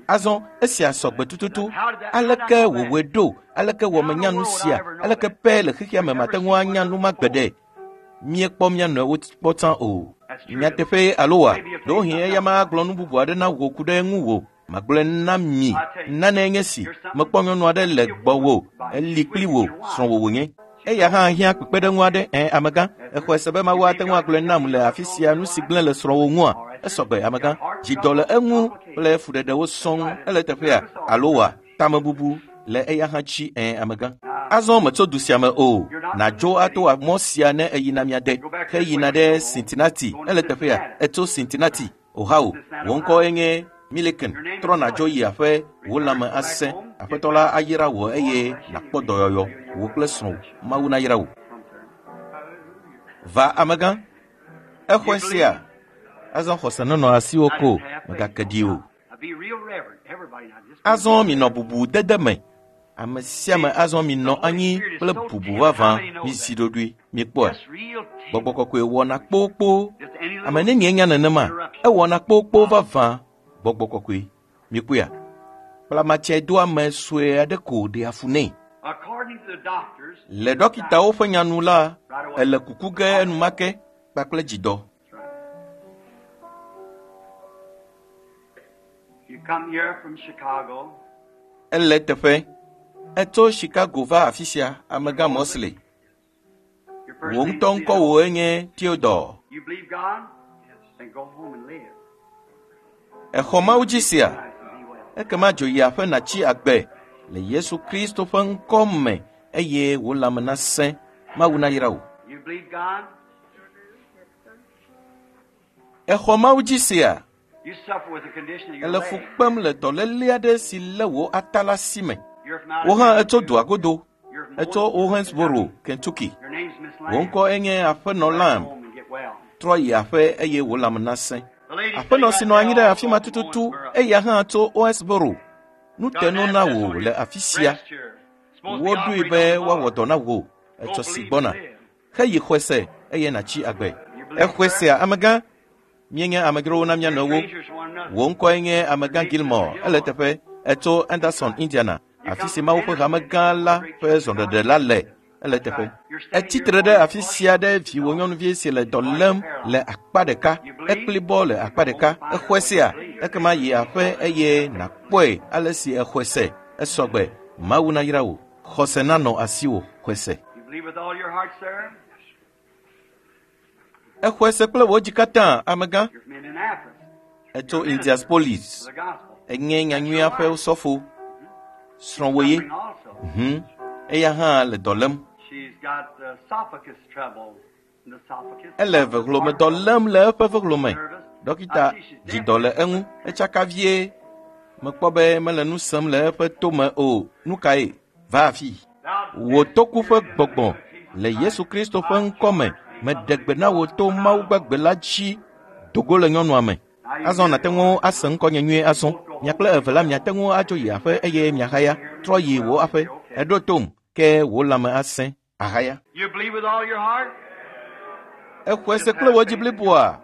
Azɔ esia sɔgbe tututu. Aleke wòwɔe ɖo? Aleke wɔ menya nu sia? Aleke pɛ le xexea me mate ŋu anya nu ma gbeɖe? Míekpɔ mía nɔewo kpɔ tsã o. Nyateƒe alo wa? Ɖewohĩ eya magblɔ nu bubu aɖe na wò ku ɖe ŋuwò. Magblɔe na mi. Nane nye si. Mekpɔ nyɔnu aɖe le gbɔwò. Eli kpli wò, srɔ̃wò wònye. Eya hã hiã kpekpeɖeŋu aɖe. Ẽ, amegã, exɔe se be Mawu ate ŋu agblɔe nam le afi sia nu si gblẽ le srɔ̃wò ŋua? Esɔgbe, amegã. Dzidɔ le eŋu kple fuɖeɖewo sɔŋ. Ele teƒea alo wa? Tamebubu le eya hã dzi. Ẽ, amegã. Azɔ metso du sia me o. Nàdzo ato mɔ sia ne eyina mia de. Heyina ɖe Cincinnati. Ele teƒea. Etso Cincinnati, Ohio. Wò ŋkɔe nye Milliken. Trɔ nàdzo yi aƒe, wò lãme asẽ. Aƒetɔ la ayra wò eye nàkpɔ dɔyɔyɔ. Wò kple srɔ̃wò. Mawu nayra wò. Va amegã. Exɔe sia. Azɔ xɔse nenɔ asiwò ko. Mègake ɖi o. Azɔ minɔ bubu dede me. Ame sia ame azɔ minɔ anyi kple bubu vavã. Mizi ɖoɖoe. Mikpɔe. Gbɔgbɔ kɔkɔe wɔna kpokpo. Ame nenie nya nenema? Ewɔna kpokpo vavã. Gbɔgbɔ kɔkɔe. Mikpɔea? Kplamatsɛdoame sue aɖe ko ɖea fu nɛ. Le ɖɔkitawo ƒe nyanu la, ele kuku ge enumake kpakple dzidɔ. Ele teƒe. Etso Chicago va afi sia, amegã Mosley. Wò ŋutɔ ŋkɔwòe nye Theodore. Exɔ Mawu dzi sia. Ekema dzo yi aƒe nàtsi agbe le Yesu Kristo ƒe ŋkɔ me eye wò lãme nasẽ. Mawu nayra wò. Exɔ Mawu dzi sia. Ele fu kpem le dɔléle aɖe si lé wò ata la si me. Wò hã etso dua godo. Etso Owensboro, Kentucky. Wò ŋkɔ enye Aƒenɔ Lamb. Trɔ yi aƒe eye wò lãme nasẽ. Aƒenɔ si nɔ anyi ɖe afi ma tututu, eya hã tso Owensboro. Nu te no na wò le afi sia. Woɖoe be woawɔ dɔ na wò etsɔ si gbɔna. Heyi xɔe se eye nàtsi agbe. Exɔe sea, amegã? Míenye amedzrowo na mía nɔewo. Wò ŋkɔe nye amegã Gilmore. Ele teƒe. Etso Anderson, Indiana, afi si Mawu ƒe hamegã la ƒe zɔɖeɖe la le. Ele teƒe. Etsi tre ɖe afi sia ɖe viwò nyɔnuvi si le dɔ lém le akpa ɖeka. Ekplibɔ le akpa ɖeka. Exɔe sea? Ekema yi aƒe eye nàkpɔe ale si exɔe se. Esɔgbe. Mawu nayra wò. Xɔse nanɔ asiwò. Xɔe se. Exɔe se kple wò dzi katã, amegã. Etso Indianapolis. Enye nyanyuia ƒe sɔfo. Srɔ̃wò ye. Mhm. Eya hã le dɔ lém. Ele vehlome dɔ lém le eƒe vehlome. Ɖɔkita dzi dɔ le eŋu. Etsaka vie. Mekpɔ be mele nu sem le eƒe tome o. Nu kae? Va afi. Wò toku ƒe gbɔgbɔ le Yesu Kristo ƒe ŋkɔ me. Meɖe gbe na wò to Mawu gbagbe la dzi dogo le nyɔnua me. Azɔ nàte ŋu ase ŋkɔnye nyuie azɔ. Mia kple eve la miate ŋu adzo yi aƒe eye miahaya. Trɔ yi wò aƒe. Eɖo tom ke wò lãme asẽ ahaya. Exɔe se kple wò dzi bliboa.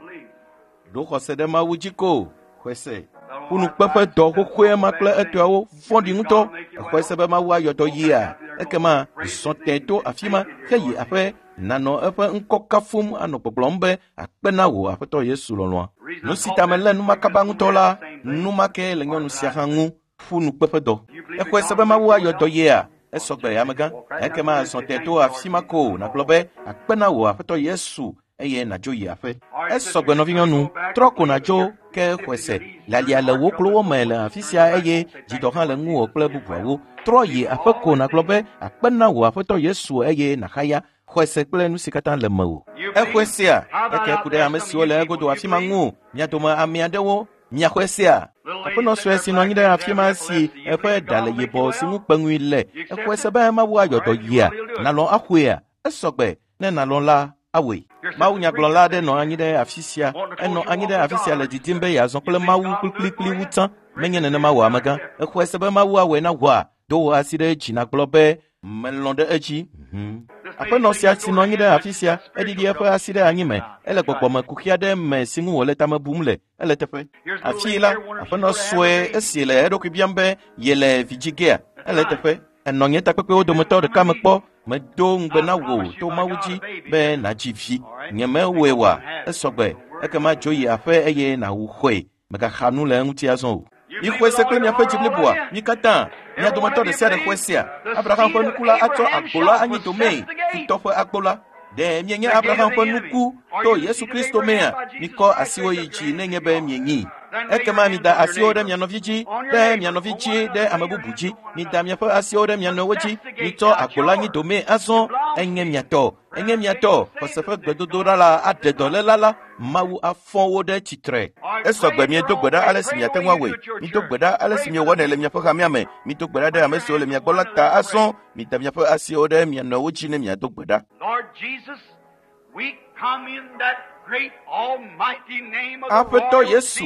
Ɖo xɔse ɖe Mawu dzi ko. Xɔe se. Ƒunukpeƒe dɔ xoxoe ma kple etɔawo vɔ̃ɖi ŋutɔ. Exɔe se be Mawu ayɔ dɔ yia. Ekema zɔ tẽ to afi ma heyi aƒe nanɔ eƒe ŋkɔ kafum anɔ gbɔgblɔm be akpe na wò Aƒetɔ Yesu lɔlɔ̃a. Nu si ta melé numakaba ŋutɔ la, numake le nyɔnu sia hã ŋu. Ƒunukpeƒe dɔ. Exɔe se be Mawu ayɔ dɔ yea? Esɔgbe, amegã. Ekema zɔ tẽ to afi ma ko nàgblɔ be akpe na wò Aƒetɔ Yesu eye nàdzo yi aƒe. Esɔgbe nɔvinyɔnu, trɔ ko nàdzo ke xɔe se. Lalia le wò klowo me le afi sia eye dzidɔ hã le ŋuwò kple bubuawo. Trɔ yi aƒe ko nàgblɔ be akpe na wò Aƒetɔ Yesu eye nàxaya. Xɔe se kple nu si katã le mewò. Exɔe sea? Eke ku ɖe ame siwo le egodo afi ma ŋu. Mia dome ame aɖewo miaxɔe sea? Aƒenɔ sue si nɔ anyi ɖe afi ma si eƒe ɖa le yibɔ si ŋu kpeŋui le. Exɔe se be Mawu ayɔ dɔ yia? Nàlɔ̃ axɔea? Esɔgbe. Ne nàlɔ̃ la, awɔe. Mawu nyagblɔla aɖe nɔ anyi ɖe afi sia. Enɔ anyi ɖe afi sia le didim be yeazɔ kple Mawu kplikplikpli wu tsã. Menye nenema wò amegã. Exɔe se be Mawu awɔe na wòa? Do wò asi ɖe dzi nàgblɔ be melɔ̃ ɖe edzi. Mhm. Aƒenɔ sia si nɔ anyi ɖe afi sia, eɖiɖi eƒe asi ɖe anyi me. Ele gbɔgbɔmekuxi aɖe me si ŋu wòle tame bum le. Ele teƒe. Afii la, aƒenɔ sue esi le eɖokui biam be yele vi dzi gea. Ele teƒe. Enɔ nye takpekpewo dometɔ ɖeka me kpɔ. Medo ŋugbe na wò to Mawu dzi be nàdzi vi. Nyemewɔe wa. Esɔgbe. Ekema dzo yi aƒe eye nàwu xɔe. Mègaxa nu le eŋuti azɔ o. Mixɔe se kple miaƒe dzi bliboa, mi katã, mia dometɔ ɖe sia ɖe xɔe sea. Abraham ƒe nuku la atsɔ agbo la anyi domee, futɔ ƒe agbo la. Ɖe mienye Abraham ƒe nuku to Yesu Kristo mea? Mikɔ asiwo yi dzi nenye be mienyi. Ekema mida asiwo ɖe mia nɔvi dzi, ɖe mia nɔvi dzi, ɖe ame bubu dzi. Mida miaƒe asiwo ɖe mia nɔewo dzi. Mitsɔ agbo la anyi domee azɔ. Enye mia tɔ, enye mia tɔ. Xɔse ƒe gbedodoɖa la aɖe dɔléla la. Mawu afɔ wo ɖe tsitre. Esɔgbe miedo gbe ɖa ale si miate ŋu awɔe. Mido gbe ɖa ale si miewɔnɛ le miaƒe hamea me. Mido gbe ɖa ɖe ame siwo le mia gbɔ la ta azɔ. Mida miaƒe asiwo ɖe mia nɔewo dzi ne miado gbe ɖa. Aƒetɔ Yesu,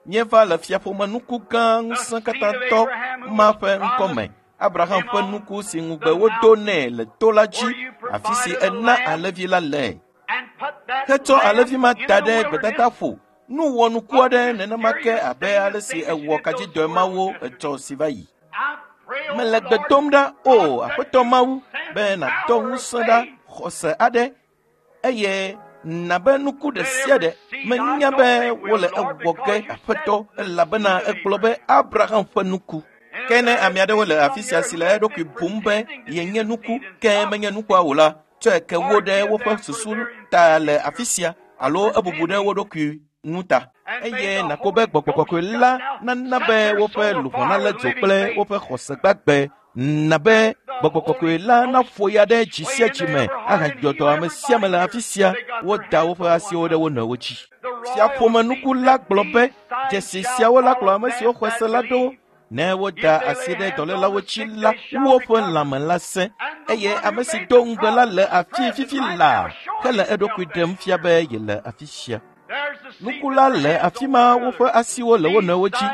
míeva le fiaƒomenuku gã ŋusẽkatãtɔ ma ƒe ŋkɔme. Abraham ƒe nuku si ŋugbe wodo nɛ le to la dzi, afi si ena alẽvi la le. Hetsɔ alẽvi ma da ɖe gbedadaƒo. Nu wɔnuku aɖe nenema ke abe ale si ewɔ kadzidɔe mawo etsɔ si va yi. Mele gbe dom ɖa, o Aƒetɔ Mawu, be nàdɔ ŋusẽ ɖa xɔse aɖe eye nabe nuku ɖe sia ɖe menya be wole ewɔ ge Aƒetɔ elabena egblɔ be Abraham ƒe nuku. Ke ne ame aɖewo le afi sia si le eɖokui bum be yenye nuku ke menye nukua o la, tsɔe ke wo ɖe woƒe susu ta le afi sia alo ebubu ɖe wo ɖokui ŋu ta. Eye nàkpɔ be gbɔgbɔ kɔkɔe la nana be woƒe luʋɔ nalé dzo kple woƒe xɔse gbagbe. Na be gbɔgbɔ kɔkɔe la naƒo ya ɖe dzi sia dzi me ahadzɔ dɔ ame sia ame le afi sia. Woda woƒe asiwo ɖe wo nɔewo dzi. Fiaƒomenuku la gblɔ be dzesi siawo la kplɔ ame siwo xɔ se la ɖo. Ne woda asi ɖe dɔlélawo dzi la, woƒe lãme la sẽ. Eye ame si do ŋugbe la le afi fifi laa hele eɖokui ɖem fia be yele afi sia. Nuku la le afi ma, woƒe asiwo le wo nɔewo dzi.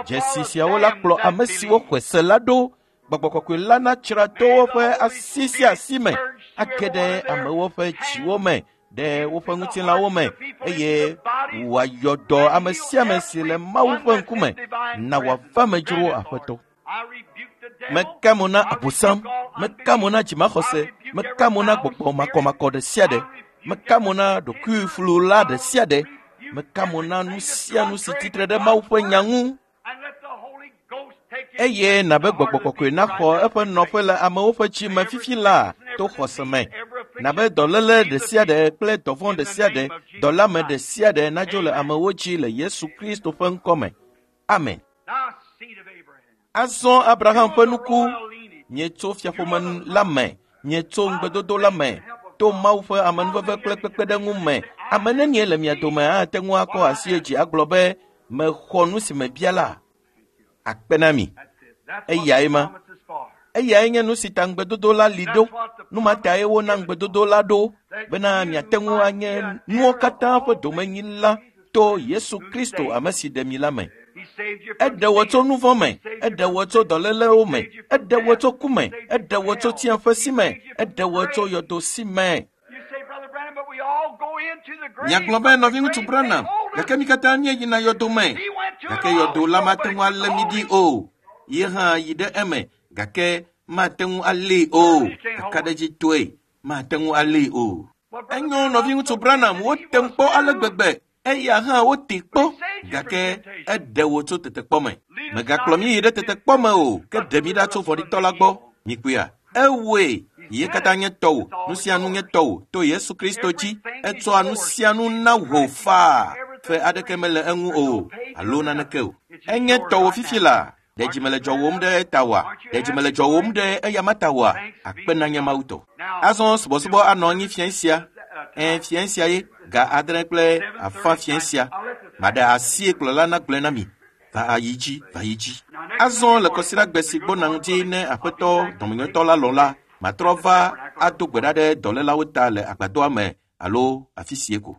Dzesi siawo la kplɔ ame siwo xɔe se la ɖo. Gbɔgbɔ kɔkɔe la natsra to woƒe asi sia asi me, age ɖe amewo ƒe dziwo me, ɖe woƒe ŋutilãwo me, eye wòayɔ dɔ ame sia ame si le Mawu ƒe ŋkume. Na wòava me dzro Aƒetɔ. Meka mo na Abosam, meka mo na dzimaxɔse, meka mo na gbɔgbɔ makɔmakɔ ɖe sia ɖe, meka mo na ɖokuiflula ɖe sia ɖe, meka mo na nu sia nu si tsitre ɖe Mawu ƒe nya ŋu. Eye nabe gbɔgbɔ kɔkɔe naxɔ eƒe nɔƒe le amewo ƒe dzi me fifi laa to xɔse me. Nabe dɔléle ɖe sia ɖe kple dɔvɔ̃ ɖe sia ɖe, dɔléame ɖe sia ɖe nadzo le amewo dzi le Yesu Kristo ƒe ŋkɔ me. Amen. Azɔ Abraham ƒe nuku, mietso fiaƒome la me, mietso ŋugbedodo la me, to Mawu ƒe amenuveve kple kpekpeɖeŋu me. Ame nenie le mia dome ate ŋu akɔ asi dzi agblɔ be mexɔ nu si mebia la? Akpe na mi. Eyae ma. Eyae nye nu si ta ŋugbedodo la li ɖo. Nu ma tae wona ŋugbedodo la ɖo bena miate ŋu anye nuwo katã ƒe domenyila to Yesu Kristo ame si ɖe mi la me. Eɖe wò tso nu vɔ̃ me, eɖe wò tso dɔlélewo me, eɖe wò tso ku me, eɖe wò tso tsiẽƒe si me, eɖe wò tso yɔdo si me. Miagblɔ be nɔviŋutsu Branham, gake mi katã míeyina yɔdo me. Gake yɔdo la mate ŋu alé mi ɖi o. Ye hã yi ɖe eme, gake mate ŋu alée o. Kakaɖedzitɔe, mate ŋu alée o. Enyo nɔviŋutsu Branham, wote ŋu kpɔ ale gbegbe. Eya hã wote kpɔ, gake eɖe wò tso tetekpɔ me. Mègakplɔ mí yi ɖe tetekpɔ me o, ke ɖe mí ɖa tso vɔ̃ɖitɔ la gbɔ. Mikpɔea? Ewɔe. Ye katã nye tɔwò. Nu sia nu nye tɔwò to Yesu Kristo dzi. Etsɔa nu sia nu na wò faa. Fe aɖeke mele eŋu o alo naneke o. Enye tɔwò fifi laa. Ɖe dzi mele dzɔwòm ɖe eta oa? Ɖe dzi mele dzɔwòm ɖe eyama ta oa? Akpe na nye Mawu tɔ. Azɔ subɔsubɔ anɔ anyi fiẽ sia. Ẽ, fiẽ sia ye ga adre kple afã fiẽ sia. Maɖe asie kplɔla nagblɔe na mi. Va ayi dzi, va yi dzi. Azɔ le kɔsiɖagbe si gbɔna ŋuti ne Aƒetɔ dɔmenyotɔ la lɔ̃ la, matrɔ va ado gbe ɖa ɖe dɔlélawo ta le agbadɔa me alo afi sie ko.